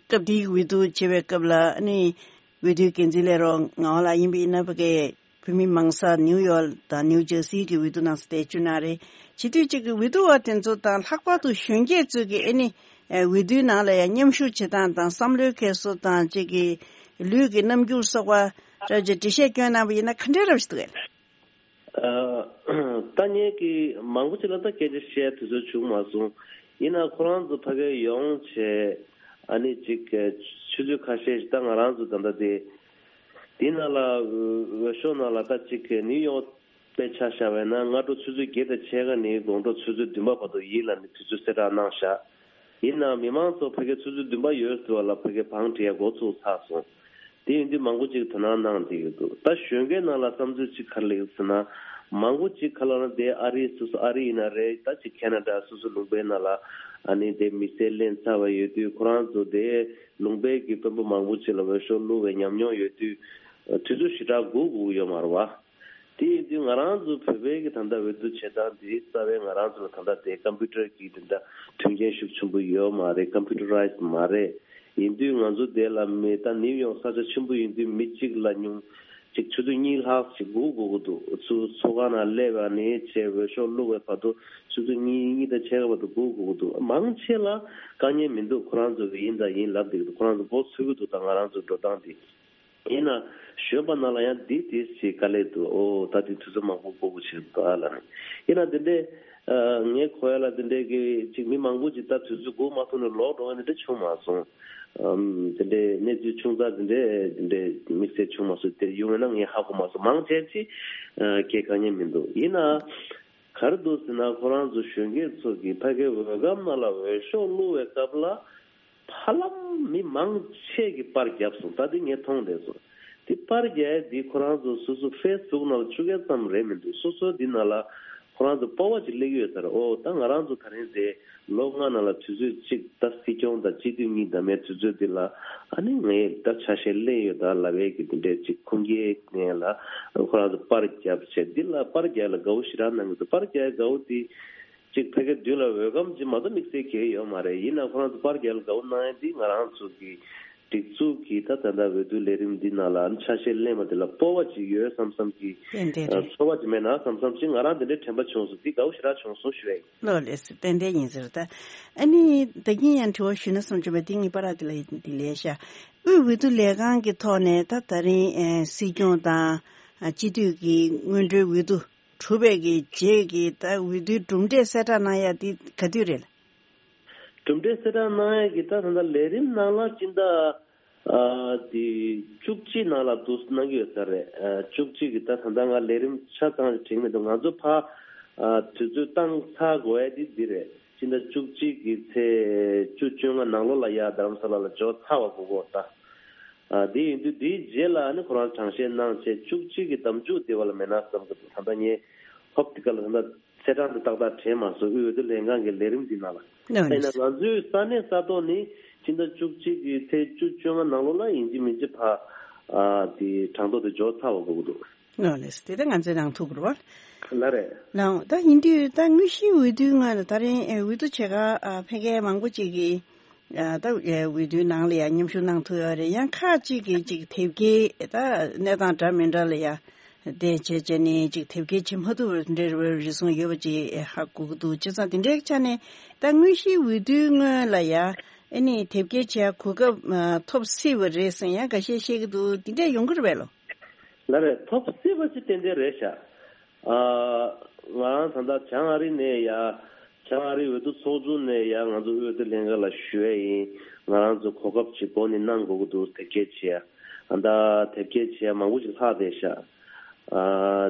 སྐབས་འདིའི་འོས་བསྡུ་བྱེད་པའི་སྐབས་ལ་ཨ་ནི་འོས་བསྡུའི་འགན་འཛིན་ལས་རོགས་ངག་དབང་ལགས་ཡིན་པ་ཡིན་ན་ཕ་གིའི་བོད་མི་མང་ས་ནིའུ་ཡོག་དང་ནིའུ་ཇར་སི་གི་འོས་བསྡུ་ནང་སུ་བསྡད་རྒྱུ་ན་རེད། བྱེད་དུས་གཅིག་གི་འོས་བསྡུ་བ་དེ་ཚོ་དང་ལྷག་པར་དུ་གཞོན་སྐྱེས་ཚོས་ཀྱི་ཨ་ནི་འོས་བསྡུའི་ནང་ལ་ཡ་མཉམ་ཞུགས་བྱེད་སྟངས་དང་བསམ་བློའི་འཁྱེར་སོ་དང་གཅིག་གི་ལུས་ཀྱི་རྣམ་འགྱུར་སོགས་པ་འདྲ་ཅིག་འགྲེལ་བཤད་སྐྱོན་གནང་བ་ཡིན་ན་ག་འདྲའི་རབ་ཞིག་འདུག་གས། ཨ། ད་ངས་ཀྱི་མང་པོ་ཅིག་ལ་ད་སྐད་ཆ་བཤད་དུས་ཚོད་བྱུང་མ་སོང་། ཡིན་ན་ཁོ་རང་ཚོ་ཕ་གིར་ཡོང་བྱས་ཨ་ནི་ཅིག་ཆུ་ཚོད་ཁ་ཤས་ཤིག་ད་ང་རང་ཚོ་ད་ལྟ་དེ་དེ་ནང་ལ་འོས་ཤོག་ནང་ལ་ད་ཅིག་ནིའུ་ཡོག་པའི་ཆ་བཞག་པ་ཡིན་ན་སྔ་དྲོ་ཆུ་ཚོད་བརྒྱད་དང་ཕྱེད་ཀ་ནས་དགོང་དྲོ་ཆུ་ཚོད་བདུན་པ་བར་དུ་ཡིན་ལབ་ནས་དུས་ཚོད་གསལ་བསྒྲགས་གནང་བཞག་ཡིན་ནའང་མི་མང་ཚོ་ཕ་གིར་ཆུ་ཚོད་བདུན་པ་ཡོལ་ཟེར་བ་ལ་ཕ་གིར་བང་སྒྲིག་ཡ་འགོ་ཚུགས་ཚར་སོང་། དེ་ཡིན་དུས་མང་པོ་ཅིག་དོ་སྣང་གནང་བསྡད་ཡོད་འདུག་ད་གཞོན་སྐྱེས་ནང་ལ་བསམ་ཚུལ་ཅིག་ག་རེ་སླེབས་ཟེར་ན། མང་པོ་ཅིག་ག་ལ་ན་དེ་ཨ་རི་སོ་སོ་ཨ་རི་ཡིན་ན་རེད། ད་ཅིག་ཁེ་ན་ཌ་སོ་སོ་ལུང་པའི་ནང་ལ་ཨ་ནི་དེ་མི་སེར་ལེན་ཚར་བ་ཡོད་དུས་ཁོ་རང་ཚོ་དེ་ལུང་པའི་གི་དཔོན་པོ་མང་པོ་ཅིག་ལ་འོས་ཤོག་བླུགས་པའི་ཉམས་མྱོང་ཡོད་དུས་དུས་ཚོད་ཞེ་དྲག་སྒུག་དགོས་ཀྱི་ཡོད་མ་རེད་བ། དེ་ཡིན་དུས་ང་རང་ཚོ་བོད་པའི་གི་ད་ལྟ་འོས་བསྡུ་བྱེད་སྟངས་དེ་རྩ་བའི་ང་རང་ཚོ་ལ་ད་ལྟ་དེ་ཀམ་པུ་ཊར་གི་དེ་འདྲ་མཐུན་རྐྱེན་ཤུགས་ཆེན་པོ་ཡོད་མ་རེད། ཀམ་པུ་ཊར་རའི་ཛི་མ་རེད། ཡིན་དུས་ང་ཚོ་དེ་ལ་མི་ད་ནིའུ་ཡོག་ས་ཆ་ཆེན་པོ་ཡིན་དུས་མི་གཅིག་ལ་ཉུང་གཅིག་ཆུ་ཚོད་གཉིས་ལྷག་ཅིག་སྒུག་དགོས་ཀྱི་འདུག་ཚུ་ཚོགས་ཁང་ནང་སླེབས་པ་ནས་བྱས་འོས་ཤོག་བླུགས་པའི་བར་དུ་ཆུ་ཚོད་གཉིས་གཉིས་དང་ཕྱེད་ཀ་བར་དུ་སྒུག་དགོས་ཀྱི་འདུག་མང་ཆེ་ལ་དཀའ་ངལ་མི་འདུག་ཁོ་རང་ཚོ་གི་ཡིན་དང་ཡིན་ལབ་བསྡད་ཀྱི་འདུག་ཁོ་རང་ཚོ་མགོ་ཚོས་ཀྱི་འདུག་ད་ང་རང་ཚོའི་འགྲོ་སྟངས་འདི། ཡིན་ན་གཞོན་པ་ནང་ལ་ཡང་འདི་དེ་ཞིག་དཀའ་ལས་འདུག་ཨོ་ད་འདི་དུས་ཚོད་མང་པོ་འགོར་དགོས་ཆེ་འདུག་ཨ་ལ་ནི། ཡིན་ན་འདི་འདྲའི་ཨ་ངས་གོ་ཡ་ལ་འདི་འདྲའི་གི་ཅིག་མི་མང་པོ་ཅིག་ད་དུས་ཚོད་འགོར་མ་ཐུབ་ནས་ལོག་འགྲོ་བ་འདི་འདྲ་བྱུང་མ་སོང་། ཨམ་འདི་འདྲའི་གནས་ཚུལ་ཆུང་ཙག་འདི་འདྲའི་འདི་འདྲའི་དམིགས་བསལ་བྱུང་མ་སོང་། དེ་ཡོང་བས་ན་ངས་ཧ་གོ་མ་སོང་། མང་ཆེ་ཅིག་ཨ་སྐད་དཀའ་ངལ་མི་འདུག་ཡིན་ན་ག་རེ་འདུག་ཟེར་ན་ཁོ་རང་ཚོ་གཞོན་སྐྱེས་ཚོ་གི་ཕ་གའི་འོས་སྒམ་ནང་ལ་འོས་ཤོག་བླུགས་པའི་སྐབས་ལ། ཧ་ལམ་མི་མང་ཆེ་གིས་པར་བརྒྱབ་སོང་། ད་དེ་ངས་མཐོང་བསྡད་སོང་། དེ་པར་བརྒྱབ་ཡ་དེ་ཁོ་རང་ཚོ་སོ་སོ་ཕེ་སི་བུག་ནང་ལ་བཅུག་ཡ་ཙམ་རེད་མི་འདུག་སོ་སོ་འདི་ནང་ལ་ཁོ་རང་ཚོ་སྤོབས་པ་ཅིག་སླེབས་ཀྱི་ཡོད་ས་རེད། ཨོ་ད་ང་རང་ཚོ་ད་རིང་དེ་ལོ་ལྔ་ནང་ལ་དུས་ཚོད་གཅིག་ད་སྲིད་སྐྱོང་དང་སྤྱི་འཐུས་གཉིས་ཟླ་མའི་དུས་ཚོད་འདི་ལ་ཨ་ནི་ངས་ད་ཆ་ཤས་ལེན་ཡོད་ད་ལབ་ཡས་ཀྱི་དེ་འདྲས་ཅིག་ཁུངས་སྐྱེལ་ནས་ལ་ཁོ་རང་ཚོ་པར་བརྒྱབ་བྱས་འདི་ལ་པར་བརྒྱབ་ལ་དགའ་བོ་ཞེ་དྲག་གནང་གི་འདུག་པར་བརྒྱབ་དགའ་བོ་དེ། གཅིག་ཕ་གི་མདུན་ལ་འོས་འགན་ཅིག་མ་གཏོགས་དམིགས་བསལ་གང་ཡང་ཡོད་མ་རེད། ཡིན་ན་ཁོ་རང་ཚོ་པར་རྒྱག་ལ་དགའ་པོ་གནང་ཡ་འདི་ང་རང་ཚོ་གི་སྒྲིག་འཛུགས་ཀྱི་ད་ད་ལྟ་འོས་བསྡུ་ལས་རིམ་འདི་ནང་ལ་ཆ་ཤས་ལེན་པ་འདི་ལ་སྤོབས་པ་ཅིག་ཡོད་བསམ་བསམ་གྱི་ཏན་ཏན་རེད། ཚོར་བ་ཅིག་མེད་ན་བསམ་བསམ་ཅིག་ང་རང་འདི་འདྲའི་དྲན་པ་བྱུང་སོང་། འདི་དགའ་པོ་ཞེ་དྲག་བྱུང་སོང་ཞུ་ཡ་ཡིན། ལགས་ལགས་སོ། ཏན་ཏན་ཡིན་ཟེར། ད་ཨ་ནི་ད་གིན་ཡང་དྲི་བ་ཞུས་ན་བསམ་བྱུང་བ་འདི་ངའི་པར་འདི་ལ་འདི་ལས་ཤ། དབུས་འོས་བསྡུ་ལས་ཁང་གི་ཐོག་ནས་ད་ད་རིང་ཨེ་སྲིད་སྐྱོང་དང་ཨ་སྤྱི་འཐུས་ཀྱི་སྔོན་འགྲོའི་འོས་བསྡུ་གྲུབ་པའི་གི་རྗེས་ཀྱི་ད་འོས་བསྡུའི་གྲུབ་འབྲས་གསལ་བསྒྲགས་གནང་ཡ་འདི་ག་དུས་རེད། གྲུབ་འབྲས་གསལ་བསྒྲགས་གནང་ཡ་གི་ད་ད་ལྟ་ལས་རིམ་ནང་ལ་སྤྱི་ཟླ་ཨ་དེ་བཅུ་གཅིག་ནང་ལ་འདུག་གནང་གི་ཡོད་ས་རེད། ཨ་བཅུ་གཅིག་གི་ད་ད་ལྟ་ང་ལས་རིམ་ཆ་ཚང་ཞིག་དྲན་མི་འདུག་ང་ཚོ་ཕ་ཨ་དུས་ཚོད་བཏང་ཚར་དགོས་ཡ་དེ་འདི་རེད། སྤྱི་ཟླ་བཅུ་གཅིག་གི་ཚེས་བཅུ་བཅོ་ལྔ་ནང་ལོགས་ལ་ཡ་རྡ་རམ་ས་ལ་ལ་འབྱོར་ཚར་བ་དགོས་གོ་ད། ཨ་དེ་ཡིན་དུས་དེའི་རྗེས་ལ་ཨ་ནི་ཁོ་རང་གྲངས་བཤེར་གནང་བྱས་བཅུ་གཅིག་གི་ཟླ་མཇུག་དེ་བ་ལ་མེད་ན་བསམ་གི་འདུག་ད་ལྟ་ངས་ཧོབ་དེ་ག་ལ་ད་ལྟ་ཚེས་གྲངས་དེ་ཏག་ཏག་དྲན་མ་སོང་། དབུས་འོས་བསྡུ་ལྷན་ཁང་གི་ལས་རིམ་འདི་ནང་ལ། ནོ་ཡིན་ན་ང་ཚོའི་ས་གནས་ས་ཐོག་ནི་སྤྱི་ཟླ་བཅུ་གཅིག་གི་ཚེས་བཅུ་བཅོ་ལྔ་ནང་ལོགས་ལ་ཡིན་གཅིག་མིན་གཅིག་ཕ་ཨ་དེ་གྲངས་ཐོ་དེ་འབྱོར་ཚར་བ་དགོས་ཀྱི་འདུག་ནོ་ལེས་དེ་ད་ང་ཚོའི་ནང་ཐུག་རོགས། ལ་རེད། ལའང་ད་ཡིན་དུས་ད་དངོས་གཞིའི་འོས་བསྡུའི་སྔོན་ལ་ད་རིང་ཨེ་འོས་བསྡུ་བྱེད་ག་ཨ་ཕ་གིའི་མང་པོ་ཅིག་གིས་ཨ་ད་ཨེ་འོས་བསྡུའི་ནང་ལ་ཡང་མཉམ་ཞུགས་གནང་ཐུབ་ཡོད་རེད། ཡང་ཁག་ཅིག་གིས་ཅིག་དེབ་སྐྱེལ་ད་གནས་སྟངས་འདྲ་མི་འདྲ་ལ་ཡང་དེ་བྱས་བྱས་ནས་ཅིག་དེབ་སྐྱེལ་བྱེད་མ་ཐུབ་པའི་འདྲ་བའི་རེ་ཟུང་ཡོད་པ་ཅིག་ཨེ་ཧ་གོ་གི་འདུག་བྱས་ཙང་དེ་འདྲའི་ཆ་ནས་ད་དངོས་གཞིའི་འོས་བསྡུའི་སྔོན་ལ་ཡང་ཨ་ནི་དེབ་སྐྱེལ་བྱེད་གོ་སྐབས་ཨ་ཐོབ་སྲིད་པ་རེད་ཟེར་ཡང་འགའ་ཤས་བཤད་ཀྱི་འདུག་དེ་འདྲ་ཡོང་གི་རེད་པས་ལོ། ལ་རེད། ཐོབ་སྲིད་པ་ཅིག་ཏན་ཏན་རེད་ཤག་ཨ་ང་རང་ད་ལྟ་བྱང་ཨ་རི་ནས་ཡ་བྱང་ཨ་རི་འོས་བསྡུ་ཚོགས་ཆུང་ནས་ཡ་ང་ཚོ་དབུས་འོས་བསྡུ་ལྷན་ཁང་ལ་ཞུ་ཡ་ཡིན། ང་རང་ཚོ་གོ་སྐབས་ཅིག་འགོ་ནས་གནང་དགོས་ཀྱི་འདུག་དེབ་སྐྱེལ་བྱེད་ཡ། ཨ་ད་དེབ་སྐྱེལ་བྱེད་ཡ་མང་པོ་ཞིག་ལྷག་བསྡད་ཤག་ཨ་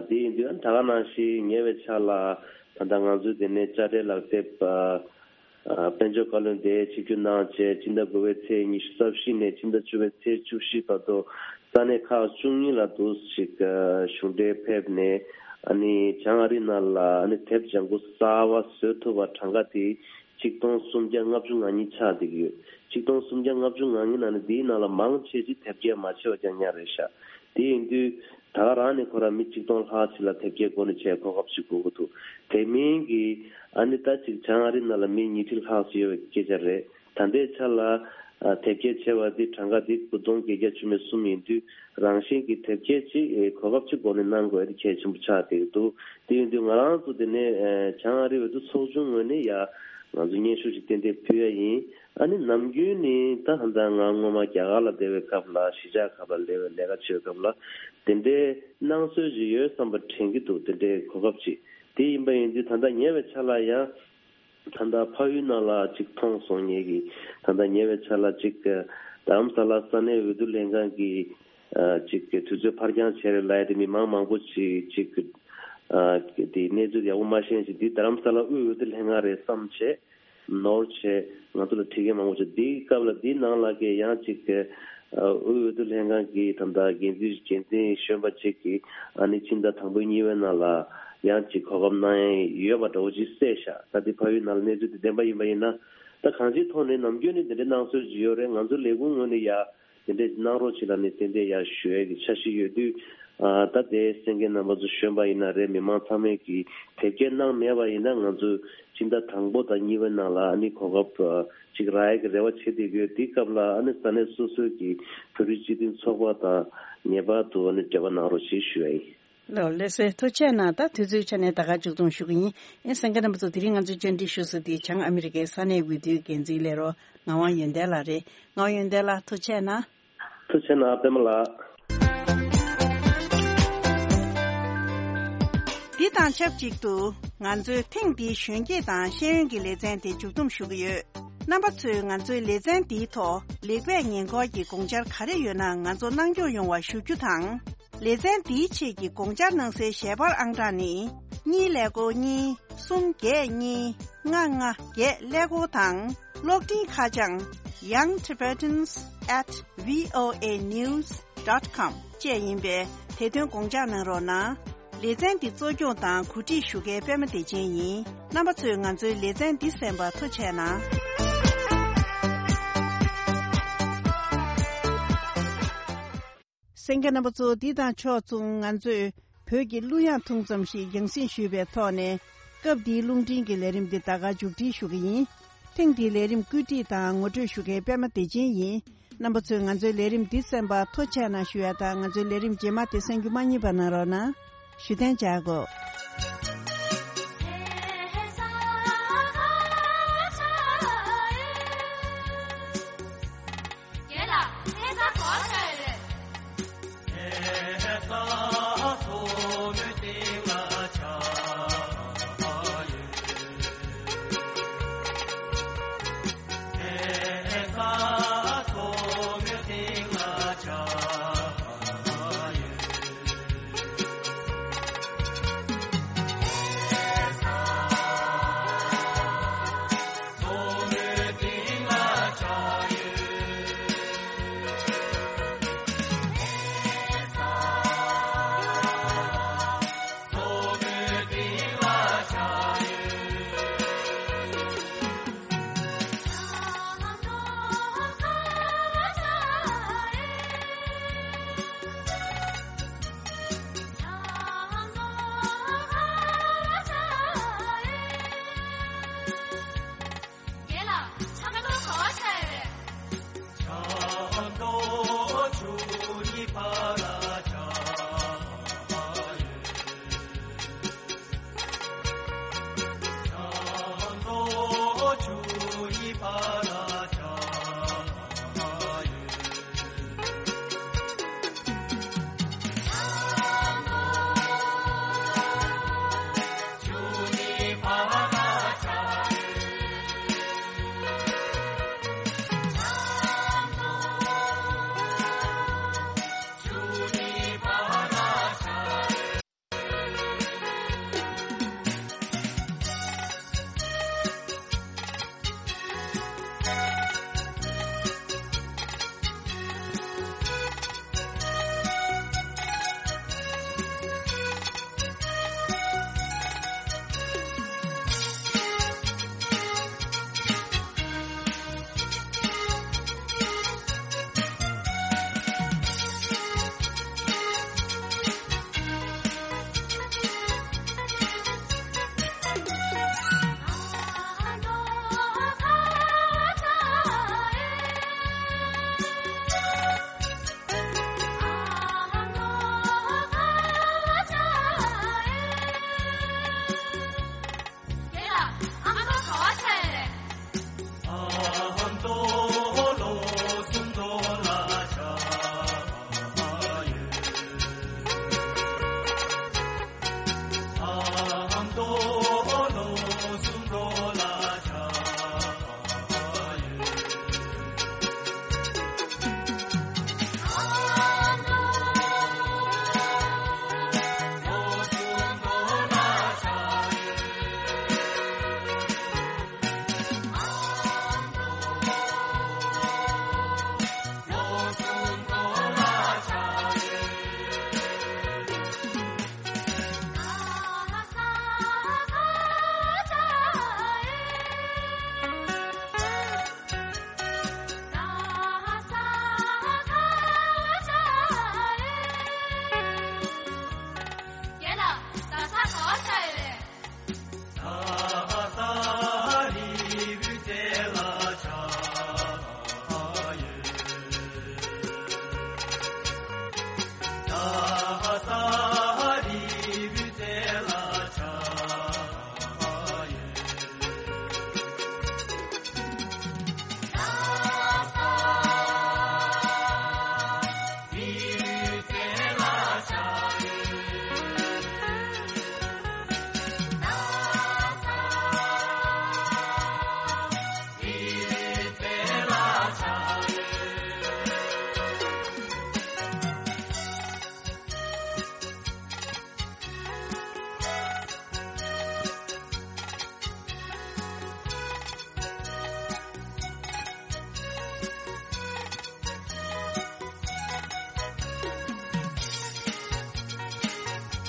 དེ་ཡིན་དུས་ཨ་ད་ག་ནང་བཞིན་ཉེ་བའི་ཆར་ལ་ད་ལྟ་ང་ཚོའི་དེ་ནས་དཔྱ་ཁྲལ་ལག་དེབ་ཨ། ཨ་དཔལ་འབྱོར་བཀའ་བློན་དེ་ཆིབས་བསྒྱུར་གནང་བྱས་སྤྱི་ཟླ་དགུ་པའི་ཚེས་ཉི་ཤུ་རྩ་བཞི་ནས་ཕྱི་ཟླ་བཅུ་པའི་ཚེས་བཅུ་བཞི་བར་དུ་ས་གནས་ཁག་བཅུ་གཉིས་ལ་འདུག་ཅིག་ཨ་གཞུང་འབྲེལ་ཕེབས་ནས་ཨ་ནི་བྱང་ཨ་རི་ནང་ལ་ཨ་ནི་དེབ་ལྗང་གུ་གསར་པ་བཟོ་ཐུབ་པ་གྲངས་ཀ་དེ་ཆིག་སྟོང་སུམ་བརྒྱ་ལྔ་བཅུ་ང་གཉིས་ཆགས་བསྡད་ཀྱི་ཡོད། ཆིག་སྟོང་སུམ་བརྒྱ་ལྔ་བཅུ་ང་གཉིས་ནང་ནས་དེའི་ནང་ལ་མང་ཆེ་ཅིག་དེབ་སྐྱེལ་མ་བྱས་པ་རྐྱང་རྐྱང་རེད་ཤག་དེ་ཡིན་དུས། ད་ག་རང་ནས་ཁོ་རང་མི་གཅིག་སྟོང་ལྷག་ཅིག་ལ་དེབ་སྐྱེལ་སྒོ་ནས་བྱས་གོ་སྐབས་ཤིག་དགོས་ཀྱི་འདུག་དེ་མིན་གྱི་ཨ་ནི་ད་ཅིག་བྱང་ཨ་རི་ནང་ལ་མི་ཉིས་ཁྲི་ལྷག་ཅིག་ཡོད་པའི་སྐད་ཆ་རེད། ད་ལྟའི་ཆ་ལ་ཨ་དེབ་སྐྱེལ་བྱས་པ་འདི་གྲངས་ཀ་འདི་དགུ་སྟོང་བརྒྱད་བརྒྱ་བཅུ་མེད་གསུམ་ཡིན་དུས་རང་བཞིན་གྱི་དེབ་སྐྱེལ་ཅིག་ཨེ་གོ་སྐབས་ཅིག་སྒོ་ནས་གནང་དགོས་ཡ་དེ་གལ་ཆེན་པོ་ཆགས་བསྡད་ཀྱི་འདུག་དེ་ཡིན་དུས་ང་རང་ཚོ་དེ་ནས་ཨེ་བྱང་ཨ་རི་འོས་བསྡུ་ཚོགས་ཆུང་ངོས་ནས་ཡ་ང་ཚོ་སྙན་ཞུ་ཅིག་ཏན་ཏན་ཕུལ་ཡ་ཡིན། ཨ་ནི་ནམ་རྒྱུན་ནི་ད་ད་ལྟ་ང་སྔོན་མ་རྒྱ་གར་ལ་བསྡད་པའི་སྐབས་ལ་གཞིས་ཆགས་ཁག་ལ་སླེབས་པའི་ལས་ཀ་བྱེད་པའི་སྐབས་ལ་དེ་འདྲའི་གནང་སྲོལ་ཅིག་ཡོད་བསམ་པ་དྲན་གྱི་འདུག་དེ་འདྲའི་གོ་སྐབས་ཅིག་དེ་ཡིན་པ་ཡིན་དུས་ད་ལྟ་ཉེ་བའི་ཆར་ལ་ཡང་ད་ལྟ་ཕ་ཡུལ་ནང་ལ་ཅིག་མཐོང་སོང་ངེད་ཀྱིས། ད་ལྟ་ཉེ་བའི་ཆར་ལ་ཅིག་རྡ་རམ་ས་ལ་ས་གནས་འོས་བསྡུ་ལྷན་ཁང་གིས་ཅིག་དུས་ཚོད་ཕར་འགྱངས་བྱས་རེད་ལབ་ཡ་དེ་མི་མང་མང་པོ་ཅིག་ཅིག་དེ་གནས་ཚུལ་ཡག་པོ་མ་ཤེས་ཤིང་འདི་རྡ་རམ་ས་ལ་དབུས་འོས་བསྡུ་ལྷན་ཁང་རེད་བསམ་བྱས། ནོར་བྱས་ང་ཚོ་ལ་ཁྲིད་མཁན་མང་པོ་བྱས། འདིའི་སྐབས་ལ་འདིའི་ནང་ལ་གས་ཡང་ཅིག་དབུས་འོས་བསྡུ་ལྷན་ཁང་གི་ད་ལྟ་འགན་འཛིན་འགན་འཛིན་གཞོན་པ་ཅིག་གིས་ཨ་ནི་ཕྱི་ཟླ་དང་པོའི་གཉིས་པའི་ནང་ལ་ཡང་ཅིག་གོ་སྐབས་གནང་ཡ་ཡོད་པ་འདྲ་བོ་ཅིག་གསལ་ཤག་ད་འདི་ཕ་ཡུལ་ནང་ལ་གནས་ཚུལ་འདི་བདེན་པ་ཡིན་པ་ཡིན་ན་ད་གང་ཅིའི་ཐོག་ནས་ནམ་རྒྱུན་ནས་འདི་འདྲའི་གནང་སྲོལ་ཅིག་ཡོད་རེད། ང་ཚོ་ལས་ཁུངས་ངོས་ནས་ཡ། དེ་འདྲས་གནང་རོགས་བྱེད་ལབ་ནས་ཏན་ཏན་ཡར་ཞུ་ཡས་ཀྱི་འཆར་གཞི་ཡོད་དུས། ཨ་ད་ལྟའི་གསན་མཁན་རྣམ་པ་ཚོ་གཞོན་པ་ཡིན་ན་རེད། མི་མང་ཚང་མས་ཀྱིས་དེབ་སྐྱེལ་གནང་མེད་པ་ཡིན་ན་ང་ཚོས་སྤྱི་ཟླ་དང་པོ་དང་གཉིས་པའི་ནང་ལ་ཨ་ནི་གོ་སྐབས་ཅིག་རག་ཡས་ཀྱི་རེ་བ་བྱེད་བསྡད་ཀྱི་ཡོད། དེའི་སྐབས་ལ་ཨ་ནི་ས་གནས་སོ་སོའི་གི་བོད་རིགས་སྤྱི་མཐུན་ཚོགས་པ་དང་ངེས་པར་དུ་ཨ་ནི་འབྲེལ་བ་གནང་རོགས་ཞེས་ཞུ་ཡ་ཡིན། ལགས་ལགས་སོ། ཐུགས་རྗེ་གནང་། ད་དུས་ཚོད་ཆ་ནས་ད་ག་མཇུག་སྡོམ་ཞུ་གི་ཡིན། ཨེ་གསན་མཁན་རྣམ་པ་ཚོ་དེ་རིང་ང་ཚོས་བཅར་འདྲི་ཞུ་ས་དེ་བྱང་ཨ་མི་རི་ཀའི་ས་གནས་འོས་བསྡུའི་འགན་འཛིན་ལས་རོགས་ངག་དབང་ཡོན་ཏན་ལགས་རེད། ངག་དབང་ཡོན་ཏན་ལགས་ཐུགས་རྗེ་གནང་། ཐུགས་རྗེ་གནང་པད་མ་ལགས། འདི་དང་ཆབས་ཅིག་ཏུ་ང་ཚོའི་ཐེངས་འདིའི་གཞོན་སྐྱེས་དང་ཤེས་ཡོན་གྱི་ལེ་ཚན་དེ་མཇུག་སྡོམ་ཞུ་གི་ཡོད། རྣམ་པ་ཚོས་ང་ཚོའི་ལེ་ཚན་འདིའི་ཐོག་ལེགས་སྤེལ་ཉེ་འཁོར་གྱི་དགོངས་འཆར་ག་རེ་ཡོད་ན་ང་ཚོ་གནང་སྐྱོང་ཡོང་བ་ཞུ་རྒྱུ་དང་། ལེ་ཚན་འདིའི་ཆེད་ཀྱི་དགོངས་འཆར་གནང་སའི་ཞལ་པར་ཨང་གྲངས་ནི། གཉིས་ཀླད་ཀོར་གཉིས། གསུམ་བརྒྱད་གཉིས། ལྔ་ལྔ་བརྒྱད་ཀླད་ཀོར་དང་། གློག་འཕྲིན་ཁ་བྱང་young tibetans at voa news dot com བཅས་ཡིན་པས་དེ་དོན་དགོངས་འཇགས་གནང་རོགས་གནང་། ལེ་ཚན་འདི་གཙོ་སྐྱོང་དང་གོ་སྒྲིག་ཞུ་མཁན་པད་མ་བདེ་ཆེན་ཡིན། རྣམ་པ་ཚོས་ང་ཚོའི་ལེ་ཚན་འདི་གསན་པར་ཐུགས་རྗེ་གནང་། གསན་མཁན་རྣམ་པ་ཚོ། འདི་དང་ཕྱོགས་མཚུངས་ང་ཚོས་བོད་ཀྱི་གླུ་དབྱངས་ཐུང་ཙམ་ཞིག་རྒྱང་སྲིང་ཞུས་པའི་ཐོག་ནས། སྐབས་འདིའི་རླུང་འཕྲིན་གྱི་ལས་རིམ་འདི་ད་ག་མཇུག་སྒྲིལ་ཞུ་གི་ཡིན། ཐེངས་འདིའི་ལས་རིམ་བཀོད་སྒྲིག་དང་ངོ་སྤྲོད་ཞུ་མཁན་པད་མ་བདེ་ཆེན་ཡིན། རྣམ་པ་ཚོས་ང་ཚོའི་ལས་རིམ་འདི་གསན་པར་ཐུགས་རྗེ་གནང་ཞུ་ཡ་དང་། ང་ཚོའི་ལས་རིམ་རྗེས་མ་དེ་གསན་རྒྱུ་མ་བསྙེལ་བ་གནང་རོགས་གནང་། ཞུ་གཏན་འཇགས་གོ།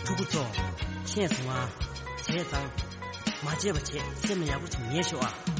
ཕྲུ་གུ་ཚོ། ཤེས་སོང་ང་། བྱས་ཙང་། མ་བྱས་པ་བྱས། སེམས་ལ་ཡག་པོ་ཅིག་ངེས་ཤོག་ཨ།